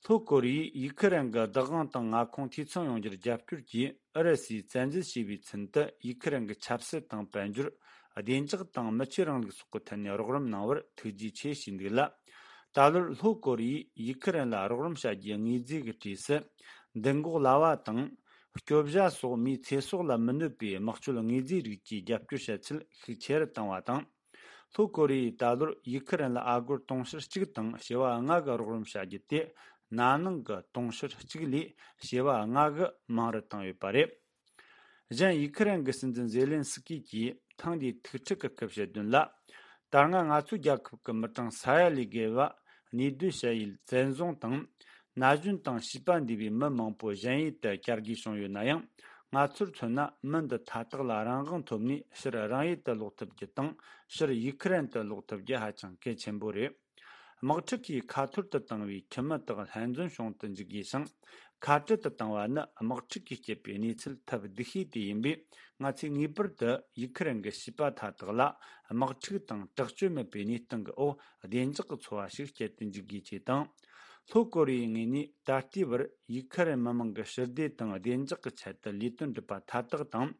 ལྷོ་ཀོ་རི་ཡས་ཡུ་ཁུ་རེན་གྱི་བདག་དབང་དང་མངའ་ཁོངས་འཐུས་ཚང་ཡོང་རྒྱུར་རྒྱབ་སྐྱོར་གྱིས། ཨུ་རུ་སུས་བཙན་འཛུལ་བྱས་པའི་ཚུན་དུ། ཡུ་ཁུ་རེན་གྱི་ཆབ་སྲིད་དང་དཔལ་འབྱོར། བདེ་འཇགས་དང་མི་ཆོས་རིང་ལུགས་སོགས་ཀྱི་ཐད་ནས་རོགས་རམ་གནང་བར་ཐུགས་རྗེ་ཆེ་ཞུས་འདུག་ལ། ད་ལོར་ལྷོ་ཀོ་རི་ཡས་ཡུ་ཁུ་རེན་ལ་རོགས་རམ་བྱ་རྒྱུའི་དངོས་རྫས་ཀྱི་གྲས་སུ། མདུན་འགོག་ལྭ་བ་དང་། སྐྱོབ་བྱ་སོགས་མིའི་ཚེ་སྲོག་ལ་མི་གནོད་པའི་དམག་སྤྱོད་དངོས་རྫས་རིགས་ཀྱི་རྒྱབ་སྐྱོར་བྱ་ཚུལ་ཤུགས་ཆེ་རུ་བཏང་བ་དང་། ལྷོ་ཀོ་རི་ཡས་ད་ལོར་ཡུ་ཁུ་རེན་ལ་ཨ་སྒོར་དུང་ཕྱུར་གཅིག་དང་བྱེ་བ་ལྔ་གི་རོགས་རམ་བྱ་རྒྱུ་དེ། ན་ནིང་གི་དུང་ཕྱུར་གཅིག་ལས་བྱེ་བ་ལྔ་གིས་མང་རུ་བཏང་ཡོད་པ་རེད། གཞན་ཡུ་ཁུ་རེན་གྱི་སྲིད་འཛིན་ཛེ་ལན་སི་ཀི་གིས་ཐེངས་འདིའི་ཐུག་འཕྲད་ཀྱི་སྐབས་བཤད་དོན་ལ། ད་སྔ་ང་ཚོའི་རྒྱལ་ཁབ་ཀྱི་མི་གྲངས་ས་ཡ་ལས་བརྒལ་བ་གནས་སྡོད་བྱ་ཡུལ་བཙན་བཟུང་དང་། ན་གཞོན་དང་བྱིས་པ་འདུས་པའི་མི་མང་པོ་གཞན་ཡུལ་དུ་གྱར་དགོས་བྱུང་ཡོད་ན་ཡང་། ང་ཚོར་མཚོན་ན། མི་འདི་མཐའ་དག་ལ་རང་དབང་ཐོབ་ནས་ཕྱིར་རང་ཡུལ་དུ་ལོག་ཐུབ་རྒྱུ་དང་། ཕྱིར་ཡུ་ཁུ་རེན་དུ་ལོག་ཐུབ་རྒྱུ་ཧ་ཅང་གལ་ཆེན་པོ་རེད། དམག་འཁྲུག་གིས་ཁ་ཐོར་དུ་བཏང་བའི་ཁྱིམ་མི་དག་ལྷན་འཛོམས་བྱུང་དུ་འཇུག་དགོས་ཤིང་། ཁ་བྲལ་དུ་བཏང་བ་ནི་དམག་འཁྲུག་གིས་བསྐྱེད་པའི་གནས་ཚུལ་ཐབས་སྡུག་ཤོས་དེ་ཡིན་པས། ང་ཚོས་ངེས་པར་དུ་ཡུ་ཁུ་རེན་གྱི་བྱིས་པ་མཐའ་དག་ལ་དམག་འཁྲུག་དང་དྲག་སྤྱོད་མེད་པའི་གནས་སྟངས་ཀྱི་འོག་བདེ་འཇགས་ཀྱི་འཚོ་བ་ཞིག་སྐྱེལ་དུ་འཇུག་དགོས་ཅེས་དང་། ལྷོ་ཀོ་རི་ཡའི་ངོས་ནས་ད་ལྟའི་བར་ཡུ་ཁུ་རེན་མི་མང་གི་ཞི་བདེ་དང་བདེ་འཇགས་ཀྱི་ཆེད་དུ་ལས་དོན་སྒྲུབ་པ་མཐའ་དག་དང་།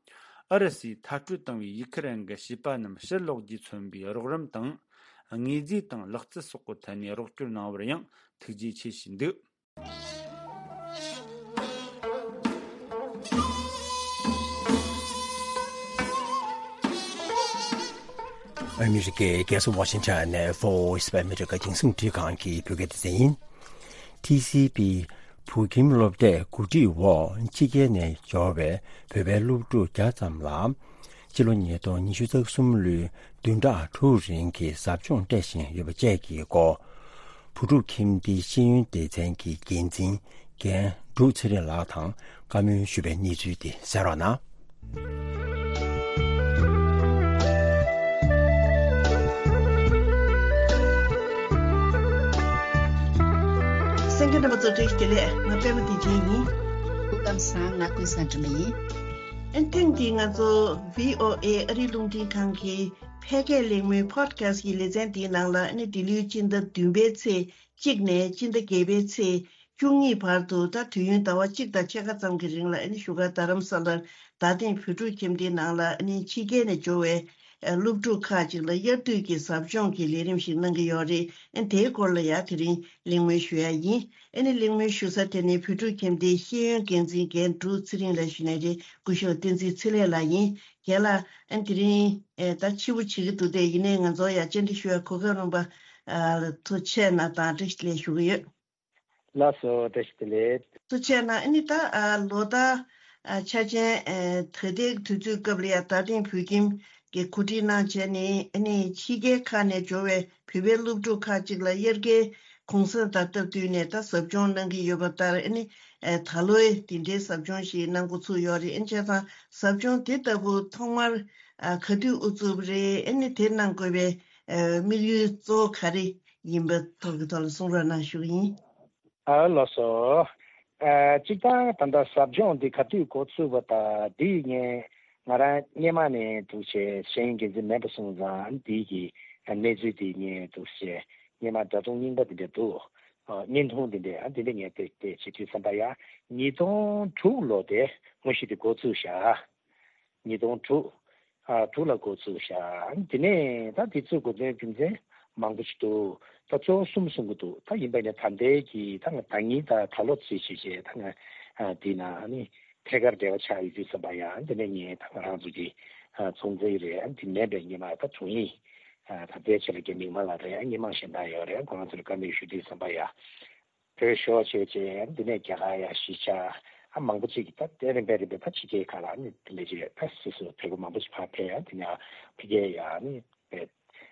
ཨུ་རུ་སུས་མཐར་སྐྲོད་བཏང་བའི་ཡུ་ཁུ་རེན་གྱི་བྱིས་པ་རྣམས་ཕྱིར་ལོག་རྒྱུས་མཚོན་པའི་རོགས་རམ་དང་། དངོས་རྫས་དང་ལག་རྩལ་སོགས་ཀྱི་ཐད་ནས་རོགས་སྐྱོར་གནང་བར་ཡང་ཐུགས་རྗེ་ཆེ་ཞུས་འདུག་ཨ་མི་རི་ཀའི་རྒྱལ་ས་ཝ་ཤིང་ཊོན་ནས་Voice of America རྒྱང་སྲིང་འཕྲིན་ཁང་གི་བོད་སྐད་སྡེ་ཚན་ཡིན། ཊི་སི་ཝི་བོད་ཁྱིམ་སློབ་གྲྭའི་གོ་སྒྲིག་འོག་ཕྱི་རྒྱལ་ནས་འབྱོར་བའི་བོད་པའི་སློབ་ཕྲུག་བརྒྱ་ཙམ་ལ། སྤྱི་ལོ་ཉིས་སྟོང་ཉི་ཤུ་རྩ་གསུམ་ལོའི་བདུན་ཕྲག་དྲུག་རིང་གི་ཟབ་སྦྱོང་སྤྲད་བཞིན་ཡོད་པ་བཅས་ཀྱི་སྐོར། བོད་ཕྲུག་ཁྱིམ་སྡེའི་ཤེས་ཡོན་སྡེ་ཚན་གྱི་འགན་འཛིན་རྒན་འབྲུག་ཚེ་རིང་ལགས་དང་བཀའ་མོལ་ཞུས་པའི་གནས་ཚུལ་དེ་གསན་རོགས་གནང་། གསན་མཁན་རྣམ་པ་ཚོ་བཀྲ་ཤིས་བདེ་ལེགས། ང་པད་མ་བདེ་ཆེན་ཡིན། སྐུ་ཁམས་བཟང་། ང་ཀུན་བཟང་སྒྲོལ་མ་ཡིན། ཨ་ཐེངས་འདིའི་ང་ཚོ་བྷི་ཨོ་ཨེ་ཨ་རིའི་རླུང་འཕྲིན་ཁང་གི་ཕལ་སྐད་གླེང་མོལ་Podcast གི་ལེ་ཚན་འདིའི་ནང་ལ། ཨ་ནི་འདི་ལོའི་སྤྱི་ཟླ་བདུན་པའི་ཚེས་གཅིག་ནས་སྤྱི་ཟླ་བརྒྱད་པའི་ཚེས་བཅུ་གཉིས་བར་དུ། ད་དུས་ཡུན་ཟླ་བ་གཅིག་དང་ཕྱེད་ཀ་ཙམ་གྱི་རིང་ལ། ཨ་ནི་བཞུགས་སྒར་རྡ་རམ་ས་ལར་རྡ་སྟེང་བོད་ཕྲུག་ཁྱིམ་སྡེའི་ནང་ལ། ཨ་ནི་ཕྱི་རྒྱལ་ནས་འབྱོར་བའི་ཨ་སློབ་ཕྲུག་ཁག་ཅིག་ལ་དབྱར་དུས་ཀྱི་ཟབ་སྦྱོང་གི་ལས་རིམ་ཞིག་གནང་གི་ཡོད་རེད། ཨ་ནི་དེའི་སྐོར་ལ་ཡང་དེ་རིང་གླེང་མོལ་ཞུ་ཡ་ཡིན། ཨ་ནི་གླེང་མོལ་ཞུ་ས་དེ་ནི་བོད་ཕྲུག་ཁྱིམ་སྡེའི་ཤེས་ཡོན་འགན་འཛིན་རྒན་འབྲུག་ཚེ་རིང་ལགས་ཞུས་ནའི་རེད། སྐུ་ཞབས་བསྟན་འཛིན་ཚེ་ལེགས་ལགས་ཡིན། རྒན་ལགས། ཨ་ནི་དེ་རིང་ཨེ་ད་ཕྱི་པོ་བྱེད་ཀྱི་འདུག་སྟེ། ཡིན་ནའི་ང་ཚོ་ཡ་བཅར་འདྲི་ཞུ་ཡ་གོ་སྐབས་རག་པ། ཨ་ཐུགས་རྗེ་གནང་དང་བཀྲ་ཤིས་བདེ་ལེགས་ཞུ་གི་ཡོད། ལགས་སོ། བཀྲ་ཤིས་བདེ་ལེགས། ཐུགས་རྗེ་གནང་། ཨ་ནི་ད་ཨ་ལོ་ལྟར་ཨ་ཆ་ཅན་ཨ་ད་ལྟའི་དུས་ཚོད་སྐབས་ལ་ཡ་རྡ་སྟེང་བོད་ཁྱིམ་གྱིས་གོ་སྒྲིག་གནང་བྱས་ནས། ཨ་ནི་ཕྱི་རྒྱལ་ཁག་ནས་འབྱོར་བའི་བོད་པའི་སློབ་ཕྲུག་ཁག་ཅིག་ལ་དབྱར་ཁའི་གུང་སེང་དང་སྟབས་བསྟུན་ནས་ད་ཟབ་སྦྱོང་གནང་གི་ཡོད་པ་ལྟར། ཨ་ནི་ཨ་ད་ལོའི་འདི་འདྲའི་ཟབ་སྦྱོང་ཞིག་གནང་འགོ་ཚུགས་ཡོད་རེད། ཨ་ནི་བྱས་ཙང་ཟབ་སྦྱོང་དེ་ལྟ་བུ་ཐོག་མར་ཨ་ག་དུས་དབུ་བཙུགས་པ་རེད། ཨ་ནི་དེ་གནང་དགོས་པའི་ཨ་དམིགས་ཡུལ་གཙོ་བོ་ག་རེ་ཡིན་པའི་ཐོག་གི་ཐོག་ལ་གསུང་རོགས་གནང་ཞུ་གི་ཡིན། ཨ་ལགས་སོ། ཨ་གཅིག་དང་ད་ལྟ་ཟབ་སྦྱོང་འདི་ག་དུས་འགོ་ཚུགས་པ་དང་། འདི་ངས་ང་རང་སྔོན་མ་ནས་འདུག་བྱས་ཤེས་ཡོན་འགན་འཛིན་མེད་པ་སོང་ཙང་། འདི་གི་གནས་ཚུལ་འདི་ངས་འདུག་བྱས་སྔོན་མ་འདྲ་མཚུངས་རྙིང་པ་འདི་འདྲ་འདུག་ཨ་བརྙན་ཐུང་འདི་འདྲ། ཨ་འདི་འདྲ་ངས་དེ་དེ་བྱེད་དུས་ཙམ་པ་ཡ། ཉིས་སྟོང་དྲུག་ལོ་དེ་དངོས་གཞི་དེ་འགོ་བཙུགས་བཞག་ཉིས་སྟོང་དྲུག་ཨ་དྲུག་ལ་འགོ་བཙུགས་བཞག་དེ་ནས་ད་དེ་ཚོའི་འགོ་དོན་རྒྱུ་མཚན་མང་པོ་ཞིག་འདུག་ད་གཙོ་བོ་གསུམ་གསུང་གི་འདུག་ད་ཡིན་པ་ཡིན་ན་ད་ལྟའི་གི་ད་ང་ད་ཉིན་ད་ད་ལོ་ཚུད་བྱས་བྱས། ད་ང་ཨ་དེ་ན་ཨ་ནི་ཐད་ཀར་འབྲེལ་བ་ཆགས་ཡོད་དུས་ཙམ་པ་ཡ། དེ་ནས་ངས་ད་ང་རང་ཚོ་གི་ཨ་ཚོང་རྫས་རེད། ཨ་དེ་མེད་པའི་ཉི་མ་ད་དྲུང་ཡིག་ ད་ལྟའི་ཆ་ལ་རྒན་མིག་དམར་ལགས་རེད། སྔོན་མ་གཞན་དག་ཡོད་རེད། ཁོ་རང་ཚོ་ལ་བཀའ་མོལ་ཞུ་དུས་ཙམ་པ་ཡ། བོད་ཤོག་བྱས་རྗེས་འདི་ནས་རྒྱ་གར་ཡ་གཞིས་ཆགས་ཨ་མང་པོ་ཅིག་གིས་ད་དེ་རིམ་པས་རིམ་པས་ད་ཕྱི་རྒྱལ་ཁག་ལ་ནི་དེ་འདྲ་ཅིག་ད་སོ་སོ་བོད་པ་མང་པོ་ཅིག་ཕར་ཕེབས་ཡ་དེ་ནས་ཕ་གིར་ཡ་ནི་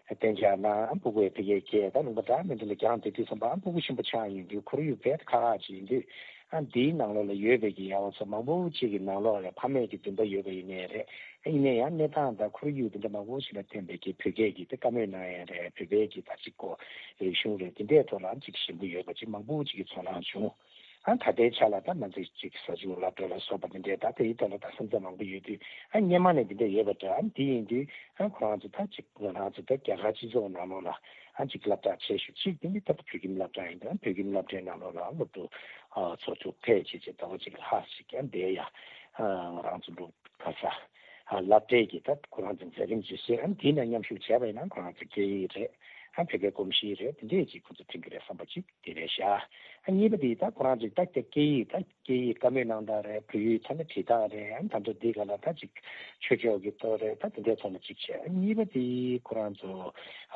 གཏན་འཇགས་གནང་ཨ་སྤུ་གུ་ཡ་ཕ་གིར་སྐྱེལ་ད་ལུང་པ་འདྲ་མི་འདི་ལ་རྒྱང་དེ་དུས་ཙམ་པ་ཨ་སྤུ་གུ་ཆེན་པོ་ཆགས་ཡོང་དུས་ཁོར་ཡུག་དཔེ་ཁག་ཁག་ཅིག་ཡིན་དུས་ཨ་འདིའི་ནང་ལོགས་ལ་ཡོད་པའི་གི་ཡ་བ་ཚོ་མང་པོ་ཅིག་གི་ནང་ལོགས་ལ་ཕ་མེས་ཀྱི་འདུན་པ་ཡོད་པ་ཡིན་ནའི་རེད། ཡིན་ན་ཡང་གནས་སྟངས་དང་ཁོར་ཡུག་དེ་འདྲ་མང་པོ་ཞིག་ལ་བརྟེན་པའི་གི་བོད་སྐད་ཀྱི་དེ་བཀའ་མོལ་གནང་ཡ་རེད། བོད་པའི་གི་ད་ཅིག་གོ་རིག་གཞུང་རེད། དེ་འདྲའི་ཐོག་ལ་ཅིག་ཞེན་པོ་ཡོད་པ་ཅིག་མང་པོ་ཅིག་གི་ཚོར་སྣང་བྱུང་། ཨ་ད་ལྟའི་ཆ་ལ་ད་ང་ཚོས་ཅིག་ས་ཆུ་སློབ་གྲྭ་ལ་སོགས་པ་དེ་འདྲའི་ད་དེའི་ཐོག་ལ་ད་སེམས་འཚབ་མང་པོ་ཡོད་དུས་ཨ་སྔོན་མ་ནས་དེ་འདྲ་ཡོད་པ་འདྲ། ཨ་དེ་ཡིན་དུས་ཨ་ཁོ་རང་ཚོ་ད་ཅིག་ང་རང་ཚོ་ད་རྒྱ་གར་སྤྱི་ཚོགས་ནང་ལོགས་ལ་ཨ་ཅིག་སློབ་གྲྭ་ཆེ་ཤོས་ཅིག་དེ་འདི་ད་བོད་ཁྱིམ་སློབ་གྲྭ་ཡིན་ད་བོད་ཁྱིམ་སློབ་གྲྭའི་ནང་ལོགས་ལ་སློབ་ཕྲུག་ཨ་ཚོ་ཚོ་ཕལ་ཆེར་ཅིག་ཟླ་བ་གཅིག་ལྷག་ཅིག་ཀྱང་བསྡད་ཡ། ཨ་ང་རང་ཚོ་འདུག་ག་ས། ཨ་སློབ་གྲྭའི་གི་ད་ཁོ་རང་ཚོ་མཛད་རིམ་ཇི་སྲིད་ཨ་དེའི་ནང་མཉམ་ཞུགས་བྱས་པ་ཡིན་ན་ཁོ་རང་ཚོ་སྐད་ཡིག་རེད། ཨ་བོད་པའི་གོམས་གཤིས་རེད། དེ་འདྲས་ཅིག་ཁོ་ཚོ་མཐུན་གི་རེད་བསམ་པ་ཅིག་དེ་རེད་ཤག་ཨ་གཉིས་པ་དེ་ད་ཁོ་རང་ཚོས་ད་སྐད་ཡིག་ད་སྐད་ཡིག་བཀའ་མོལ་གནང་སྟངས་རེད། བོད་ཡིག་ཐོག་ནས་བྲིས་སྟངས་རེད། ཨ་ད་དུང་འདི་ག་ལ་ད་ཅིག་ཆོས་ཕྱོགས་ཀྱི་ཐོག་རེད། ད་དེ་འདྲའི་ཐོག་ནས་ཅིག་བྱས། ཨ་གཉིས་པ་དེ་ཁོ་རང་ཚོ་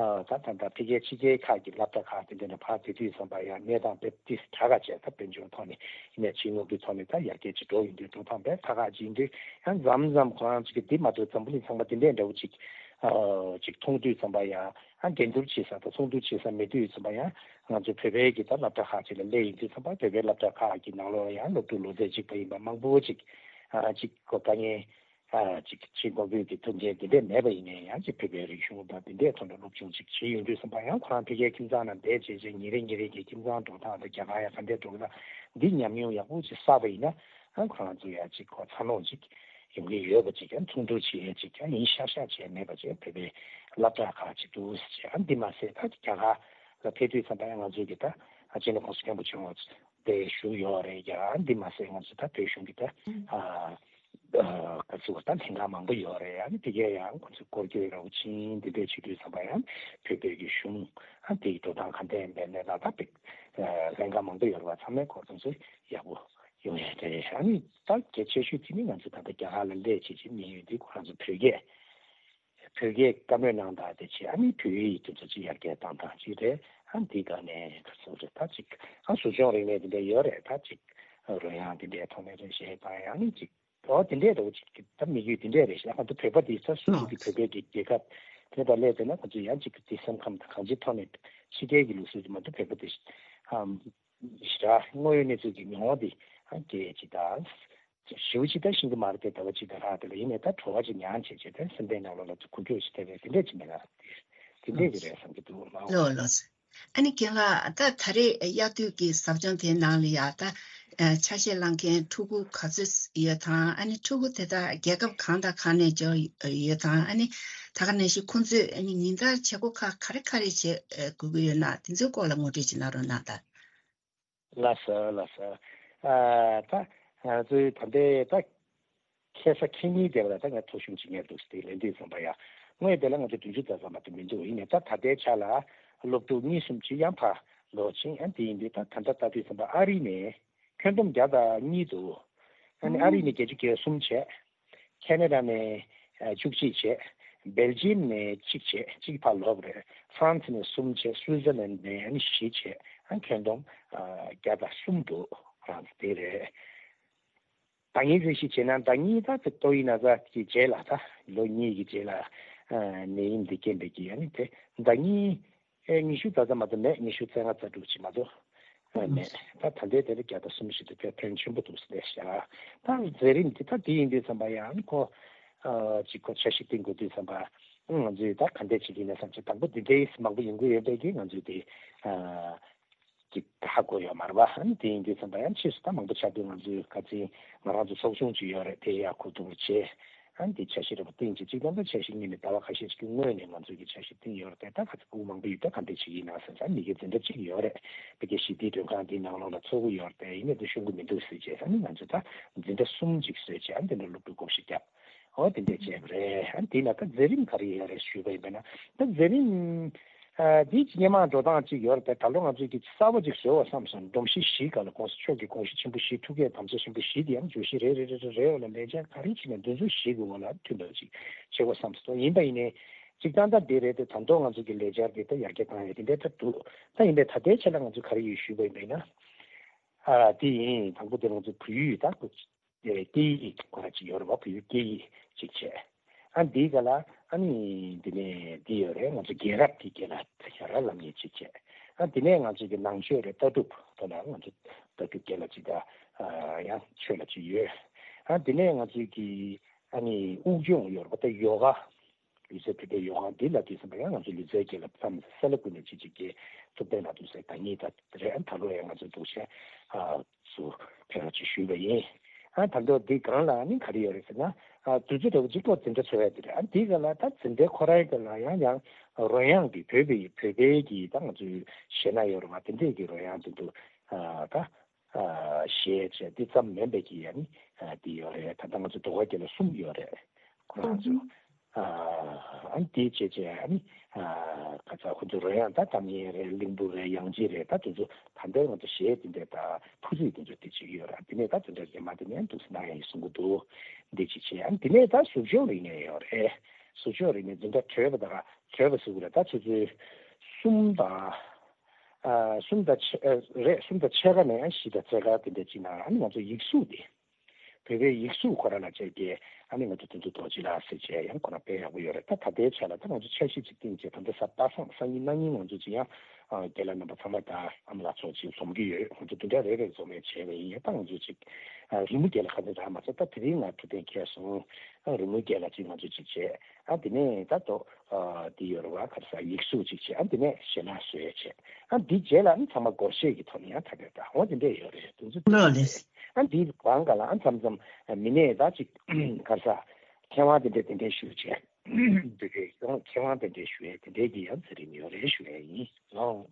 ཨ་ད་ད་ད་ཕ་གིའི་ཕྱི་རྒྱལ་ཁག་གི་སློབ་གྲྭ་ཁག་དེ་འདྲ་ནས་ཕར་དེ་དུས་བསམ་པ་ཡང་གནས་སྟངས་དཔེ་ཏིས་དྲག་ག་བྱས། ད་དཔལ་འབྱོར་ཐོག་ནས་ཡིན་ནའི་ཕྱི་དངུལ་གྱི་ཐོག་ནས་ད་ཡར་རྒྱས་ཅིག་འགྲོ་ཡོང་དུས་འགྲོ་སྟངས་དཔེ་དྲག་ག་ཅིག་ཡིན་དུས་ཡང་མཚམས་མཚམས་ཁོ་རང་ཚོ་གི་འདི་མ་གཏོགས་འཛམ་བུ་གླིང་ཚང་མ་དེ་འདྲའི་འདྲ་བོ་ཅིག་ཨ་ཅིག་མཐོང་དུས་ཙམ་པ་ཡང་ཨ་འགྲན་བསྡུར་བྱེད་ས་དང་ཚོགས་འདུ་བྱེད་ས་མེད་དུས་ཙམ་པ་ཡང་ང་ཚོ་བོད་པའི་གི་ད་སློབ་གྲྭ་ཁག་ཅིག་ལ་སླེབས་ཡོང་དུས་ཙམ་པ་བོད་པའི་སློབ་གྲྭ་ཁག་གི་ནང་ལོགས་ལ་ཡང་སློབ་ཕྲུག་ལོ་ཚད་གཅིག་པ་ཡིན་པ་མང་པོ་ཅིག་ཨ་ཅིག་གོ་དཀའ་ངལ་ཨ་ཅིག་ཕྱི་འགོ་བོད་ཀྱི་ཐུགས་འགན་དེ་འདྲས་མེད་པ་ཡིན་ནའི་ཡང་ཅིག་བོད་པའི་རིག་གཞུང་དང་དེ་འདྲས་ཐོག་ནས་སློབ་སྦྱོང་ཅིག་བྱེད་ཡོང་དུས་ཙམ་པ་ཡང་ཁོ་རང་ཕ་གིའི་ཁྱིམ་ཚང་ནང་བསྡད་བྱས་བྱས་ཉིན་རེ་ཉིན་རེ་གི་ཁྱིམ་ཚང་འགྲོ་སྟངས་དང་རྒྱ་གར་ཡང་ག་འདྲས་འགྲོ་གི་ན་འདི་ཉམས་མྱོང་ཡག་པོ་ཅིག་བསགས་པ་ཡིན་ན་ཨ་ཁོ་རང་ཚོ་ཡང་ཅིག་གོ་འཚར་ལོངས་ཅིག་ཡོང་གི་ཡོད་པ་ཅིག་ཡང་ཚོགས་འདུ་བྱེད་ཡས་ཅིག་ཡང་ཡིན་ཤག་ཤག་བྱས་མེད་པ་ཅིག་བོད་པའི་སློབ་གྲྭ་ཁག་ཅིག་འདུག་ཟེར་བྱས། ཨ་འདི་མ་ཟད་ད་རྒྱ་གར་ལ་ཕེབས་དུས་ཙམ་པ་ཡང་ང་ཚོའི་གི་ད་ཨ་སྤྱི་ནོར་༸གོང་ས་༸སྐྱབས་མགོན་ཆེན་པོ་དེ་བཞུགས་ཡོད་རེད། ཡ་ཨ་འདི་མ་ཟད་ང་ཚོ་ད་བོད་གཞུང་གི་ད་ཨ་ཨ་ག་ཚོད་ད་ལྷན་ཁང་མང་པོ་ཡོད་རེད། ཨ་ནི་དེ་གའི་ཡང་ཁོ་ཚོས་སྐོར་སྐྱོད་ར་བ་ཕྱིན་དེ་འདྲས་བྱེད་དུས་ཙམ་པ་ཡང་བོད་པའི་གི་གཞུང་ཨ་དེ་གི་འགྲོ་སྟངས་ག་འདྲས་ཡིན་པའི་གནས་སྟངས་ད་བོད་ལྷན་ཁང་མང་པོ་ཡོད་རེད་བ། ཚང་མའི་སྐོར་ཚང་ཚོས་ཡག་པོ་ཡོང་ཡ་རེད། ཨ་ནི་ད་གལ་ཆེ་ཤོས་དེ་ནི་ང་ཚོ་ད་ལྟ་རྒྱ་གར་ལ་སླེབས་བྱེད་ཀྱི་མི་ཡོད་དེ་ཁོ་རང་ཚོ་བོད་སྐད་བོད་སྐད་བཀའ་མོལ་གནང་སྟངས་དེ་བྱས། ཨ་ནི་བོད་ཡིག་དེ་ཚོ་ཅིག་ཡར་རྒྱས་བཏང་སྟངས་ཅིག་རེད། ཨ་འདི་ག་ནས་ག་ཚོད་རེད་ད་ཅིག་ཨ་གཟུགས་སྦྱོང་རིག་གནས་དེ་འདྲ་ཡོད་རེད། ད་ཅིག་རོལ་དབྱངས་དེ་འདྲའི་ཐོག་ནས་རེད་ཞེས་དང་ཡང་ནི་ཅིག་འོ་དེ་འདྲའི་འདྲ་བོ་ཅིག་ད་མི་རྒྱུད་དེ་འདྲས་རེད་ཤག་ང་ཚོ་བོད་པ་དེ་ཚོ་སོ་སོ་གི་བོད་པའི་གི་རྒྱལ་ཁབ་དེ་ད་སླེབས་པས་ན་ཁོ་ཚོ་ཡང་ཅིག་དེ་སེམས་ཁམས་དང་གང་ཅིའི་ཐོག་ནས་ཕྱི་རྒྱལ་གྱི་ལུགས་སྲོལ་དེ་མ་གཏོགས་བོད་པ་དེ་ཨམ་ཞེ་དྲག་དངོས་ཡོད་གནས་ཚུལ་གྱི་མྱོང་བ་དེ་ཨ་སྐད་ཅིག་དང་ཞེ་པོ་ཅིག་ད་ཤེས་ཀྱི་མ་རེད་དེ། ཟླ་བ་གཅིག་དང་ལྷག་དེ་ལ་ཡིན་ནའི་ད་བྲོ་བ་ཅིག་མྱངས་བྱས་བྱས་ད་སེམས་པའི་ནང་ལོགས་ལ་ཅིག་འགུལ་སྐྱོད་ཅིག་ཐེབས་པའི་དེ་འདྲས་ཅིག་མེད་ན་དེ་འདྲས་ཀྱི་རེད་བསམ་གྱི་འདུག་མ་འོ། ལགས་ལགས་སོ། ཨ་ནི་རྒན་ལགས་ད་ད་རེས་དབྱར་དུས་ཀྱི་ཟབ་སྦྱོང་དེའི་ནང་ལ་ཡ་ད་ཨ་ཆ་ཤས་བླངས་མཁན་ཕྲུ་གུ་ག་ཚོད་ཡོད་དང་། ཨ་ནི་ཕྲུ་གུ་དེ་དག་རྒྱལ་ཁབ་གང་དང་གང་ནས་འབྱོར་ཡོད་དང་། ཨ་ནི་ད་ག་ནང་བཞིན་ཁོང་ཚོས་ཨ་ནི་ཉིན་ལྟར་བྱེད་སྒོ་ཁག་ག་རེ་ག་རེ་བྱེད་དགོས་ཀྱི་ཡོད་ན་དེ་ཚོའི་སྐོར་ལ་ངོ་སྤྲོད་ཅིག་གནང་རོགས་གནང་དང་། ལགས་སོ་ལགས་སོ། ཨ་ད་ང་ཚོའི་ད་ལྟའི་ད་ཁ་སང་ཁ་ཉིན་དེ་བ་ལ་ད་ང་ཐོ་གཞུང་ཅིག་ཉར་འདུག་ཟེར་ཏེ་ལན་འདེབས་བཟང་པ་ཡ། དངོས་དེ་ལ་ང་ཚོ་བདུན་ཅུ་ཙམ་ཙམ་མ་གཏོགས་མི་འདུག་ཡིན་ནའི་ད་ད་ལྟའི་ཆ་ལ་སློབ་ཕྲུག་གཉིས་གསུམ་ཅིག་ཡང་ཕར་ལོག་ཕྱིན། ཡང་དེ་ཡིན་དུས་ད་ད་ལྟ་ལྟ་དུས་ཙམ་པ་ཨ་རི་ནས་ཁྱོན་བསྡོམས་བརྒྱ་དང་གཉིས་འདུག་ཨ་ནི་ཨ་རི་ནས་བརྒྱད་ཅུ་གྱ་གསུམ་བྱས། ཁེ་ན་ཌ་ནས་ཨ་བཅུ་གཅིག་བྱས། སྦེལ་ཇི་ཡམ་ནས་གཅིག་བྱས། གཅིག་ཕར་ལོག་རེད། ཧྥ་རན་སི་ནས་གསུམ་བྱས། སུའི་ཛར་ལན་ནས་ཨ་ནི་བཞི་བྱས། ཨ་ཁྱོན་བསྡོམས་ཨ་བརྒྱ་དང་གསུམ་འདུག་ཧྥ་རན་སི་དེ་རེད། ཟླ་ཉིན་རེ་བཞིན་བྱས་ན་ཟླ་ཉིན་ད་དེ་ཏོག་དབྱིབས་ན་ཚ་གི་རྗེས་ལ་ད་ལོ་གཉིས་ཀྱི་རྗེས་ལ་ཨ་ནད་ཡམས་འདི་རྐྱེན་པས་ཀྱི་ཨ་ནི་དེ་ཟླ་ཉིན་ཨེ་ཉི་ཤུ་རྩ་རྩ་མ་གཏོགས་མེད། ཉི་ཤུ་རྩ་ལྔ་རྩ་དྲུག་ཅིག་མ་གཏོགས་ཨ་མེད། ད་ད་ལྟའི་དེ་ལ་བརྒྱ་དང་གསུམ་བཞི་དེ་དཔེ་ཕོན་ཆེན་པོ་འདུག་ཟེར་ནས་བཞག་ད་མཛད་རིམ་འདི་ད་འདི་ཡིན་དུས་ཙམ་པ་ཡང་ཁོ་ཨ་ཅིག་ཁོ་འཆར་གཞི་བཏིང་དགོས་དུས་ཙམ་པ་ང་ཚོས་ད་ག་འདྲས་བྱེད་ཀྱི་ཡིན་ན་བསམ་བྱས། དང་པོ་འདི་འདྲའི་མང་པོ་ཡོང་གི་ཡོད་པས་ཀྱི་ང་ཚོས་དེ་ཨ་ཅིག་ཧ་གོ་ཡོད་མ་རེད་པ། ཨ་ནི་དེ་ཡིན་དུས་ཙམ་པ་ཡང་ཕྱིས་སུ་ད་མང་པོ་ཆགས་དུས་ང་ཚོའི་ཁ་ཚིག་ང་རང་ཚོ་ཚོགས་ཆུང་ཅིག་ཡོད་རེད། དེ་ཡར་གོ་བསྡུར་བྱས། ཨ་ནི་དེ་འཆར་གཞི་རེ་བ་བཏིང་བྱས་གཅིག་ལ་ད་འཆར་གཞི་སྔོན་ནས་ང་ཚོའི་གི་འཆར་གཞི་བཏིང་ཡོད་རེད་དེ། ད་ག་ཚོད་སྐུ་མང་པོ་ཡོད་ད་ག་འདྲས་བྱེད་ཀྱི་ཡིན་ན་ཟེར་ཙང་མི་སྒེར་འཛིན་གྲྭ་གཅིག་ཡོད་རེད། ཕ་གི་ཞི་བདེའི་མགྲོན་ཁང་འདིའི་ནང་ལོགས་ལ་ཚོགས་ཀྱི་ཡོད་རེད་དེ། ཡིན་ནའི་དེ་ཤོང་གི་མི་འདུག་ཟེར་བྱས། ཨ་ནི་ང་ཚོས་ད་འཛིན་གྲྭ་གསུམ་ཅིག་བཟོས་བྱས་ཨ་ནི་དེ་འདྲ་སློབ་ཕྲུག་སྒོར་གཞས་བརྒྱབ། འོ་དེ་འདྲས་བྱས་པ་རེད། ཨ་ནི་དེ་ན་ད་མཛད་རིམ་ག་རེ་ཡོད་རེད་ཞུས་པ་ཡིན་པས་ན། ད་མཛད་རིམ་ཨ་འདི་སྔོན་མ་འགྲོ་སྟངས་ཅིག་ཡོད་རེད་དེ། ད་ལོ་ང་ཚོས་ཀྱི་གསར་པ་ཅིག་བཟོས་པ་བསམ་སོང་། སྒྲོམ་གཞི་བཞི་སྒང་ལ་༸གོང་ས་མཆོག་གི་དགོངས་གཞི་ཆེན་པོ་བཞི། ཐུགས་བསྐྱེད་དམ་བཅའ་ཆེན་པོ་བཞི་དེ་ཡང་བརྗོད་གཞི་རེ་རེ་རེ་རེ་རེ་འོག་ལ་ལས་འཆར་ག་རེ་བྱས་ནས་འདི་ཚོ་བཞི་གི་འོག་ལ་མཐུན་པ་ཅིག་བྱེད་དགོས་བསམ་སོང་། ཡིན་པ་ཡིན་ནའི་ གཅིག་ད་ལྟ་འདི་རེད་དེ། ད་དུང་ང་ཚོ་གི་ལས་འཆར་འདི་ད་ཡར་རྒྱས་བཏང་ཡས་དེ་འདྲ་ད་འདུག་ད་ཡིན་པས་ད་ལྟའི་ཆ་ལ་ང་ཚོ་ག་རེ་ཡོད་ཞུས་པ་ཡིན་པས་ན། ཨ་དེ་ཡིན། དང་པོ་དེ་ང་ཚོ་བོད་ཡིག་ད་ཁོ་སྐད་ཡིག་ཁོ་ར་ཅིག་ཡོད་རེད་བ། བོད་ཡིག་སྐད་ཡིག་ཅིག་བྱས། ཨ་འདིའི་སྒང་ལ་ཨ་ནི་འདི་ནས་འདི་ཡོད་རེད། ང་ཚོ་རྒན་རབས་ཀྱི་སྐད་ལ་ཞྭ་ར་ལབ་མཁན་ཅིག་བྱས། ཨ་དེ་ནས་ང་ཚོ་གི་ནང་ཆོས་རེད། ལྟ་གྲུབ་དེ་ལ་ང་ཚོ་ལྟ་གྲུབ་སྐད་ལ་ཅིག་ད་ཡང་ཆོས་ལ་ཅིག་ཡོད། ཨ་དེ་ནས་ང་ཚོ་གི་ཨ་ནི་དབུགས་སྦྱོང་ཡོད་རེད་བ། ད་ཡོ་ག་ལུས་རྩལ་ཕུད་པའི་ཡོ་ག་འདི་ལབ་དུས་ཙམ་པ་ཡང་ང་ཚོ་ལུས་རྩལ་སྐད་ལ་བསམ་སེ་ལ་ཀུན་ནས་ཅིག་ཅིག་གི་ཐུབ་བསྟན་ལབ་དུས་ཙམ་པ་ད་ཉིད་ད་རེད། ཨ་ད་ལོ་ཡང་ང་ཚོ་འདུག་བྱས་ཨ་ཚུར་ཕེབས་རོགས་ཅིག་ཞུས་པ་ཡིན། ཨ་ད་ལྟ་འདི་སྒང་ལ་ནི་ག་རེ་ཡོད་རེད་ཟེར་ན། ཨ་དུས་ཚོད་འདྲ་བོ་གཅིག་པོ་འཛིན་གྲྭ་ཚོགས་ཡ་དེ་རེད། ཨ་འདི་སྒང་ལ་ད་འཛིན་གྲྭའི་ཁོ་རའི་སྒང་ལ་ཡང་ཡང་རོལ་དབྱངས་ཀྱི་བོད་པའི་བོད་པའི་གི་ད་ང་ཚོའི་གཞས་སྣ་ཡོད་རེད་བ། དེ་འདྲས་ཀྱི་རོལ་དབྱངས་དེ་འདུག་ཨ་ད། ཨ་གཞས་བྱས་འདི་ཙམ་མིན་པའི་གི་ཨ་ནི་ཨ་འདི་ཡོད་རེད། ད་ལྟ་ང་ཚོ་ཟློས་གར་སྐད་ལ་གསུམ་ཡོད་རེད། ཁོ་རང་ཚོ་ཨ་ཨ་ནི་འདི་བྱས་བྱས་ཨ་ནི་ཨ་ག་ཚ་ཁོ་ཚོ་རོལ་དབྱངས་ད་ཀྲང་ཡན་རེད། གླིང་བུ་རེད། དབྱངས་ཅན་རེད། ད་དེ་ཚོ་ད་ལྟའི་ང་ཚོ་གཞས་འདི་འདྲས་ད་ཕུར་ཚུགས་དེ་ཚོ་དེ་བྱེད་ཀྱི་ཡོད་རེད། དེ་ནས་ད་དེ་འདྲ་རྗེས་མ་དེ་ནས་འདུག་སེ་གནང་ཡ་ཡིན་གསུང་གི་འདུག་འདི་ཅིག་བྱས། ཨ་ནི་དེ་ནས་ད་གཟུགས་སྦྱོང་རིག་གནས་ཡོད་རེད། གཟུགས་སྦྱོང་རིག་གནས་འཛིན་གྲྭ་གྲོལ་བ་དང་གྲོལ་བ་ཟེར་དགོས་རེད། ད་ཆུ་ཚོད་གསུམ་དང་། ཨ་གསུམ་དང་ཕྱེད་ཨ་རེད། གསུམ་དང་ཕྱེད་ཀ་ནས་བཞི་དང་རྩ་ཀ་དེ་འདྲ་ཅིག་ནང་ཨ་ནི་ང་ཚོ་ཡིག་གཟུགས་དེ། བོད་པའི་ཡིག་གཟུགས་ཁོ་རང་ལ་བྱས་ཏེ་ཨ་ནི་ང་ཚོ་དོན་གྲུབ་རྡོ་རྗེ་ལགས་ཟེར་བྱས་ཡང་ཁོ་རང་དཔེ་ཡག་པོ་ཡོད་རེད། ད་ད་ལྟའི་ཆ་ལ་ད་ང་ཚོ་འཆར་གཞི་ཅིག་བཏིང་བྱས། ད་ལྟ་གཟའ་པ་སངས་སང་ཉིན་གནངས་ཉིན་ང་ཚོ་ཅིག་ཡང་ཨ་རྒན་ལགས་རྣམ་པ་ཚང་མ་དང་ཨ་མ་ལགས་ཚོ་ཅིག་འཛོམས་ཀྱི་ཡོད། ང་ཚོ་དེ་འདྲ་རེ་རེ་འཛོམས་ཡས་བྱས་པ་ཡིན། ཡང་ད་ང་ཚོ་ཅིག་ཨ་རི་མོ་སྐད་ལ་ཁ་སྣོན་རག་མ་སོང་། ད་དེ་རིང་ང་ཐུགས་གཏན་འཁེལ་སོང་། ཨ་རི་མོ་སྐད་ལ་ཅིག་ང་ཚོ་ཅིག་བྱས། ཨ་དེ་ནས་ད་དོ། ཨ་དེ་ཡོད་རེད་བ། ག་རེ་ཟ། ཡིག་གཟུགས་ཅིག་བྱས། ཨ་དེ་ནས་གཞས་སྣ་བཟོས་བྱས། ཨ་དེ་རྗེས་ལ་ཨ་ཚང་མ་སྒོར་གཞས་ཀྱི་ཐོག་ནས་ཡང་ཐ་དད་ད་འོ་དེ་འདྲས་ཡོད་རེད། དུས་ཚོད་ལོ་ལེས། ཨ་དེའི་བང་ག་ལ་ཨ་མཚམས་མཚམས་མི་སྣས་ད་ཅིག་ག་རེ་ཟ། མཁས་དབང་དེ་འདྲས་དེ་འདྲས་ཞུ་བྱས། དེ་འདྲས་ཡང་མཁས་དབང་དེ་འདྲས་ཞུ་ཡས་དེ་འདྲས་ཀྱི་ཡང་ཚེ་རིང་ཡོད་རེད་ཞུ་ཡས་ཡིན་ལོ།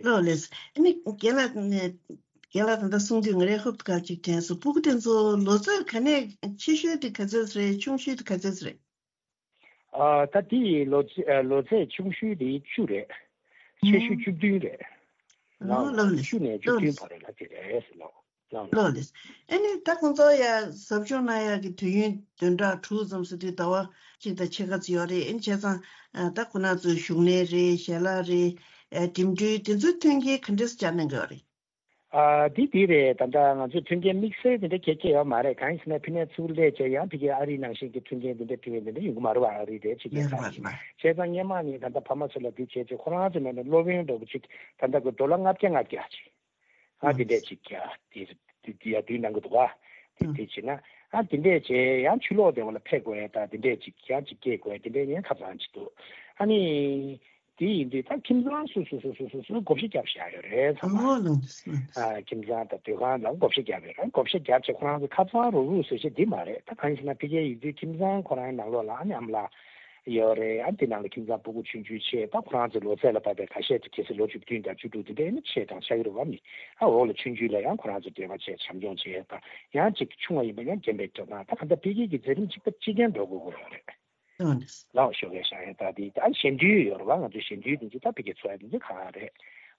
ལོ་ལེས། ཨ་ནི་རྒན་ལགས་ནས་རྒན་ལགས་ད་ལྟ་གསུང་དུས་ང་རའི་ཧུབ་ཏུ་ག་ཅིག་དྲན་སོང་། སྤུ་གུ་དེ་ཚོ་ལོ་ཚོད་ག་ནས་ཆེ་ཤོས་དེ་ག་ཚོད་རེད། ཆུང་ཤོས་དེ་ག་ཚོད་རེད། ཨ་ད་དེ་ཡི་ལོ་ཚེ་ཨ་ལོ་ཚད་ཆུང་ཤོས་དེ་བཅུ་རེད། ཆེ་ཤོས་བཅུ་བདུན་རེད། ལའོ་ལའོ་ལགས་ལགས། བཅུ་ནས་བཅུ་བདུན་བར་ལ་དེ་རེད་ལའོ། ལའོ་ལགས། ལའོ་ལགས། ཨ་ནི་ད་ཁོང་ཚོ་ཡ་ཟབ་སྦྱོང་གནང་ཡག་གི་དུས་ཡུན་བདུན་ཕྲག་དྲུག་ཙམ་ཟེར་དུས་ཟླ་བ་གཅིག་དང་ཕྱེད་ཀ་ཙམ་ཡོད་རེད། ཨ་ནི་བྱས་ཙང་ད་ཁོ་ན་ཚོའི་བཞུགས་གནས་རེད། ཞལ་ལག་རེད། ཨ་འགྲིམ་འགྲུལ་དེ་ཚོའི་མཐུན་རྐྱེན་ག་འདྲས་སྦྱར་གནང་གི་ཡོད་རེད། ཨ་འདི་འདི་རེད། ད་ལྟ་ང་ཚོས་མཐུན་རྐྱེན་དམིགས་བསལ་དེ་འདྲ་གལ་ཆེ་ཡོད་མ་རེད། གང་ཡིན་ཟེར་ན་ཕ་ནས་ཚུར་སླེབས་བྱས་ཡང་ཕ་གིའི་ཨ་རིའི་ནང་བཞིན་གྱི་མཐུན་རྐྱེན་དེ་འདྲ་བྲིས་པའི་དེ་འདྲ་ཡོང་གི་མ་རེད་བ། ཨ་རི་རེད། ཕྱི་རྒྱལ་ཁག་ཡིན། བྱས་ཙང་སྔོན་མ་ནས་ད་ལྟ་ཕ་མ་ཚོ་ལ་འདི་བྱས་བྱས་ཁོ་རང་ཚོ་ནང་ནས་སློབ་ཡོན་འདྲ་པོ་ཅིག་ད་ལྟ་གི་ཌོ་ལར་ལྔ་བརྒྱ་ལྔ་བརྒྱ་ཅིག་ཨ་དེ་འདྲས་ཅིག་ཡ་དེ་དེ་དེ་ཡ་དུས་གནང་གི་འདུག་བ། དེ་དེ་བྱས་ན་ཨ་དེ་འདྲས་བྱས་ཡང་ཕྱི་ལོགས་དེ་བ་ལ་ཕེབས་དགོས་ཡ་ད་དེ་འདྲས་ཅིག་ཡང་ཅིག་སྐྱེལ་དགོས་ཡ་དེ་འདྲས་ཡང་ཁ་ཚང་ཅིག་འདུག་ཨ་ནི། དེ་ཡིན་དུས་ད་ཁྱིམ་ཚང་སོ་སོ་སོ་སོ་སོ་སོ་བགོ་བཤའ་བརྒྱབ་བཞག་ཡོད་རེད་ཚང་མ། ཨོ་ལགས་སོ། ཨ་ཁྱིམ་ཚང་དང་སྡོད་ཁང་ལ་བགོ་བཤའ་བརྒྱབ་ཡོད་རེད། བགོ་བཤའ་བརྒྱབ་བྱས་ཁོ་རང་ཚོ་ཁ་ཚང་རུག་རུག་ཟེར་བཤད་འདི་མ་རེད། ད་གང་ཡིན་ཟེར་ན་ཕ་གིའི་ཡུལ་དུས་ཁྱིམ་ཚང་ཁོ་རང་ནང་ལོགས་ལ་ཨ་ནི་ཨ་མ་ལགས་ཡོད་རེད། ཨ་དེ་ནང་ལ་ཁྱིམ་ཚང་སྤུ་གུ་ཆུང་ཆུང་བྱས་ད་ཁོ་རང་ཚོའི་ལོ་ཚད་ལ་བབས་པའི་ཁ་ཤས་དེ་གལ་སྲིད་ལོ་བཅུ་བདུན་དང་བཅུ་དྲུག་དེ་འདྲ་ཡིན་ན་ཆེ་གྲས་ཆགས་ཀྱི་རེད་བ། མི་ཨ་འོག་ལ་ཆུང་ཆུང་ལ་ཡང་ཁོ་རང་ཚོ་འབྲེལ་བ་བྱས་བྱམས་སྐྱོང་བྱས་ད་ཡང་ཅིག་ཆུང་བ་ཡིན་པ་ཡང་རྒན་པའི་སྐྱོབ་སྟངས་ད་ག་འདྲ་ཕ་གི་གི་མཛད་རིམ་གཅིག་པ་གཅིག་རྐྱང་འགྲོ་དགོས་ཀྱི་ཡོད་རེད། ལགས་ཞོགས་ཀས་ཤག་ཡ་ད་དེ་ཨ་ཞལ་འདུལ་ཡོད་རེད་བ། ང་ཚོའི་ཞལ་འདུལ་དེ་ཚོ་ད་ཕ་གི་ཚོ་ཡ་དེ་ཚོ་གང་རེད།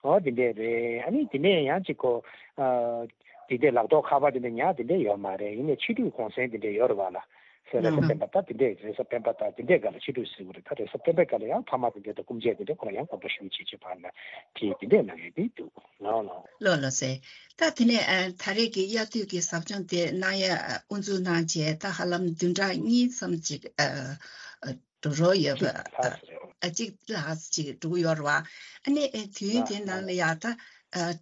ཨོ་དེ་འདྲས་རེད། ཨ་ནི་དེ་ནས་ཡང་ཅིག་གོ་ཨ་དེ་འདྲས་ལག་ཐོག་ཁ་པར་དེ་འདྲས་ཉར་དེ་འདྲས་ཡོད་མ་རེད། ཡིན་ནའི་ཕྱི་དྲོའི་གུང་སེང་དེ་འདྲས་ཡོད་རེད་བ་ལ། ཟེར་རེས་གཟའ་སྤེན་པ་ད་དེ་འདྲས་རེས་གཟའ་སྤེན་པ་ད་དེ་འདྲས་ག་ལ་ཕྱི་དྲོའི་ཟེར་བ་རེད། ད་རེས་གཟའ་སྤེན་པའི་ག་ལ་ཡང་ཕ་མ་དེ་འདྲས་དང་སྐུ་མཆེད་དེ་འདྲས་ཁོ་ལ་ཡང་སྐུ་འདྲ་ཞུ་བྱེད་ཅེས་ཕར་ལ་དེ་དེ་འདྲས་གནང་ཡོད་དེ་འདུག་ལགས་ལགས། ལགས་ལགས་སེ། ད་དེ་ནས་ཨ་ད་རེས་ཀྱི་དབྱར་དུས་ཀྱི་ཟབ་སྦྱོང་དེ་གནང་ཡ་དབུ་འཛུགས་གནང་རྗེས་ད་ཧ་ལམ་བདུན་ཕྲག་གཉིས་ཙམ་ཅིག་ཨ་འགྲོ་རོགས་ཡོད་པ་ཨ་ཅིག་ལྷག་ཅིག་འགྲོ་གི་ཡོད་རེད་བ། ཨ་ནི་དུས་ཡུན་དེའི་ནང་ལ་ཡ་ད་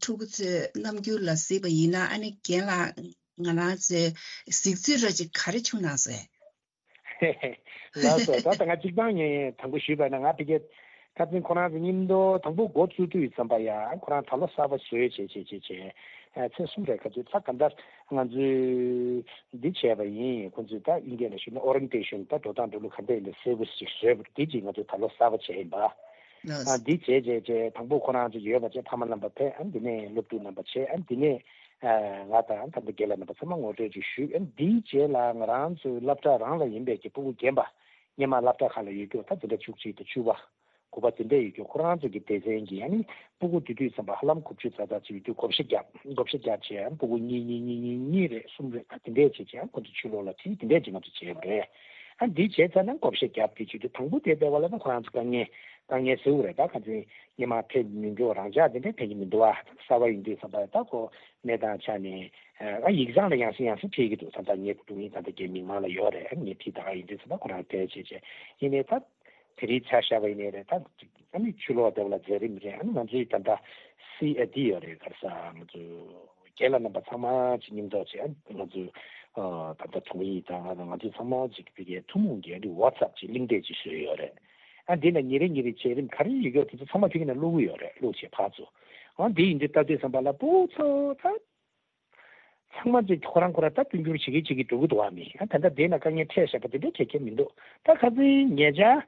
ཕྲུ་གུ་ཚོའི་རྣམ་འགྱུར་ལ་གཟིགས་པ་ཡིན་ན་ཨ་ནི་རྒན་ལགས་ང་རང་ཚོའི་གཟིགས་ཚུལ་ར་ཅིག་ག་རེ་བྱུང་ན་ཟེར། ལགས་སོ། ད་ལྟ་ང་གཅིག་པང་ངས་དང་པོ་ཞུས་པ་ན་ང་ཕ་གི་ཁ་སང་ཁོ་རང་ཚོ་མཉམ་དུ་དང་པོ་འགོ་བཙུགས་དུས་ཙམ་པ་ཡ་ཁོ་རང་ད་ལོ་གསར་པ་བཟོས་བྱས་བྱས་བྱས་བྱས་ཚེས་གསུམ་རེ་ཁ་ཚོད་ད་ག་འདྲ་ང་ཚོས་འདི་བྱས་པ་ཡིན། ཁོ་ཚོས་ད་དབྱིན་སྐད་ལ་ཞུས་ན་ཨོ་རེན་ཊེ་ཤན་ད་འགྲོ་སྟངས་འགྲོ་ལུགས་ག་འདྲ་ཡིན་པའི་གསལ་པོ་ཞིག་བཟོས་པ་འདི་ཅིག་ང་ཚོས་ད་ལོ་གསར་པ་བྱས་ཡིན་པ། ཨ་འདི་བྱས་བྱས་བྱས་དང་པོ་ཁོ་རང་ཚོ་ཡོད་པ་བྱས་ཕ་མ་རྣམ་པ་ཕེབས། ཨ་འདི་ནས་སློབ་ཕྲུག་རྣམ་པ་བྱས། ཨ་འདི་ནས་ང་དང་ད་ལྟ་རྒན་ལགས་རྣམ་པ་ཚང་མ་ངོ་སྤྲོད་ཅིག་ཞུས། ཨ་འདིའི་རྗེས་ལ་ང་རང་ཚོའི་སློབ་གྲྭ་རང་ལ་ཡིན་པའི་གི་སྤུ་གུ་རྒན་པ་སྔོན་མ་སློབ་གྲྭ་ཁག་ལ་ཡོད་རྒྱུ་ད་དེ་འདྲ་བཅུ་གཅིག་དང་བཅུ་པ་དགུ་པ་དེ་འདྲ་ཡོད་རྒྱུ་ཁོ་རང་ཚོ་གི་སྡེ་ཚན་གྱི་ཨ་ནི་སྤུ་གུ་དེ་དུས་ཙམ་པ་ཧ་ལམ་དགུ་བཅུ་ཙག་ཙག་ཅིག་ཡོད་རྒྱུ་བགོ་བཤའ་བརྒྱབ། བགོ་བཤའ་བརྒྱབ་བྱས་ཨ་སྤུ་གུ་གཉིས་གཉིས་གཉིས་གཉིས་གཉིས་རེད་གསུམ་རེད་ད་དེ་འདྲས་བྱས་བྱས་ཨ་ཁོ་ཚོ་ཕྱི་ལོགས་ལ་ཁྲིད་དེ་འདྲས་ཅིག་ང་ཚོ་བྱས་པ་རེད། ཨ་འདི་བྱས་ཚར་ན་བགོ་བཤའ་བརྒྱབ་དེ་བྱེད་དུས་དང་པོ་དེ་ལྟ་བ་ལ་ན་ཁོ་རང་ཚོ་དཀའ་ངལ་དཀའ་ངལ་ཟེར་བ་རེད། ད་ཁ་ཚིག་སྔོན་མ་ཕེབས་མི་འགྲོ། རང་འཇགས་དེ་འདྲ་ཕེབས་ཀྱི་མི་འདུག་བ། གསར་པ་ཡིན་དུས་ཙམ་པ་ད་ཁོ་གནས་སྟངས་ཆ་ནས་ཨ་ཡིག་ཚང་ལ་ཡང་སེ་ཡང་སེ་ཕེབས་ཀྱི་འདུག་ད་ལྟ་ངའི་སྒྲུང་ཡིན། ད་ལྟ་རྒན་མིག་དམར་ལ་ཡོད་རེད། ངས་ཕྱི་ད་ག་ཡིན་དུས་ཙམ་པ་ཁོ་རང་ཕེབས་བྱས་བྱས་ཡིན་ནའི་ད། དེ་རིང་ཆ་བཞག་པ་ཡིན་ནའི་རེད། ད་ཨ་ནི་ཕྱི་ལོགས་དེ་བ་ལ་མཛད་རིམ་རེད། ཨ་ནི་ང་ཚོའི་ད་ལྟ་སི་ཨེ་ཏི་ཡོད་རེད། ག་རེ་ཟ་ང་ཚོ་རྒན་ལགས་རྣམ་པ་ཚང་མ་ཅིག་མཉམ་འཛོམས་བྱས། ཨ་ནི་ང་ཚོ་ཨ་ད་ལྟ་དྲུང་ཡིག་དང་ང་ཚོ་ཚང་མ་ཅིག་ཕ་གིའི་ཐུན་མོང་གི་ཨ་ནི་ཝ་ཚབ་ཅིག་གླེང་སྟེགས་ཅིག་བཟོས་ཡོད་རེད། ཨ་འདི་ན་ཉིན་རེ་ཉིན་རེ་བྱས་རིམ་ག་རེ་ཡོད་ཀྱང་དེ་ཚོ་ཚང་མ་ཕ་གི་ན་བླུག་གི་ཡོད་རེད། བླུག་བྱས་ཕར་ཚུར་ཨ་འདི་ཡིན་དུས་ད་དུས་ཙམ་པ་ལ་སྤུ་ཚོ་ད། ཚང་མ་ཅིག་ཁོ་རང་ཁོ་རང་ད་མཐུན་འགྱུར་བྱེད་ཀྱི་བྱེད་ཀྱི་འགྲོ་གི་འདུག་བ། མི་ཨ་ད་ལྟ་དེ་ན་དཀའ་ངལ་འཕྲད་བཞག་པ་དེ་འདྲ་གལ་ཆེ་མི་འདུག་ད་ཁ་སང་ཉེ་ཆར་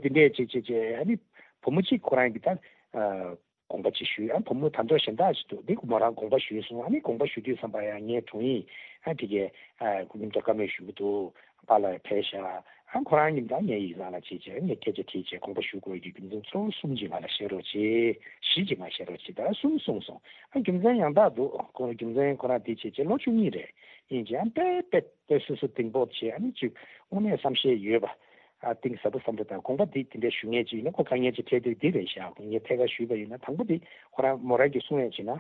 དེ་འདྲས་བྱེད་བྱེད་བྱེད་ཨ་ནི་བུ་མོ་གཅིག་ཁོ་རང་གི་ད་དགོངས་པ་ཅིག་ཞུས། ཨ་བུ་མོ་ད་མདོ་གཞན་དག་ཅིག་འདུག་འདི་མོ་རང་དགོངས་པ་ཞུས་སོང་། ཨ་ནི་དགོངས་པ་ཞུ་དུས་ཙམ་པ་ཡང་ངའི་དྲུང་ཡིག་ཨ་དེ་གས་ཁོ་མཉམ་དུ་བཀའ་མོལ་ཞུ་གི་འདུག་པཱ་ལགས་ཕེབས་ཤག་ཨ་ཁོ་རང་གཉིས་དང་ངའི་ཡིག་ཚང་ལ་བྱས་བྱས་ངས་སྐད་ཆ་དྲིས་བྱས་དགོངས་པ་ཞུ་དགོས་ཀྱི་རྒྱུ་མཚན་གཙོ་བོ་གསུམ་ཅིག་ང་ལ་བཤད་རོགས་བྱེད། བཞི་ཅིག་ང་བཤད་རོགས་བྱེད་ད་གསུམ་གསུངས་སོང་། ཨ་རྒྱུ་མཚན་ཡང་དག་འདུག་ཁོ་རྒྱུ་མཚན་ཁོ་རང་དེ་བྱས་བྱས་ལོ་བཅུ་གཉིས་རེད། ཡིན་ཀྱང་དཔེ་དཔེ་དཔེ་སོ་སོ་གཏིང་སྤོབས་བྱས་ཨ་ནི་ཅིག་དངོས་གནས་བསམ་ཤེས་ཡོད་པ། ཨ་གཏིང་ཟབ་པོ་བསམ་བློ་དང་དགོངས་པ་འདི་དེ་འདྲ་ཞུ་མཁན་ཅིག་ཡིན་ན་ཁོ་དཀའ་ངལ་ཅིག་འཕྲད་དུས་འདི་རེད་ཤག་ངས་ཐད་ཀར་ཞུས་པ་ཡིན་ན་དང་པོ་འདི་ཁོ་རང་མོ་རང་གིས་གསུང་ཡས་བྱས་ན།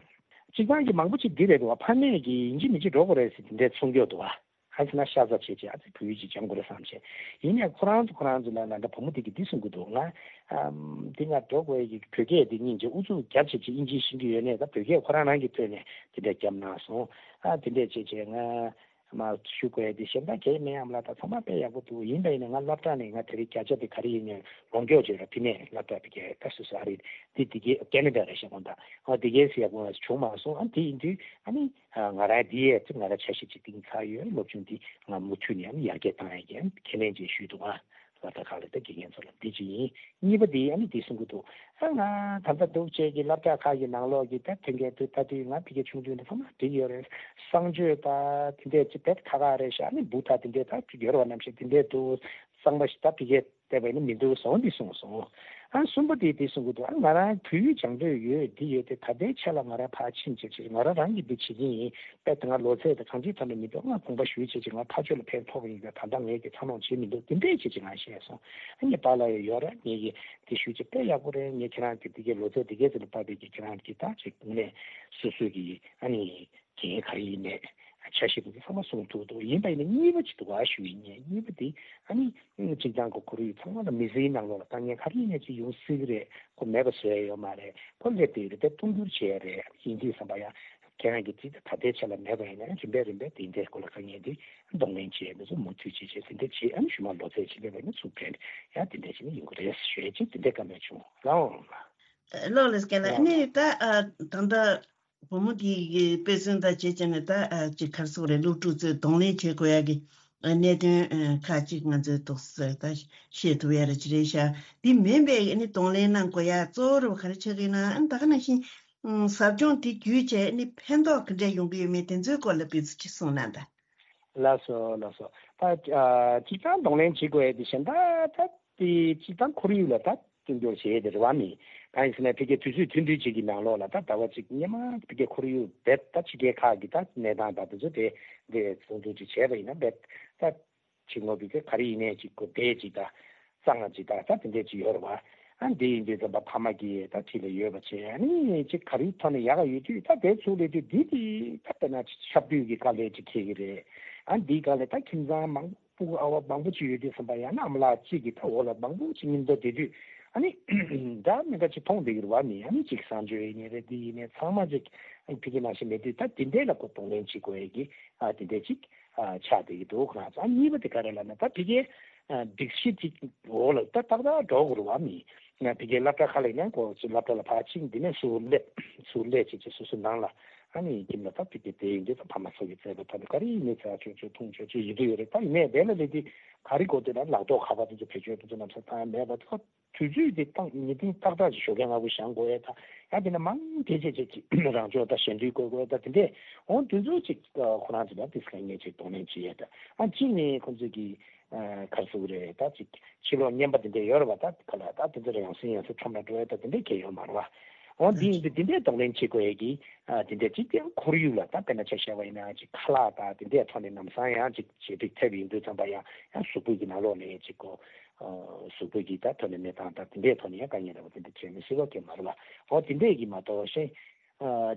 སྤྱིར་བཏང་གི་མང་པོ་ཅིག་འདི་རེད་འདུག་བ། ཕ་མས་ཀྱིས་ཡིན་གཅིག་མིན་གཅིག་འགྲོ་དགོས་རེད་ཟེར་དེ་འདྲས་གསུང་གི་ཡོད་འདུག་བ། ཨ་ཙི་ན་ཤ་ཚ་བྱེད་ཅིག་ཨ་ཙི་བོད་ཡིག་ཅིག་སྦྱང་དགོས་རེད་བསམ་བྱས། ཡིན་ནའི་ཁོ་རང་ཚོ་ཁོ་རང་ཚོ་ལ་ན་ད་བུ་མོ་དེ་གིས་འདི་གསུང་གི་འདུག་ང་ཨམ་འདི་ང་འགྲོ་དགོས་ཀྱི་བོད་སྐད་འདི་སྙིང་རྗེ་ཨུ་ཚུགས་རྒྱབ་བྱེད་ཅིག་ཨིན་ཇི་ཤེས་ཀྱི་ཡོད་ནས་ད་བོད་སྐད་ཁོ་རང་རང་གི་ཐོག་ནས་དེ་འདྲ་རྒྱབ་གནང་སོང་། ཨ་དེ་འདྲས་བྱེད་ཅིག་ང་མ་ཞུ་དགོས་དེ་གཞན་དག་གས་མེད་ཨམ་ལ། ད་ཚང་མ་དཔེ་ཡག་པོ་འདུག་ཡིན་པ་ཡིན་ན་ང་སློབ་གྲྭ་ནས་ང་དེ་རིང་བརྒྱ་ཆ་དེ་ག་རེ་ཡིན་ནས་ལོངས་སྤྱོད་བྱོས་ར། ཕི་ནས་སློབ་གྲྭ་དེ་གས་ད་སོ་སོ་ཨ་རི་དེ་དེ་གས་ཀེ་ན་ཌ་རེད་ཤག་གོ། ད་ཨ་དེ་གས་སུ་ཡག་པོ་བྱུང་མ་སོང་། ཨ་དེ་ཡིན་དུས་ཨ་ནི། ང་རང་འདི་ཡས་ང་རང་འཆར་གཞི་ཅིག་བཏིང་ཚར་ཡོད། སློབ་སྦྱོང་འདི་ང་མུ་མཐུད་ནས་ཡར་རྒྱས་བཏང་ཡས་ཀྱི་ཁས་ལེན་ཅིག་ཞུས་འདུག་ཨ་སློབ་གྲྭ་ཁག་ལ་ད་དགེ་རྒན་ཚོ་ལ་འདི་ཅིག་ཡིན། གཉིས་པ་འདི་ཨ་ནི་འདི་གསུང་གི་འདུག་ཨ་ང་ད་ལྟ་འདུག་བྱས་ཀྱི་སློབ་གྲྭ་ཁག་གི་ནང་ལོགས་ཀྱི་ད་ཐོན་སྐྱེད་དུ་ལྟ་དུས་ང་ཕ་གིར་ཆུང་དུས་ནས་ཚང་མ་འགྲིག་ཡོད་རེད། གསང་སྤྱོད་ད་དེ་འདྲས་ཅིག་དཔེ་ཁག་ཁག་རེད་ཤག་ཨ་ནི་འབུ་ད་དེ་འདྲས་ད་ཅིག་ཡོད་རེད་བ། ནམ་ཞིག་དེ་འདྲས་འདུག་གཙང་མ་ཞིག་ད་ཕ་གིར་བལྟས་པ་ཡིན་ན་མི་འདུག་ཟེར་འདི་གསུངས་སོང་། ཨ་གསུམ་པ་དེ་དེ་གསུང་གི་འདུག་ཨ་ང་རང་བོད་ཡིག་སྦྱང་འདོད་ཡོད་འདི་ཡོད་དེ་ད་ལྟའི་ཆ་ལ་ང་རང་ཕར་ཕྱིན་བྱས་བྱས་ང་རང་རང་གིས་འདི་བྱེད་ཀྱི་ཡིན། དཔེ་དེ་ང་ལོ་ཚད་དེ་གང་ཅིའི་ཐོག་ནས་མི་འདུག་ང་དགོངས་པ་ཞུས་བྱས་བྱས་ང་ཕར་ཕྱོགས་ལ་ཕན་ཐོགས་ཡིན་པས་ད་ལྟ་ངས་ཀྱི་ཚ་ནོང་བྱེད་མི་འདུག་དེ་འདྲས་བྱས་བྱས་ང་བཤད་སོང་། ཨ་ངས་པཱ་ལགས་ཡོད་ཡོད་རེད། ངས་ཀྱི་དེ་ཞུས་བྱས་དཔེ་ཡག་པོ་རེད། ངས་ཁྱེད་རང་གི་འདི་གའི་ལོ་ཚད་འདི་གའི་ཚོད་ལ་བབས་པའི་གི་ཁྱེད་རང་གི་ད་ཅིག་ངས་སོ་སོ་གི་ཨ་ནི། འགན་ག་རེ་ཡིན་ནས་འཆར་གཞི་དེ་ཚོ་ཚང་མ་གསུངས་ཐུབ་འདུག་ཡིན་པ་ཡིན་ན་གཉིས་པ་ཅིག་འདུག་ག་ཞུ་ཡིན་ངས། གཉིས་པ་དེ་ཨ་ནི་སྤྱིར་བཏང་གི་ཁོར་ཡུག་ཚང་མ་ལ་མི་ཚེའི་ནང་ལོགས་ལ་དཀའ་ངལ་ག་རེ་ཡིན་ནས་ཅིག་ཡོང་སྲིད་གི་རེད། ཁོ་མེད་པ་བཟོ་ཡ་ཡོད་མ་རེད། ཁོ་སླེབས་བསྡད་ཡོད་རེད། དེ་མཐོང་འགྱུར་བྱས་རེད། ཡིན་དུས་བསམ་པ་ཡང་ཁྱེད་རང་གི་ཅིག་ད་ལྟའི་ཆ་ལ་མེད་པ་ཡིན་ན་རིམ་པས་རིམ་པས་དེ་འདྲའི་སྐོར་ལ་དཀའ་ངལ་དེ་གདོང་ལེན་བྱས་ནས་ཚོ་མུ་མཐུད་བྱས་བྱས་དེ་འདྲ་བྱས། ཨ་ནི་ཞུ་མ་ལོ་ཚད་ཅིག་སླེབས་པ་ཡིན་ན་ཚུར་ཕེབས་ནས་ཡང་དེ་འདྲ་བྱས་ནས་ཡོང་གི་རེད་ཞུ་ཡ་ཅིག་དེ་འདྲའི་བཀའ་མོལ་བྱུང་རང་ལ། ལོ་ལེགས་རྒན་ལགས། ཨ་ནི་ད་ཨ་ད་ལྟ་བུ་མོ་དེ་གི་དཔེ་མཚོན་དང་བྱེད་བྱས་ནས་ད་ཨ་ཅིག་ག་རེ་ཟེར་དགོས་རེད། སློབ་ཕྲུག་ཚོས་གདོང་ལེན་བྱེད་དགོས་ཡ་གི་ཨ་གནད་དོན་ཨ་ཁག་ཅིག་ང་ཚོས་ཏོག་ཙམ་ད་ཤེས་ཐུབ་ཡ་རེ་ཅིག་རེད་ཤག་དེ་མིན་པའི་ཨ་ནི་གདོང་ལེན་གནང་དགོས་ཡ་གཙོ་བོ་རེ་བ་ག་རེ་ཆགས་ཀྱི་ཡོད་ན། ཨ་ནི་ད་ག་ནང་བཞིན་ཨ་ཟབ་སྦྱོང་དེ་བརྒྱུད་བྱས་ཨ་ནི་ཕན་ཐོགས་ག་འདྲས་ཡོང་གི་ཡོད་མེད་དེ་ཚོའི་སྐོར་ལ་ཕུལ་ཚུལ་ཅིག་གསུངས་གནང་དང་། ལགས་སོ་ལགས་སོ། ད་ཨ་སྤྱིར་བཏང་གདོང་ལེན་བྱེད་དགོས་ཡ་དེ་གཞན་དག་ད། དེ་སྤྱིར་བཏང་ཁོར་ཡུག་ལ་ད་བསྟུན་གྱོང་བྱེད་ཡས་དེ་རེད་བ། མི་གང་ཡིན་ཟེར་ན་ཕ་གིའི་དུས་ཚོད་ཐུང་ཐུང་ཅིག་གི་ནང་ལོགས་ལ་ད་ཟླ་བ་གཅིག་སྔོན་མ་ཕ་གིའི་ཁོར་ཡུག་རྦད་ད་ཕྱི་རྒྱལ་ཁག་གི་ད་གནས་སྟངས་དང་དེ་ཚོ་དེ་འདྲས་ཐུང་ཐུང་ཅིག་བྱས་པ་ཡིན་ན་རྦད་ད་ཕྱི་ངོས་ཕ་གི་ག་རེ་ཡིན་ནའི་ཅིག་གོ་བདེ་ཅིག་ད་གཙང་མ་ཅིག་ད་ད་དེ་འདྲས་ཅིག་ཡོད་རེད་བ། ཨ་འདི་ཡིན་དུས་ཙམ་པ་ཕ་མ་གིས་ད་འཁྲིས་ལ་ཡོད་པ་བྱས། ཨ་ནི་ཅིག་ག་རེའི་ཐོག་ནས་ཡག་ག་ཡོད་དུས་ད་དེ་ཚུར་སླེབས་དུས་འདི་དེ་ད་དཔེར་ན་ཆབ་དུས་ཀྱི་དཀའ་ལས་ཅིག་འཁེལ་གི་རེད། ཨ་འདིའི་སྒང་ལ་ད་ཁྱིམ་ཚང་མང་སྤུ་གུ་ཨ་བ་མང་པོ་ཅིག་ཡོད་དུས་ཙམ་པ་ཡང་ན་ཨ་མ་ལགས་གཅིག་གིས་ད་འོག་ལ་མང་པོ་ཅིག་མཉམ་དུ་བསྡད་དུས་ཨ་ནི་འདྲ་མི་འདྲ་ཅིག་མཐོང་བསྡད་ཀྱི་རེད་བ། མི་ཨ་ནི་ཅིག་གསང་སྤྱོད་ཡིན་ནའི་རེད། འདི་ཡིན་ནའི་ཚང་མ་ཅིག་ཨ་ནི་ཕ་གི་ནང་བཞིན་མེད་དུས་ད་དེ་འདྲས་ལ་ཁོ་གདོང་ལེན་བྱེད་དགོས་ཡས་ཀྱི་ཨ་དེ་འདྲས་ཅིག་ཨ་ཆགས་བསྡད་ཀྱི་འདུག་ཁོ་རང་ཚོ། ཨ་གཉིས་པ་དེ་ག་རེ་ལབ་ན་ད་ཕ་གི་ཨ་སྒྲིག་གཞི་ཅིག་འོག་ལ་ད་ཏག་ཏག་འགྲོ་དགོས་རེད་བ། མི་ང་ཕ་གི་སློབ་གྲྭ་ཁག་ལ་ཡིན་ན་ཁོ་ཚོ་སློབ་གྲྭ་ལ་ཕར་ཕྱིན་འདི་ནས་ཚུར་སླེབས་ཚུར་སླེབས་བྱས་བྱས་སོ་སོ་ནང་ལ། ཨ་ནི་ཁྱིམ་ལ་ད་ཕ་གི་དེ་ཡིན་དུས་ད་ཕ་མ་ཚོ་གི་བཙལ་བའི་ཐོག་ནས་ག་རེ་ཡིན་ནའི་ཚ་ཆོད་ཆོད་འཐུང་ཆོད་ཆོད་ཡོད་དུ་ཡོད་རེད། ད་ཡིན་ནའི་དེ་ལ་སླེབས་དུས་ག་རེ་དགོས་འདུག་ན་ལག་ཐོག་ཁ་པར་དེ་ཚོ་བེད་སྤྱོད་དེ་ཚོ་ལམ་སང་བཏང་ཡ་མེད་པ། ད་དུས་ཚོད་དེ་བཏང་ཉིན་ཐེངས་ཏག་ཏག་ཅིག་ཞོགས་ཀས་སྔ་པོ་བཞེངས་དགོས་ཡ། ད་ཡང་དེ་ན་མང་དེ་བྱས་བྱས་ཅིག་རང་སྦྱོང་ད་ཞལ་འདོན་དགོས་དགོས་ད་དེ་འདྲས། འོ་དེ་ཚོ་ཅིག་ཁོ་རང་ཚོ་ལ་དེ་སྐད་ངས་ཅིག་གདོང་ལེན་བྱེད་ཡ། ད་ཨ་གཅིག་ནས་ཁོ་ཚོ་གི་ཨ་ག་རེ་ཟེར་དགོས་རེད། ད་ཅིག་ཕྱི་ལོགས་བརྙན་པ་དེ་འདྲས་ཡོད་རེད་བ། ད་ག་ལ་ད་དེ་ཚོ་ལ་ཡང་སེ་ཡང་སེ་ཁྲོམ་ལ་འགྲོ་ཡ་ད་དེ་འདྲས་གལ་ཡོད་མ་རེད་བ། འོ་འདི་ཡིན་དུས་འདི་འདྲའི་གདོང་ལེན་བྱེད་དགོས་ཡས་ཀྱི་ཨ་འདི་འདྲ་ཅིག་ཀྱང་ཁོར་ཡུག་ལ་ད་དཔེར་ན་ཆ་བཞག་པ་ཡིན་ན་ཅིག་ཁ་ལག་དང་འདི་འདྲའི་ཐོག་ནས་ལམ་སང་ཡང་ཅིག་ཞེ་དྲག་ཐེབས་ཡོང་དུས་ཙམ་པ་ཡང་ཡང་གཟུགས་པོ་གི་ནང་ལོགས་ནས་ཅིག་གོ་གཟུགས་པོ་གི་ད་ཐོག་ནས་གནས་སྟངས་དང་འདི་འདྲའི་ཐོག་ནས་ཡང་དཀའ་ངལ་འདྲ་བོ་འདི་འདྲ་འཕྲད་མི་སྲིད་པ་གང་མ་རེད་པ། འོ་འདི་འདྲས་ཀྱི་མ་གཏོགས་གཞན་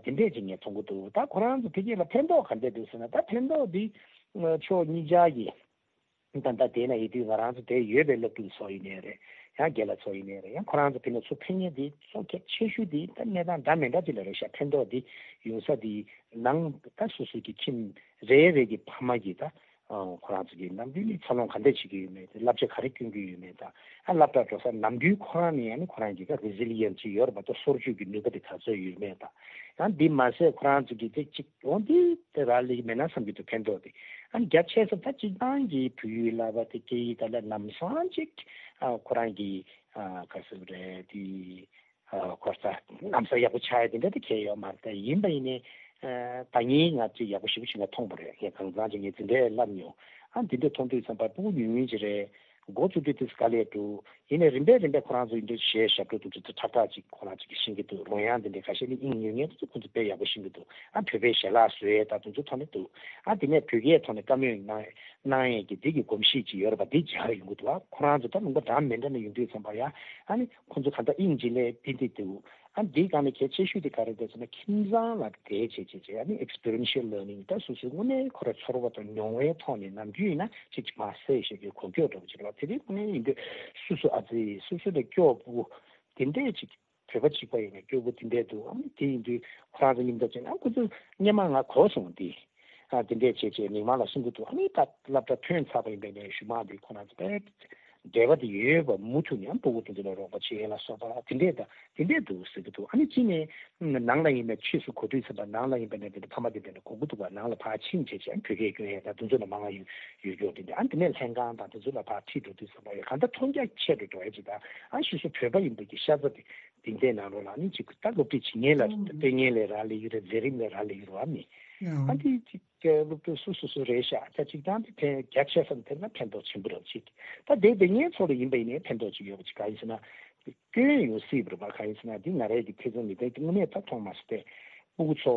འདི་འདྲས་ཅིག་ངས་མཐོང་གི་འདུག་ད་ཁོ་རང་ཚོ་ཕ་གི་ལ་ཕན་ཐོགས་ག་འདྲས་འདུག་ཟེར་ན་ད་ཕན་ཐོགས་འདི་ཕྱོགས་གཉིས་ཆ་གི་ད་ལྟ་དེ་ན་ཡོད་དུས་ང་རང་ཚོ་དེ་ཡོད་པའི་སློབ་ཕྲུག་ཚོ་ཡིན་ནའི་རེད། ཡང་རྒན་ལགས་ཚོ་ཡིན་ནའི་རེད། ཡང་ཁོ་རང་ཚོ་ཕི་ནས་ཚུར་ཕན་ཉེ་དེ་གཙོ་གལ་ཆེ་ཤོས་དེ་ད་གནས་སྟངས་འདྲ་མི་འདྲ་ཅིག་ལ་རེད་ཤག་ཕན་ཐོགས་དེ་ཡོང་ས་དེ་ནང་ད་སོ་སོ་གི་ཁྱིམ་རེ་རེ་གི་ཕ་མ་གི་ད་ཁོ་རང་ཚོ་གི་ནམ་རྒྱུན་ནས་འཚར་ལོངས་ག་འདྲ་བྱེད་ཀྱི་ཡོད་མེད་དེ་བསླབ་བྱ་ག་རེ་སྐྱོན་གྱི་ཡོད་མེད་དང་ཨ་སློབ་གྲྭ་འགྲོ་ས་ནམ་རྒྱུན་ཁོ་རང་ནས་ཡང་ནི་ཁོ་རང་གི་ད་རི་ཟི་ལི་ཡན་ཅིག་ཡོད་རེད་པ། ད་སོར་ཆུད་ཀྱི་ནུས་པ་དེ་ག་ཚོད་ཡོད་མེད་དང་ཡང་འདི་མ་ཟད་ཁོ་རང་ཚོ་གི་དེ་གཅིག་འོང་དེ་དེ་རག་ལས་མེད་ན་བསམ་གྱི་འདུག་ཕན་ཐོགས་དེ། ཨ་ནི་རྒྱ་ཆེ་ས་ད་སྤྱིར་བཏང་གི་བོད་ཡིག་བསླབ་པ་དེ་སྐད་ཡིག་ད་ལ་ལམ་སང་ཅིག་ཨ་ཁོ་རང་གི་ཨ་ག་ཟེར་རེད་དེ་ཨ་ཁོ་ཚ་ལམ་སང་ཡག་པོ་ཆགས་ཡ་དེ་འདྲ་དེ་གལ་ཡོད་མ་རེད། ད་ཡིན་པ་ཡིན་ནའི་ཨ་ད་ངས་ང་ཅིག་ཡག་པོ་ཞེ་པོ་ཞིག་ང་མཐོང་པ་རེད། ངས་གང་ཚང་ཅིག་ངས་དེ་འདྲའི་བསླབ་མྱོང་། ཨ་དེ་འདྲ་མཐོང་དུས་ཙམ་པ་སྤུ་གུ་ཉུང་ཉུང་ཅིག་རེད། འགོ་བཙུགས་དུས་དེ་དཀའ་ལས་འདུག་ཡིན་ནའི་རིམ་པས་རིམ་པས་ཁོ་རང་ཚོ་ཡིན་དུས་གཞས་ཞབས་བྲོ་དེ་ཚོ་ཁྲག་ཁྲག་ཅིག་ཁོ་རང་ཚོ་གིས་ཤེས་ཀྱི་འདུག་རོལ་དབྱངས་དེ་འདྲའི་ཁ་ཤས་ནི་དབྱིངས་ཉུང་ཉུང་དེ་ཚོ་ཁོ་ཚོ་དཔེ་ཡག་པོ་ཤེས་ཀྱི་འདུག་ཨ་བོད་པའི་ཞལ་ལག་བཟོ་ཡས་ད་དེ་ཚོ་ཐོག་ནས་འདུག་ཨ་དེ་ནས་བོད་སྐད་ཐོག་ནས་བཀའ་མོལ་གནང་གནང་ཡས་ཀྱི་དེ་གི་གོམས་གཤིས་ཅིག་ཡོད་རེད་པ། དེ་སྦྱར་ཡོང་གི་འདུག་ཨ་ཁོ་རང་ཚོ་ད་ལུང་པ་འདྲ་མི་འདྲ་ནས་ཡོང་དུས་ཙམ་པ་ཡ་ཨ་ནི་ཁོ་ཚོ་ག་འདྲ་དབྱིངས་ཅིག་ལས་དེ་འདི་འདུག་ཨ་འདིའི་སྒང་ནས་གལ་ཆེ་ཤོས་དེ་ག་རེ་རེད་ཟེར་ན་ཁྱིམ་ཚང་ལ་དེ་བྱེད་བྱེད་བྱེད་ཨ་ནི་ཨེག་སི་པི་རི་ཡེན་ཤལ་ལར་ནིང་ད་སོ་སོའི་དངོས་གནས་ཁོ་ར་ཚོར་བ་དང་མྱོང་བའི་ཐོག་ནས་ནམ་རྒྱུན་ཡིན་ན་ཅིག་མ་ཟད་ཞེས་པའི་གོ་སྐབས་འདྲ་པོ་ཅིག་རེད་པ། དེ་རིང་དངོས་གནས་ཡིན་དུས་སོ་སོ་ཨ་ཙི་སོ་སོ་ལས་སྐྱོ་པོ་དེ་འདྲས་ཅིག་བོད་པ་གཅིག་པ་ཡིན་ན་སྐྱོ་པོ་དེ་འདྲས་འདུག་ཨ་ནི་དེ་ཡིན་དུས་ཁོ་རང་ཚོ་མཉམ་དུ་བྱས་ན་ཨ་ཁོ་ཚོ་སྔོན་མ་ང་གོ་སོང་དེ་ཨ་དེ་འདྲས་བྱས་བྱས་མི་མང་ལ་གསུང་གི་འདུག་ཨ་ནི་ད་སློབ་གྲྭ་ཐོན་ཚར་བ་ཡིན་པས་ནས་གཞུག་མ་དེ་ཁོ་རང་ཚོ་དཔེ་འབྲེལ་བ་དེ་ཡོད་པ་མུ་མཐུད་ནས་ཨ་སྤུ་གུ་དེ་ཚོ་ལ་རོགས་པ་བྱེད་ཡས་ལ་སོགས་པ་དེ་འདྲས་ད་དེ་འདྲས་འདུག་ཟེར་གི་འདུག་ཨ་ནི་གཅིག་ནས་ནང་ལ་ཡིན་པའི་ཕྱིས་སུ་གོ་དུས་ཙམ་པ་ནང་ལ་ཡིན་པ་ནས་དེ་འདྲ་ཕ་མ་དེ་འདྲ་ནས་གོ་གི་འདུག་པ། ནང་ལ་ཕར་ཕྱིན་བྱས་བྱས་བོད་སྐད་སྐྱོན་ཡས་ད་དེ་ཚོ་ལ་མང་ང་ཡོད་ཡོད་སྐྱོ་དེ་འདྲ་ཨ་དེ་ནས་ལྷན་ཁང་དང་དེ་ཚོ་ལ་ཕར་ཁྲིད་འགྲོ་དུས་ཙམ་པ་ཡོད་གང་ལྟར་མཐོང་རྒྱ་ཆེ་རུ་འགྲོ་ཡས་ཅིག་དང་ཨ་ཕྱིས་སུ་བོད་པ་ཡིན་པའི་གི་ཤ་ཚ་དེ་དེ་འདྲའི་ནང་ལོགས་ལ་ནི་ཅིག་ད་སློབ་ཁྲིད་བྱེད་མཁན་ལ་ཨང་སྤྲད་མཁན་ལས་རག་ལས་ཡོད་རེད། མཛད་རིམ་ལས་རག་ལས་ཡོད་རེད་བ་མི་ཨ་ཨང་དེ་ཅིག་སློབ་ཕྲུག་སོ་སོ་སོ་རེད་ཤག་ད་ཅིག་ཐང་དེ་ཕན་རྒྱ་ཆེ་ས་ནས་ཕན་ན་ཕན་ཐོགས་ཆེན་པོ་རེད་ཅིག་ད་དེ་དེ་ངའི་ཚོ་ལ་ཡིན་པ་ཡིན་ནའི་ཕན་ཐོགས་ཅིག་ཡོད་པ་ཅིག་གང་ཡིན་ཟེར་ན། སྐྱོན་ཡོང་སྲིད་པ་རེད་པ། གང་ཡིན་ཟེར་ན་འདི་ང་རའི་གི་ཐེ་ཚོམ་ཡིན་ཏེ་དངོས་གནས་ད་མཐོང་མ་སོང་སྟེ། སྤུ་གུ་ཚོ་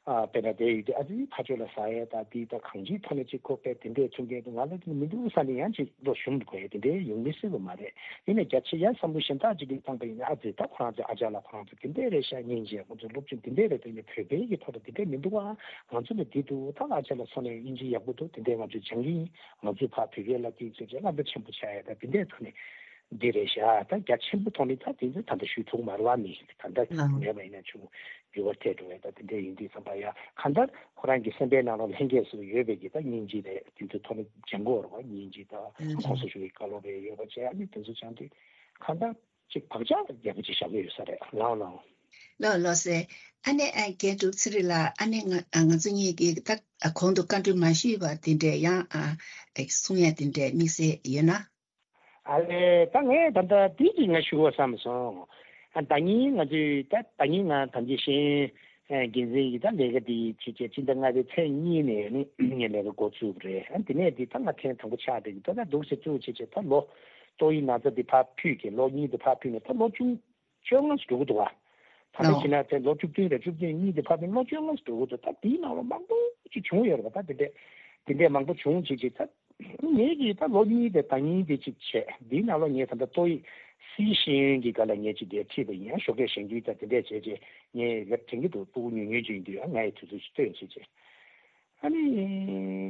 ཨ་དཔེར་ན་དེ་ཡོད་དུས་ཨ་ཙི་ཕ་ཆོས་ལ་ཟ་ཡས་ད་འདི་ད་གང་ཅིའི་ཐོག་ནས་ཅིག་ཁོ་པས་དེ་འདྲས་མཐུན་རྐྱེན་དུ་ང་ལ་དེ་མི་འདུག་ས་ནས་ཡང་ཅིག་བློ་ཞུམ་དགོས་ཡས་དེ་འདྲས་ཡོང་མི་སྲིད་པ་མ་རེད། ཡིན་ནའི་རྒྱ་ཆེ་ཡང་བསམ་བློ་གཞན་དག་ཅིག་གིས་བཏང་པ་ཡིན་ན་ཨ་ཙི་ད་ཁོ་རང་ཚོའི་ཨ་ཅག་ལ་ཁོ་རང་ཚོ་དེ་འདྲས་རེད་ཤག་སྙིང་རྗེ་ཁོ་ཚོ་སློབ་སྦྱོང་དེ་འདྲས་རེད། དེ་ནས་བོད་པའི་གི་ཐོག་ལ་དེ་འདྲས་མི་འདུག་ཨ། ང་ཚོ་ལ་འདི་འདུག་ད་ཨ་ཅག་ལ་སོང་ནས་དབྱིན་ཇི་ཡག་པོ་འདུག་དེ་འདྲས་ང་ཚོས་སྦྱང་གི་ཡིན། ང་ཚོས་ཕར་བོད་སྐད་ལ་དེ་ཚོས་ཅིག་བསླབ་པ་ཆེན་པོ་ཆགས་ཡས་ད་དེ་འདྲས་ཐོག་ནས། འདི་རེད་ཤག་ད་རྒྱ་ཆེན་པོ་ཐོག་ནས་ད་དེ་ཚོ་ད་ལྟ་ཞུ་ཐུབ་མ་རེད་བ། མི་ད་ལྟ་ལགས། མེད་པ་ཡིན་ན་ཆུང་འགྱུར་བ་ཐེབས་འགྲོ་བས། ད་དེ་འདྲ་ཡིན་དུས་ཙམ་པ་ཡ་གང་ལྟར་ཁོ་རང་གི་སེམས་པའི་ནང་ལ་ལྷན་སྐྱེས་སུ་ཡོད་པའི་གི་ད་སྙིང་རྗེ་རེད། དེ་ཚོ་ཐོག་ནས་སྦྱང་དགོས་རེད་བ། སྙིང་རྗེ་ད་ཨ་ཁོང་ཚོ་ཞུ་བའི་བཀའ་སློབ་རེ་ཡོད་པ་བྱས། ཨ་ནི་དེ་ཚོ་སྦྱང་དུས་གང་ལྟར་ཅིག་བག་ཆགས་རྒྱ་པོ་ཅིག་བཞག་གི་ཡོད་ས་རེད། ལགས་ལགས། ལགས་ལགས་སེ། ཨ་ནི་ཨ་རྒན་གྲུབ་ཚེ་རིང་ལགས། ཨ་ནི་ང་ང་ཚོ་གཉིས་ཀྱིས་ད་གོང་དུ་བཀའ་འདྲི་མ་ཞུས་པ་དེ་འདྲས་ཡང་ཨ་གསུང་ཡ་དེ་འདྲས་དམིགས་བསལ་ཡོད་ན། ཨ་ལས་ད་ངས་ད་ལྟ་དེ་གཅིག་ང་ཞུ་བ་བསམ་སོང་། ཨ་ཟླ་ཉིན་ང་ཚོས་ད་ཟླ་ཉིན་ང་དམ་ཅན་ཤེས་ཡོན་འགན་འཛིན་གྱི་ད་ལས་ཀ་དེ་བྱེད་བྱེད་སྤྱི་ཟླ་ལྔ་པའི་ཚེས་གཉིས་ནས་ནི་ངས་ལས་ཀ་འགོ་ཚུགས་པ་རེད། ཨ་དེ་ནས་དེ་ད་ང་ཐེངས་དང་པོ་ཆགས་བསྡད་ཀྱི་ད་ད་འདུག་སེ་བཙུགས་བྱེད་བྱེད་ད་ལོ་ཏོག་དབྱིབས་ན་ཚ་དེ་ཕར་ཕུད་ཀྱི་ལོ་གཉིས་དེ་ཕར་ཕུད་ནས་ད་ལོ་བཅུ་བཅོ་ལྔ་ཙམ་འགྲོ་གི་འདུག་བ། ད་ལྟ་ལོ། བྱས་ན་ཚེ་ལོ་བཅུ་བདུན་རེད། བཅུ་བདུན་གཉིས་དེ་ཕར་ཕུད་ལོ་བཅོ་ལྔ་ཙམ་འགྲོ་གི་འདུག་ད་དེའི་ནང་ལོ་མང་པོ་ཅིག་བྱུང་ཡོད་རེད་བ། ད་དེ་འདྲས་དེ་འདྲས་མང་པོ་བྱུང་བྱེད་ཅིག་ད། ངེད་ཀྱིས་ད་ལོ་གཉིས་དེ་ཟླ་ཉིན་དེ་ཅིག་བྱས། འདིའི་ནང་ལོ་ངས་ད་ལྟ་ཏོག་དབྱིབས་སིའི་ཤེས་ཡོན་གྱི་སྒང་ལ་ངས་ཅིག་དེ་ཁྲིད་པ་ཡིན། ཡང་ཞོགས་ཀས་གཞེན་སྐུལ་དང་དེ་འདྲས་བྱས་བྱས་ངས་ལབ་དྲན་གྱི་འདུག་སྤུ་གུ་ཉུང་ཉུང་ཅིག་ཡིན་དུས་ཡང་ང་ཡི་དུས་ཚོད་ཅིག་སྟོན་བྱས་བྱས། ཨ་ནི་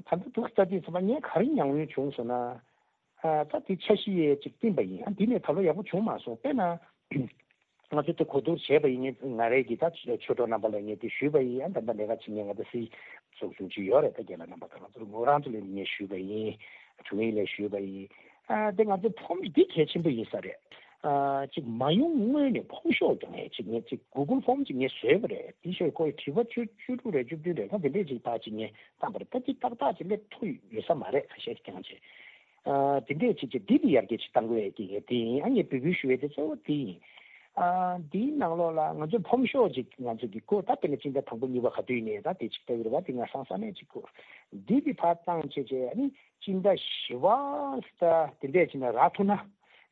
ད་ལྟ་འདུག་ལྟ་དུས་ཚང་མ་ངས་ག་རེ་ཉམས་མྱོང་བྱུང་སོང་ན། ཨ་ད་དེ་འཆར་གཞི་ཡས་ཅིག་བཏིང་པ་ཡིན། ཨ་འདི་ནས་ད་ལོ་ཡག་པོ་བྱུང་མ་སོང་། དཔེར་ན། ང་ཚོ་དེ་གོ་བསྡུར་བྱས་པ་ཡིན་ངེས། ང་རའི་གི་ད་ཆོས་གྲོགས་རྣམ་པ་ལ་ངས་དེ་ཞུས་པ་ཡིན། ཨ་ད་ལྟ་ལས་ཀ་བྱེད་མཁན་ང་ད་སྲིད་ཚོགས་ཆུང་ཅིག་ཡོད་རེད། ད་རྒན་ལགས་རྣམ་པ་ད་ང་ཚོ་ངོ་རང་ཚོ་ལ་ངས་ཞུས་པ་ཡིན། དྲུང་ཡིག་ལ་ཞུས་པ་ཡིན། ཨ་དེ་ང་ཚོ་ཕོམ་འདི་གལ་ཆེན་པོ་ཡིན་ས་རེད། ཨ་ཅིག་མ་ཡོང་སྔོན་ནས་ཕོམ་ཤོག་ཀྱང་ངས་ཅིག་ངས་ཅིག་གུ་གུལ་ཕོམ་ཅིག་ངས་བཟོས་པ་རེད། དེ་ཞོར་ཁོའི་དྲི་བ་བཅུ་བཅུ་དྲུག་རེད། བཅུ་བདུན་རེད། ད་དེ་འདྲས་ཅིག་ཕར་ཅིག་ངས་བཏང་པ་རེད། ད་ཅིག་ཏག་ཏག་ཅིག་སླེབས་ཐུབ་ཡོད་ས་མ་རེད། ཁ་ཤས་ཀྱང་ཅིག་ཨ་དེ་འདྲས་ཅིག་ཅིག་འདི་འདི་ཡར་རྒྱས་ཅིག་གཏང་དགོས་ཡ་གི་ངས་དེ་ཡིན། ཨ་ངས་འབོད་སྐུལ་ཞུ་ཡ་དེ་གཙོ་བོ་དེ་ཡིན། ཨ་འདིའི་ནང་ལོགས་ལ་ང་ཚོས་ཕོམ་ཤོག་ཅིག་ང་ཚོ་གི་བསྐུར། ད་དཔེར་ན་སྤྱི་ཟླ་དང་པོ་གཉིས་པ་ག་དུས་ཡིན་ནའི་ད་དེ་ཅིག་ལྟ་གི་རེད་བ། དེ་ང་སང་ས་ནས་ཅིག་བསྐུར། འདི་གི་ཕར་བཏང་བྱས་བྱས་ཨ་ནི་སྤྱི་ཟླ་བཞི་པ་ད་དེ་འདྲས་ཅིག་ན་རག་ཐུབ་ན།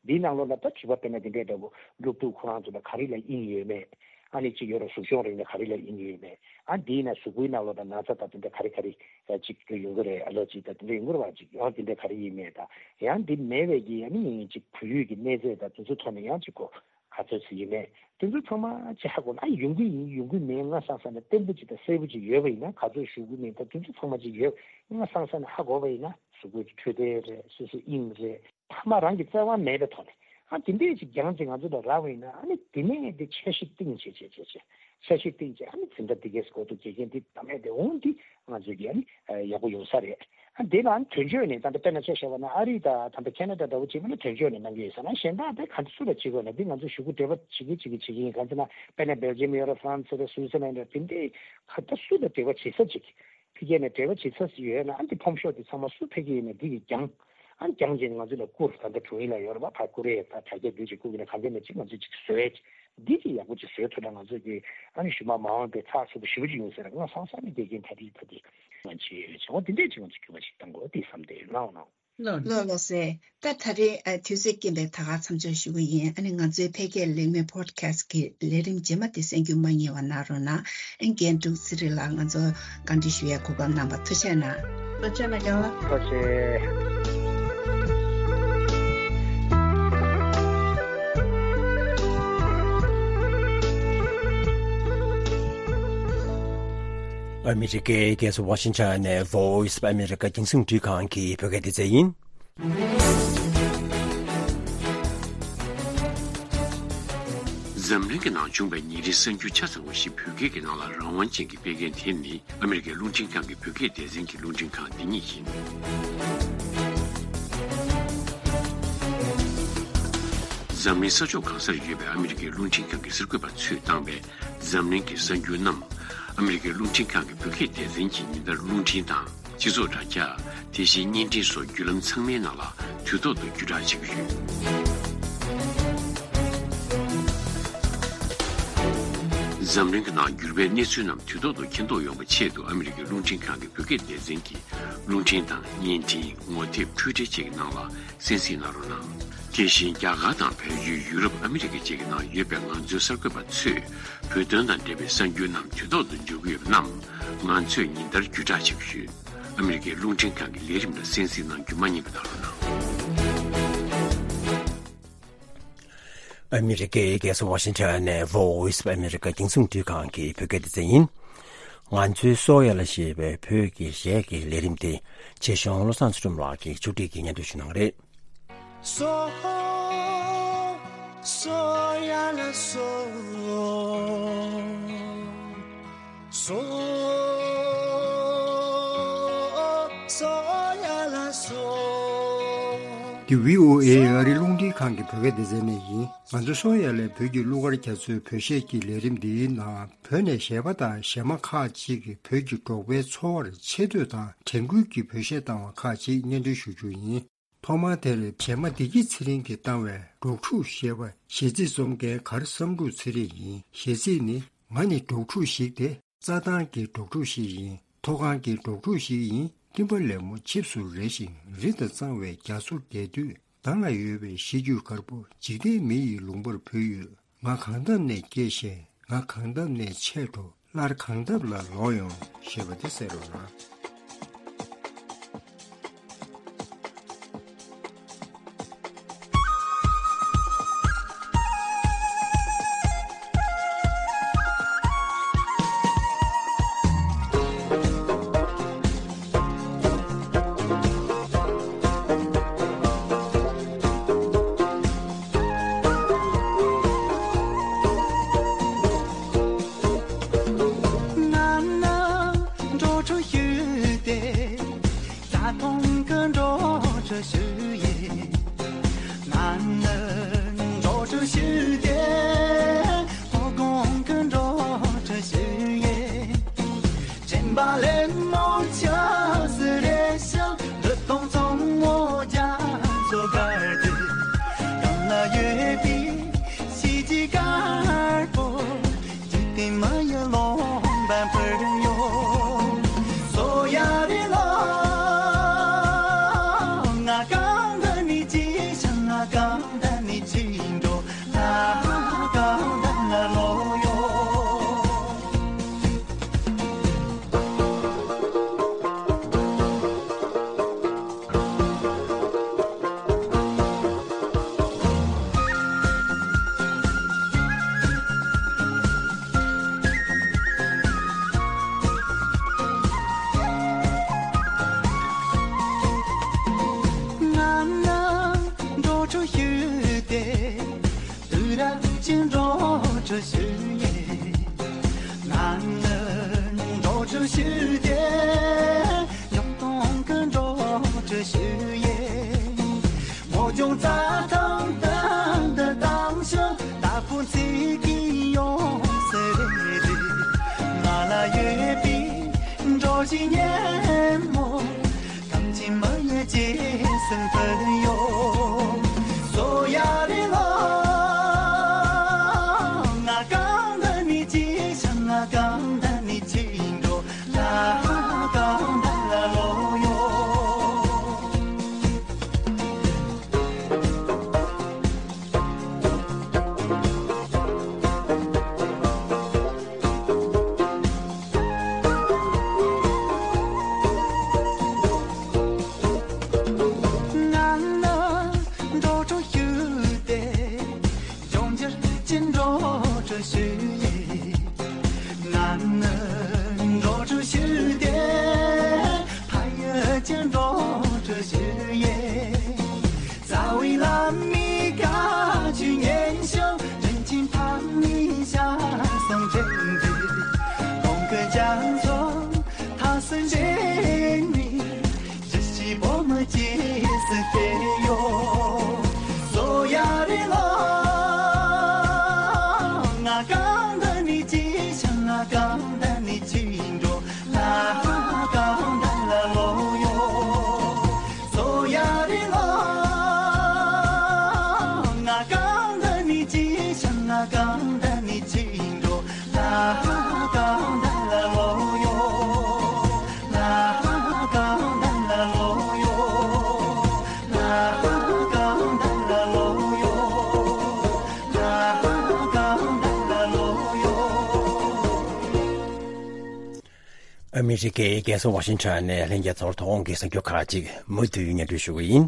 འདིའི་ནང་ལོགས་ལ་ད་བྱིས་པ་དཔེར་ན་དེ་འདྲས་འདྲ་བོ་སློབ་ཕྲུག་ཁོ་རང་ཚོ་ལ་ག་རེ་ལ་དབྱིངས་ཡོད་མེད། ཨ་ནི་གཅིག་ཡོད་རེད། གཟུགས་གཞོང་རིག་ནས་ག་རེ་ལ་ཡིན་ཡོད་མེད། ཨ་འདིའི་ནང་གཟུགས་པོའི་ནང་ལོགས་དང་ན་ཚ་དང་དེ་འདྲ་ག་རེ་ག་རེ་གཅིག་ཡོང་གི་རེད། ཨ་ལོ་གཅིག་དང་དེ་འདྲ་ཡོང་གི་རེད་བ། གཅིག་ཡང་དེ་འདྲ་ག་རེ་ཡིན་མེད་དང་། ཡང་འདི་མེད་པའི་གི་ཨ་ནི་གཅིག་བལ་ཡུལ་གྱི་གནས་ཚད་དང་དེ་ཚོ་ཐོག་ནས་ཡང་གཅིག་གོ་ག་ཚོད་ཅིག་ཡིན་མེད། དེ་ཚོ་ཚང་མ་ཅིག་ཧ་གོ་ན། ཨ་ཡོང་གི་ཡིན་ཡོང་གི་མེད་ང་སང་སང་ནས་བརྟན་པོ་ཅིག་དང་གསལ་པོ་ཅིག་ཡོད་པ་ཡིན་ན། ག་ཚོད་ཞུ་གི་མིན་དང་དེ་ཚོ་ཚང་མ་ཅིག་ཡོད་ང་སང་སང་ནས་ཧ་གོ་བ་ཡིན་ན། གཟུགས་པོའི་འཕྲོད་བསྟེན་རེད། སོ་སོའི་དབྱིངས་རེད། ཕ་མ་རང་གི་བརྩེ་བ་མེད་པའི་ཐོག་ནས་ཨ་དེ་འདྲས་ཅིག་རྒྱང་ཅིག་ང་ཚོ་ལ་རག་པ་ཡིན་ན། ཨ་ནི་དེ་ནས་དེ་འཆར་གཞི་བཏིང་བྱས་བྱས་བྱས་བྱས། འཆར་གཞི་བཏིང་བྱས། ཨ་ནི་འཛིན་གྲྭ་འདི་གས་སུ་འགོ་འཛུགས་བྱེད་མཁན་འདི་ད་མེད་དེ་འོང་འདི་ང་ཚོས་ཀྱི་ཨ་ནི་ཡག་པོ་ཡོང་ས་རེད། ཨ་དེ་ལ་ཨ་ནི་དོན་གཅོད་ནས་ད་ལྟ་དཔེར་ན་ཆ་བཞག་པ་ན། ཨ་རི་དང་ད་ལྟ་ཁེ་ན་ཌ་འདྲ་བོ་བྱེད་པ་ན་དོན་གཅོད་ནས་གནང་གི་ཡོད་ས་ན། གཞན་དག་དེ་ག་འདྲ་སུ་ལ་བྱེད་དགོས་ན་འདི་ང་ཚོ་ཞུ་སྐུལ་འབྲེལ་བ་བྱེད་ཀྱི་བྱེད་ཀྱི་བྱེད་ཀྱི་ཡིན། གང་ཟེར་ན་དཔེར་ན་སྦེལ་ཇམ་ཡོད་རེད། ཧྥ་རན་སི་རེད། སུའི་ཙི་ལན་རེད། དེ་འདྲས་ག་འདྲ་སུ་ལ་འབྲེལ་བ་བྱེད་ས་ཅིག་ཕ་གིར་ནས་འབྲེལ་བ་བྱེད་ས་ཡོད་ན། ཨ་འདི་ཕོམ་ཤོག་འདི་ཚང་མ་སུ་ཕ་གི་ཡིན་ན་འདི་གི་རྒྱང་ཨ་རྒྱང་ཅན་ང་ཚོ་ལ་བསྐུར། ད་ལྟ་དྲུང་ཡིག་ལ་ཡོད་རེད་པ། ཕར་བསྐུར་ཡས་ད་དྲ་རྒྱ་འདི་ཅིག་བསྐུར་གི་ན་གང་འདྲ་ན་ཅིག་ང་ཚོས་ཅིག་བཟོས་འདི་ཅིག་ཡག་པོ་ཅིག་བཟོས་ཐུབ་ན། ང་ཚོ་གི་ཨ་ནི་གཞུག་མ་མ་འོངས་པའི་ཚགས་ཚུད་པོ་ཞེ་པོ་ཅིག་ཡོང་ས་རེད། ང་སང་སང་ནས་དགེ་རྒན་ད་དེ་ད་དེ་ང་བྱེད་ཡོད་བྱུང་བ་འདི་འདྲས་ཅིག་ང་ཚོ་སྐྱོན་པ་ཞིག་བཏང་དགོས་འདི་བསམ་སྟེ་ལངས་གནང་། ལགས་ལགས་སེ། ད་ད་རེས་ཨ་དུས་ཚོད་རྐྱེན་པས་ད་ག་མཚམས་འཇོག་ཞུ་གི་ཡིན། ཨ་ནི་ང་ཚོའི་ཕལ་སྐད་ལེགས་སྨོན་ཕོ་ཌི་ཁ་སི་ཊི་གི་ལས་རིམ་རྗེས་མ་དེ་གསན་རྒྱུ་མ་བསྙེལ་བ་གནང་རོགས་གནང་། ཨ་རྒན་འབྲུག་ཚེ་རིང་ལགས་ང་ཚོ་བཀའ་འདྲི་ཞུ་ཡས་གོ་སྐབས་གནང་བར་ཐུགས་རྗེ་གནང་། ཐུགས་རྗེ་གནང་རྒན་ལགས། ཐུགས་རྗེ་ཆེ། ཨ་མི་རི་ཀའི་རྒྱལ་ས་ཝ་ཤིང་ཊོན་ནས་Voice of America རྒྱང་སྲིང་རླུང་འཕྲིན་ཁང་གི་བོད་སྐད་སྡེ་ཚན་ཡིན། འཛམ་གླིང་གི་ནང་བྱུང་བའི་ཉིན་རེའི་གསར་འགྱུར་ཆ་ཚང་བ་ཞིག་བོད་སྐད་ཀྱི་ནང་ལ་རང་དབང་ཅན་གྱིས་སྤེལ་མཁན་དེ་ནི་ཨ་མི་རི་ཀའི་རླུང་འཕྲིན་ཁང་གི་བོད་སྐད་སྡེ་ཚན་གྱི་རླུང་འཕྲིན་ཁང་འདི་ཉིད་ཡིན། འཛམ་གླིང་ས་ཕྱོགས་གང་སར་ཡོད་པའི་ཨ་མི་རི་ཀའི་རླུང་འཕྲིན་ཁང་གི་གསར་འགོད་པ་ཚོས་བཏང་བའི་འཛམ་གླིང་གི་གསར་འགྱུར་རྣམས། ཨ་མི་རི་ཀའི་རླུང་འཕྲིན་ཁང་གི་བོད་སྐད་སྡེ་ཚན་གྱིས་ཉིན་ལྟར་རླུང་འཕྲིན་དང་། སྤྱི་ཚོགས་དྲ་རྒྱ། དེ་བཞིན་བརྙན་འཕྲིན་སོགས་བརྒྱུད་ལམ་ཚང་མའི་ནང་ལ་དུས་ཐོག་ཏུ་བརྒྱུད་བསྒྲགས་བྱེད་ཀྱི་ཡོད། འཛམ་གླིང་གི་ནང་འགྱུར་བའི་གནས་ཚུལ་རྣམས་དུས་ཐོག་ཏུ་མཁྱེན་རྟོགས་ཡོང་བའི་ཆེད་དུ། ཨ་མི་རི་ཀའི་རླུང་འཕྲིན་ཁང་གི་བོད་སྐད་སྡེ་ཚན་གྱིས་རླུང་འཕྲིན་དང་བརྙན་འཕྲིན། ངོ་དེབ། འཕྲུལ་འཕྲིན་བཅས་ཀྱི་ནང་ལ་གསན་གཟིགས་གནང་རོགས་གནང་། དེ་བཞིན་རྒྱ་གར་དང་བལ་ཡུལ། ཡུ་རོབ། ཨ་མི་རི་ཀ་བཅས་ཀྱི་ནང་ཡོད་པའི་ང་ཚོའི་གསར་འགོད་པ་ཚོས་བོད་དོན་དང་འབྲེལ་བའི་གསར་འགྱུར་རྣམས་དུས་ཐོག་ཏུ་འབྱོར་གྱི་ཡོད་པ་རྣམས་ང་ཚོས་ཉིན་ལྟར་བརྒྱུད་བསྒྲགས་བྱེད་ཀྱི་ཡོད། ཨ་མི་རི་ཀའི་རླུང་འཕྲིན་ཁང་གི་ལས་རིམ་ལ་གསན་གཟིགས་གནང་རྒྱུ་མ་བསྙེལ་བ་གནང་རོགས་གནང་། ཨ་མི་རི་ཀའི་རྒྱལ་ས་ཝ་ཤིང་ཊོན་ནས་Voice of America རྒྱང་སྲིང་རླུང་འཕྲིན་ཁང་གི་བོད་སྐད་སྡེ་ཚན་ཡིན། ང་ཚོའི་སོ་ཡ་ལ་ཞེས་པའི་བོད་ཀྱི་གཞས་ཀྱི་ལས་རིམ་དེ་ཆེ་ཆུང་བློ་བཟང་ཚུལ་ཁྲིམས་ལགས་ཀྱིས་ཕྱོགས་སྒྲིག་གིས་སྙན་སྒྲོན་ཞུ་གནང་གི་རེད། སོ། སོ་ཡ་ལ་སོ། སོ། སོ་ཡ་ལ་སོ། འདི་བྷི་ཨོ་ཨེ་ཨ་རིའི་རླུང་འཕྲིན་ཁང་གི་བོད་སྐད་སྡེ་ཚན་ནས་ཡིན། ང་ཚོ་སོ་ཡ་ལའི་བོད་ཀྱི་གླུ་གར་རྒྱ་མཚོའི་བོད་གཞས་ཀྱི་ལས་རིམ་འདིའི་ནང་བོད་ནས་གཞས་པ་དང་གཞས་མ་ཁག་ཅིག་གིས་བོད་ཀྱི་འབྲོག་པའི་འཚོ་བར་ཆེ་བསྟོད་དང་དྲན་སྐུལ་གྱི་བོད་གཞས་བཏང་བ་ཁག་ཅིག་སྙན་སྒྲོན་ཞུ་རྒྱུ་ཡིན། ཐོག་མར་དེར་གཞས་མ་བདེ་སྐྱིད་ཚེ་རིང་གིས་བཏང་བའི་འབྲོག་ཕྲུག་ཞེས་པ་གཞས་ཚིག་རྩོམ་མཁན་གར་བསམ་འགྲུབ་ཚེ་རིང་ཡིན། གཞས་ཚིག་ནི། ང་ནི་འབྲོག་ཕྲུག་ཞིག་སྟེ། རྩྭ་ཐང་གི་འབྲོག་ཕྲུག་ཞིག་ཡིན། མཐོ་སྒང་གི་འབྲོག་ཕྲུག་ཞིག་ཡིན། སྤྲིན་པ་ལེབ་མོ་ཆིབས་སུ་རེ་ཞིང་རི་དང་གཙང་བའི་རྒྱ་མཚོ་རྒལ་དུས། མདང་ལ་ཡོད་པའི་གཞིས་རྒྱུད་དཀར་པོ་འཇིག་རྟེན་མི་ཡི་ལུང་པར་བུད་ཡོད། ང་གང་འདབས་ནས་སྐྱེས་ཤིང་། ང་གང་འདབས་ནས་ཆད་འགྲོ། སླར་གང་འདབས་ལ་ལོག་ཡོང་ཞེས་པ་དེ་གསན་རོགས་གནང་། ང་ནི་འབྲོག་ཕྲུག་ཞིག་སྟེ། རྩྭ་ཐང་གི་འབྲོག་ཕྲུག་ཞིག་ཡིན། ང་ནི་འབྲོག་ཕྲུག་ཞིག་སྟེ། མཐོ་སྒང་གི་འབྲོག་ཕྲུག་ཞིག་ཡིན། སྤྲིན་པ་ལེབ་མོ་ཆིབས་སུ་རེ་ཞིང་། རི་དྭགས་གཙང་མོ་རྒྱ་མཚོ་རྒལ་དུས། གངས་ལ་ཡོད་པའི་གཞིས་བྱེས་དཀར་པོ། འཇིག་རྟེན་མི་ཡི་ལུང་པར་བུད་ཡོད། སོ་ཡ་རེད་ལོ། ང་གང་འདི་ནས་སྐྱེས་ཤིང་། ང་གང་འདི་ནས་ ཨ་མི་རི་ཀའི་རྒྱལ་ས་ཝ་ཤིང་ཊོན་ནས་ལྷན་རྒྱས་ཚོར་ཐོག་ཁོངས་ཀྱི་གསར་འགྱུར་ཁག་ཅིག་མུ་མཐུད་སྙན་སྒྲོན་ཞུ་གི་ཡིན།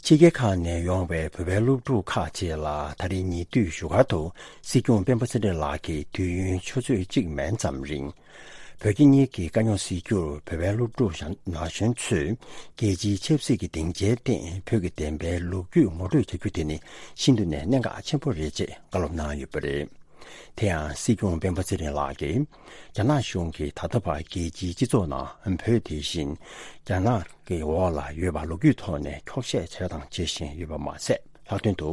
ཕྱི་རྒྱལ་ཁག་ནས་ཡོང་བའི་བོད་པའི་སློབ་ཕྲུག་ཁག་ཅིག་ལ་ད་རེས་ཉེ་དུས་བཞུགས་སྒར་དུ་སྲིད་སྐྱོང་སྤེན་པ་ཚེ་རིང་ལགས་ཀྱིས་དུས་ཡུན་ཆུ་ཚོད་གཅིག་མན་ཙམ་རིང་། བོད་རྒྱ་གཉིས་ཀྱི་དཀའ་རྙོག་སེལ་རྒྱུར་བོད་པའི་སློབ་ཕྲུག་ན་གཞོན་ཚོས་རྒྱལ་སྤྱིའི་ཆབ་སྲིད་ཀྱི་སྡིངས་ཆའི་སྟེང་བོད་ཀྱི་བདེན་པའི་ལོ་རྒྱུས་ངོ་སྤྲོད་བྱ་རྒྱུ་དེ་ནི་ཤིན་ཏུ་ནས་གནད་འགག་ཆེན་པོ་རེད་ཅེས་བཀའ་སློབ་གནང་ཡོད་པ་རེད། དེ་ཡང་སྲིད་སྐྱོང་སྤེན་པ་ཚེ་རིང་ལགས་ཀྱིས་རྒྱ་ནག་གཞུང་གིས་ད་ལྟ་བར་རྒྱལ་སྤྱིའི་སྤྱི་ཚོགས་ནང་བོད་དེ་བཞིན་རྒྱ་ནག་གི་འོག་ལ་ཡོད་པ་ལོ་རྒྱུས་ཐོག་ནས་འཁྱོག་བཤད་བྱས་དང་བྱེད་བཞིན་ཡོད་པ་མ་ཟད། ལྷག་དོན་དུ་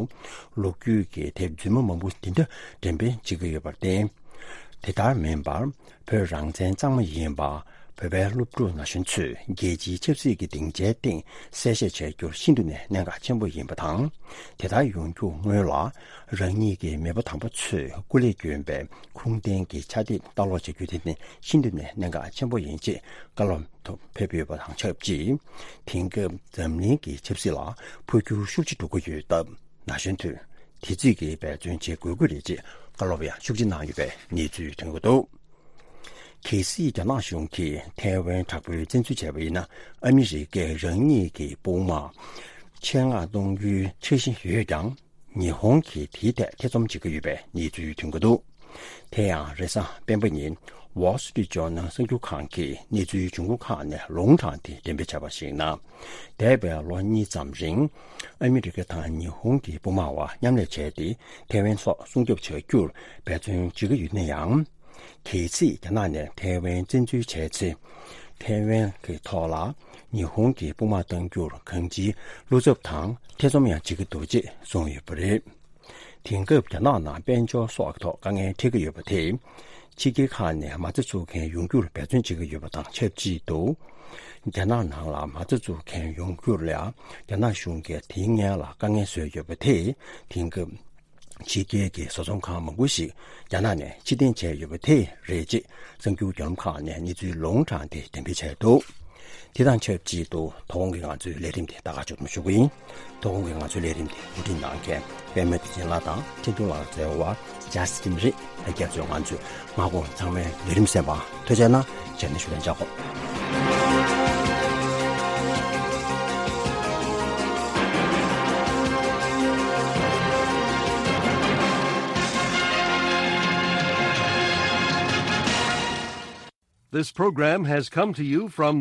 ལོ་རྒྱུས་ཀྱི་དེབ་རྫུན་མ་མང་པོ་འདི་འདྲ་འགྲེམས་སྤེལ་བྱེད་ཀྱི་ཡོད་པར་བརྟེན། དེ་ལྟར་མིན་པར་བོད་རང་བཙན་གཙང་མ་ཡིན་པ། བོད་པའི་སློབ་ཕྲུག་ན་གཞོན་ཚོས་རྒྱལ་སྤྱིའི་ཆབ་སྲིད་ཀྱི་སྡིངས་ཆའི་སྟེང་གསལ་བཤད་བྱ་རྒྱུར་ཤིན་ཏུ་ནས་གནད་འགག་ཆེན་པོ་ཡིན་པ་དང་། དེ་ལྟར་ཡོང་རྒྱུ་སྔོན་ལ་རང་ཉིད་ཀྱི་མེས་པོ་དམ་པ་ཚོས་སྐུ་ལས་བསྐྱོན་པའི་ཁུངས་ལྡན་གྱི་ཕྱག་དེབ་ལྟ་ཀློག་བྱ་རྒྱུ་དེ་ནི་ཤིན་ཏུ་ནས་གནད་འགག་ཆེན་པོ་ཡིན་ཅེས་བཀའ་སློབ་ཐོག་ཕེབས་ཡོད་པ་དང་ཆབས་ཅིག་དེང་སྐབས་འཛམ་གླིང་གི་ཆབ་སྲིད་ལ་འཕོ་འགྱུར་ཤུགས་ཆེ་འགྲོ་གི་ཡོད་སྟབས། ན་གཞོན་ཚོས་དེ་རྩིས་ཀྱིས་འབད་བརྩོན་བྱེད་དགོས་ཀྱི་རེད་ཅེས་བཀའ་སློབ་ཡང་ཤུགས་ཆེ་གནང་ཡོད་པའི་གནས་ཚུལ་ཐོན་གྱི་འདུག་གལ་སྲིད་རྒྱ་ནག་གཞུང་གིས་ཐའེ་ཝན་དྲག་པོའི་བཙན་འཛུལ་བྱས་པ་ཡིན་ན། ཨ་མི་རི་ཀས་རང་ཉིད་ཀྱི་དཔུང་དམག་ཆེད་མངགས་གཏོང་རྒྱུའི་འཆར་གཞི་ཡོད་ཀྱང་། ཉི་ཧོང་གིས་དེའི་ཐད་ཐེ་ཚོམ་བྱེད་ཀྱི་ཡོད་པའི་གནས་ཚུལ་ཐོན་གྱི་འདུག་དེ་ཡང་རེས་གཟའ་སྤེན་པ་ཉིན་Wall Street Journal གསར་འགྱུར་ཁང་གིས་གནས་ཚུལ་བྱུང་ཁུངས་ཁག་ནས་ལུང་དྲངས་ཏེ་འགྲེམས་སྤེལ་བྱས་པར་གཞིགས་ན། འདས་པའི་ལོ་གཉིས་ཙམ་རིང་ཨ་མི་རི་ཀ་དང་ཉི་ཧོང་གི་དཔུང་དམག་བར་མཉམ་ལས་བྱས་ཏེ་ཐའེ་ཝན་སོགས་སྲུང་སྐྱོབ་བྱ་རྒྱུར་འབད་བརྩོན་བྱེད་ཀྱི་ཡོད་ན་ཡང་། གལ་སྲིད་རྒྱ་ནག་ནས་ཐའེ་ཝན་བཙན་འཛུལ་བྱས་ཚེ། ཐའེ་ཝན་གྱི་ཐོག་ལ་ཉི་ཧོང་གི་དཔུང་དམག་གཏང་རྒྱུར་གང་ཅིའི་བློ་འཚབ་དང་ཐེ་ཚོམ་ཡང་བྱེད་ཀྱི་འདུག་ཅེས་གསུངས་ཡོད་པ་རེད། དེང་སྐབས་རྒྱ་ནག་ནང་དཔལ་འབྱོར་སོགས་ཀྱི་ཐོག་དཀའ་ངལ་འཕྲད་ཀྱི་ཡོད་པ་དེས། ཕྱི་རྒྱལ་ཁག་ནས་མ་རྩ་འཛུགས་མཁན་ཡོང་རྒྱུར་འབད་བརྩོན་བྱེད་ཀྱི་ཡོད་པ་དང་ཆབས་ཅིག་ཏུ། རྒྱ་ནག་ནང་ལ་མ་རྩ་འཛུགས་མཁན་ཡོང་རྒྱུར་ལ་རྒྱ་ནག་གཞུང་གིས་དེའི་སྔོན་ལ་དཀའ་ངལ་བཟོས་ཡོད་པ་དེས། དེང་སྐབས་ཕྱི་རྒྱལ་གྱི་བཟོ་ཚོང་ཁང་མང་པོ་ཞིག་རྒྱ་ནག་ནས་ཕྱིར་འཐེན་བྱས་ཡོད་པ་དེ་རེད་ཅེས་གསར་འགྱུར་བརྒྱུད་ལམ་ཁག་ནས་གནས་ཚུལ་ལུང་དྲངས་ཏེ་འགྲེམས་སྤེལ་བྱས་འདུག་དེ་དང་ཆབས་ཅིག་ཏུ་དོ་དགོང་གི་ང་ཚོའི་ལས་རིམ་དེ་ད་ག་མཇུག་བསྡོམས་ཞུ་གི་ཡིན། དོ་དགོང་གི་ང་ཚོའི་ལས་རིམ་དེ་གོ་སྒྲིག་གནང་མཁན་པད་མ་བདེ་ཆེན་ལགས་དང་ཁྲིན་ཏུ་ལགས་བརྩེ་བ་ཇཱ་སི་ཊིན་རེད། ལྷན་རྒྱས་ཚོས་ང་ཚོའི་སྔ་དགོང་ཚང་མའི་ལས་རིམ་གསན་པ་ཐུགས་རྗེ་གནང་། ཇ་ནི་ཞུ་ལན་འཇགས་གོ། This program has come to you from the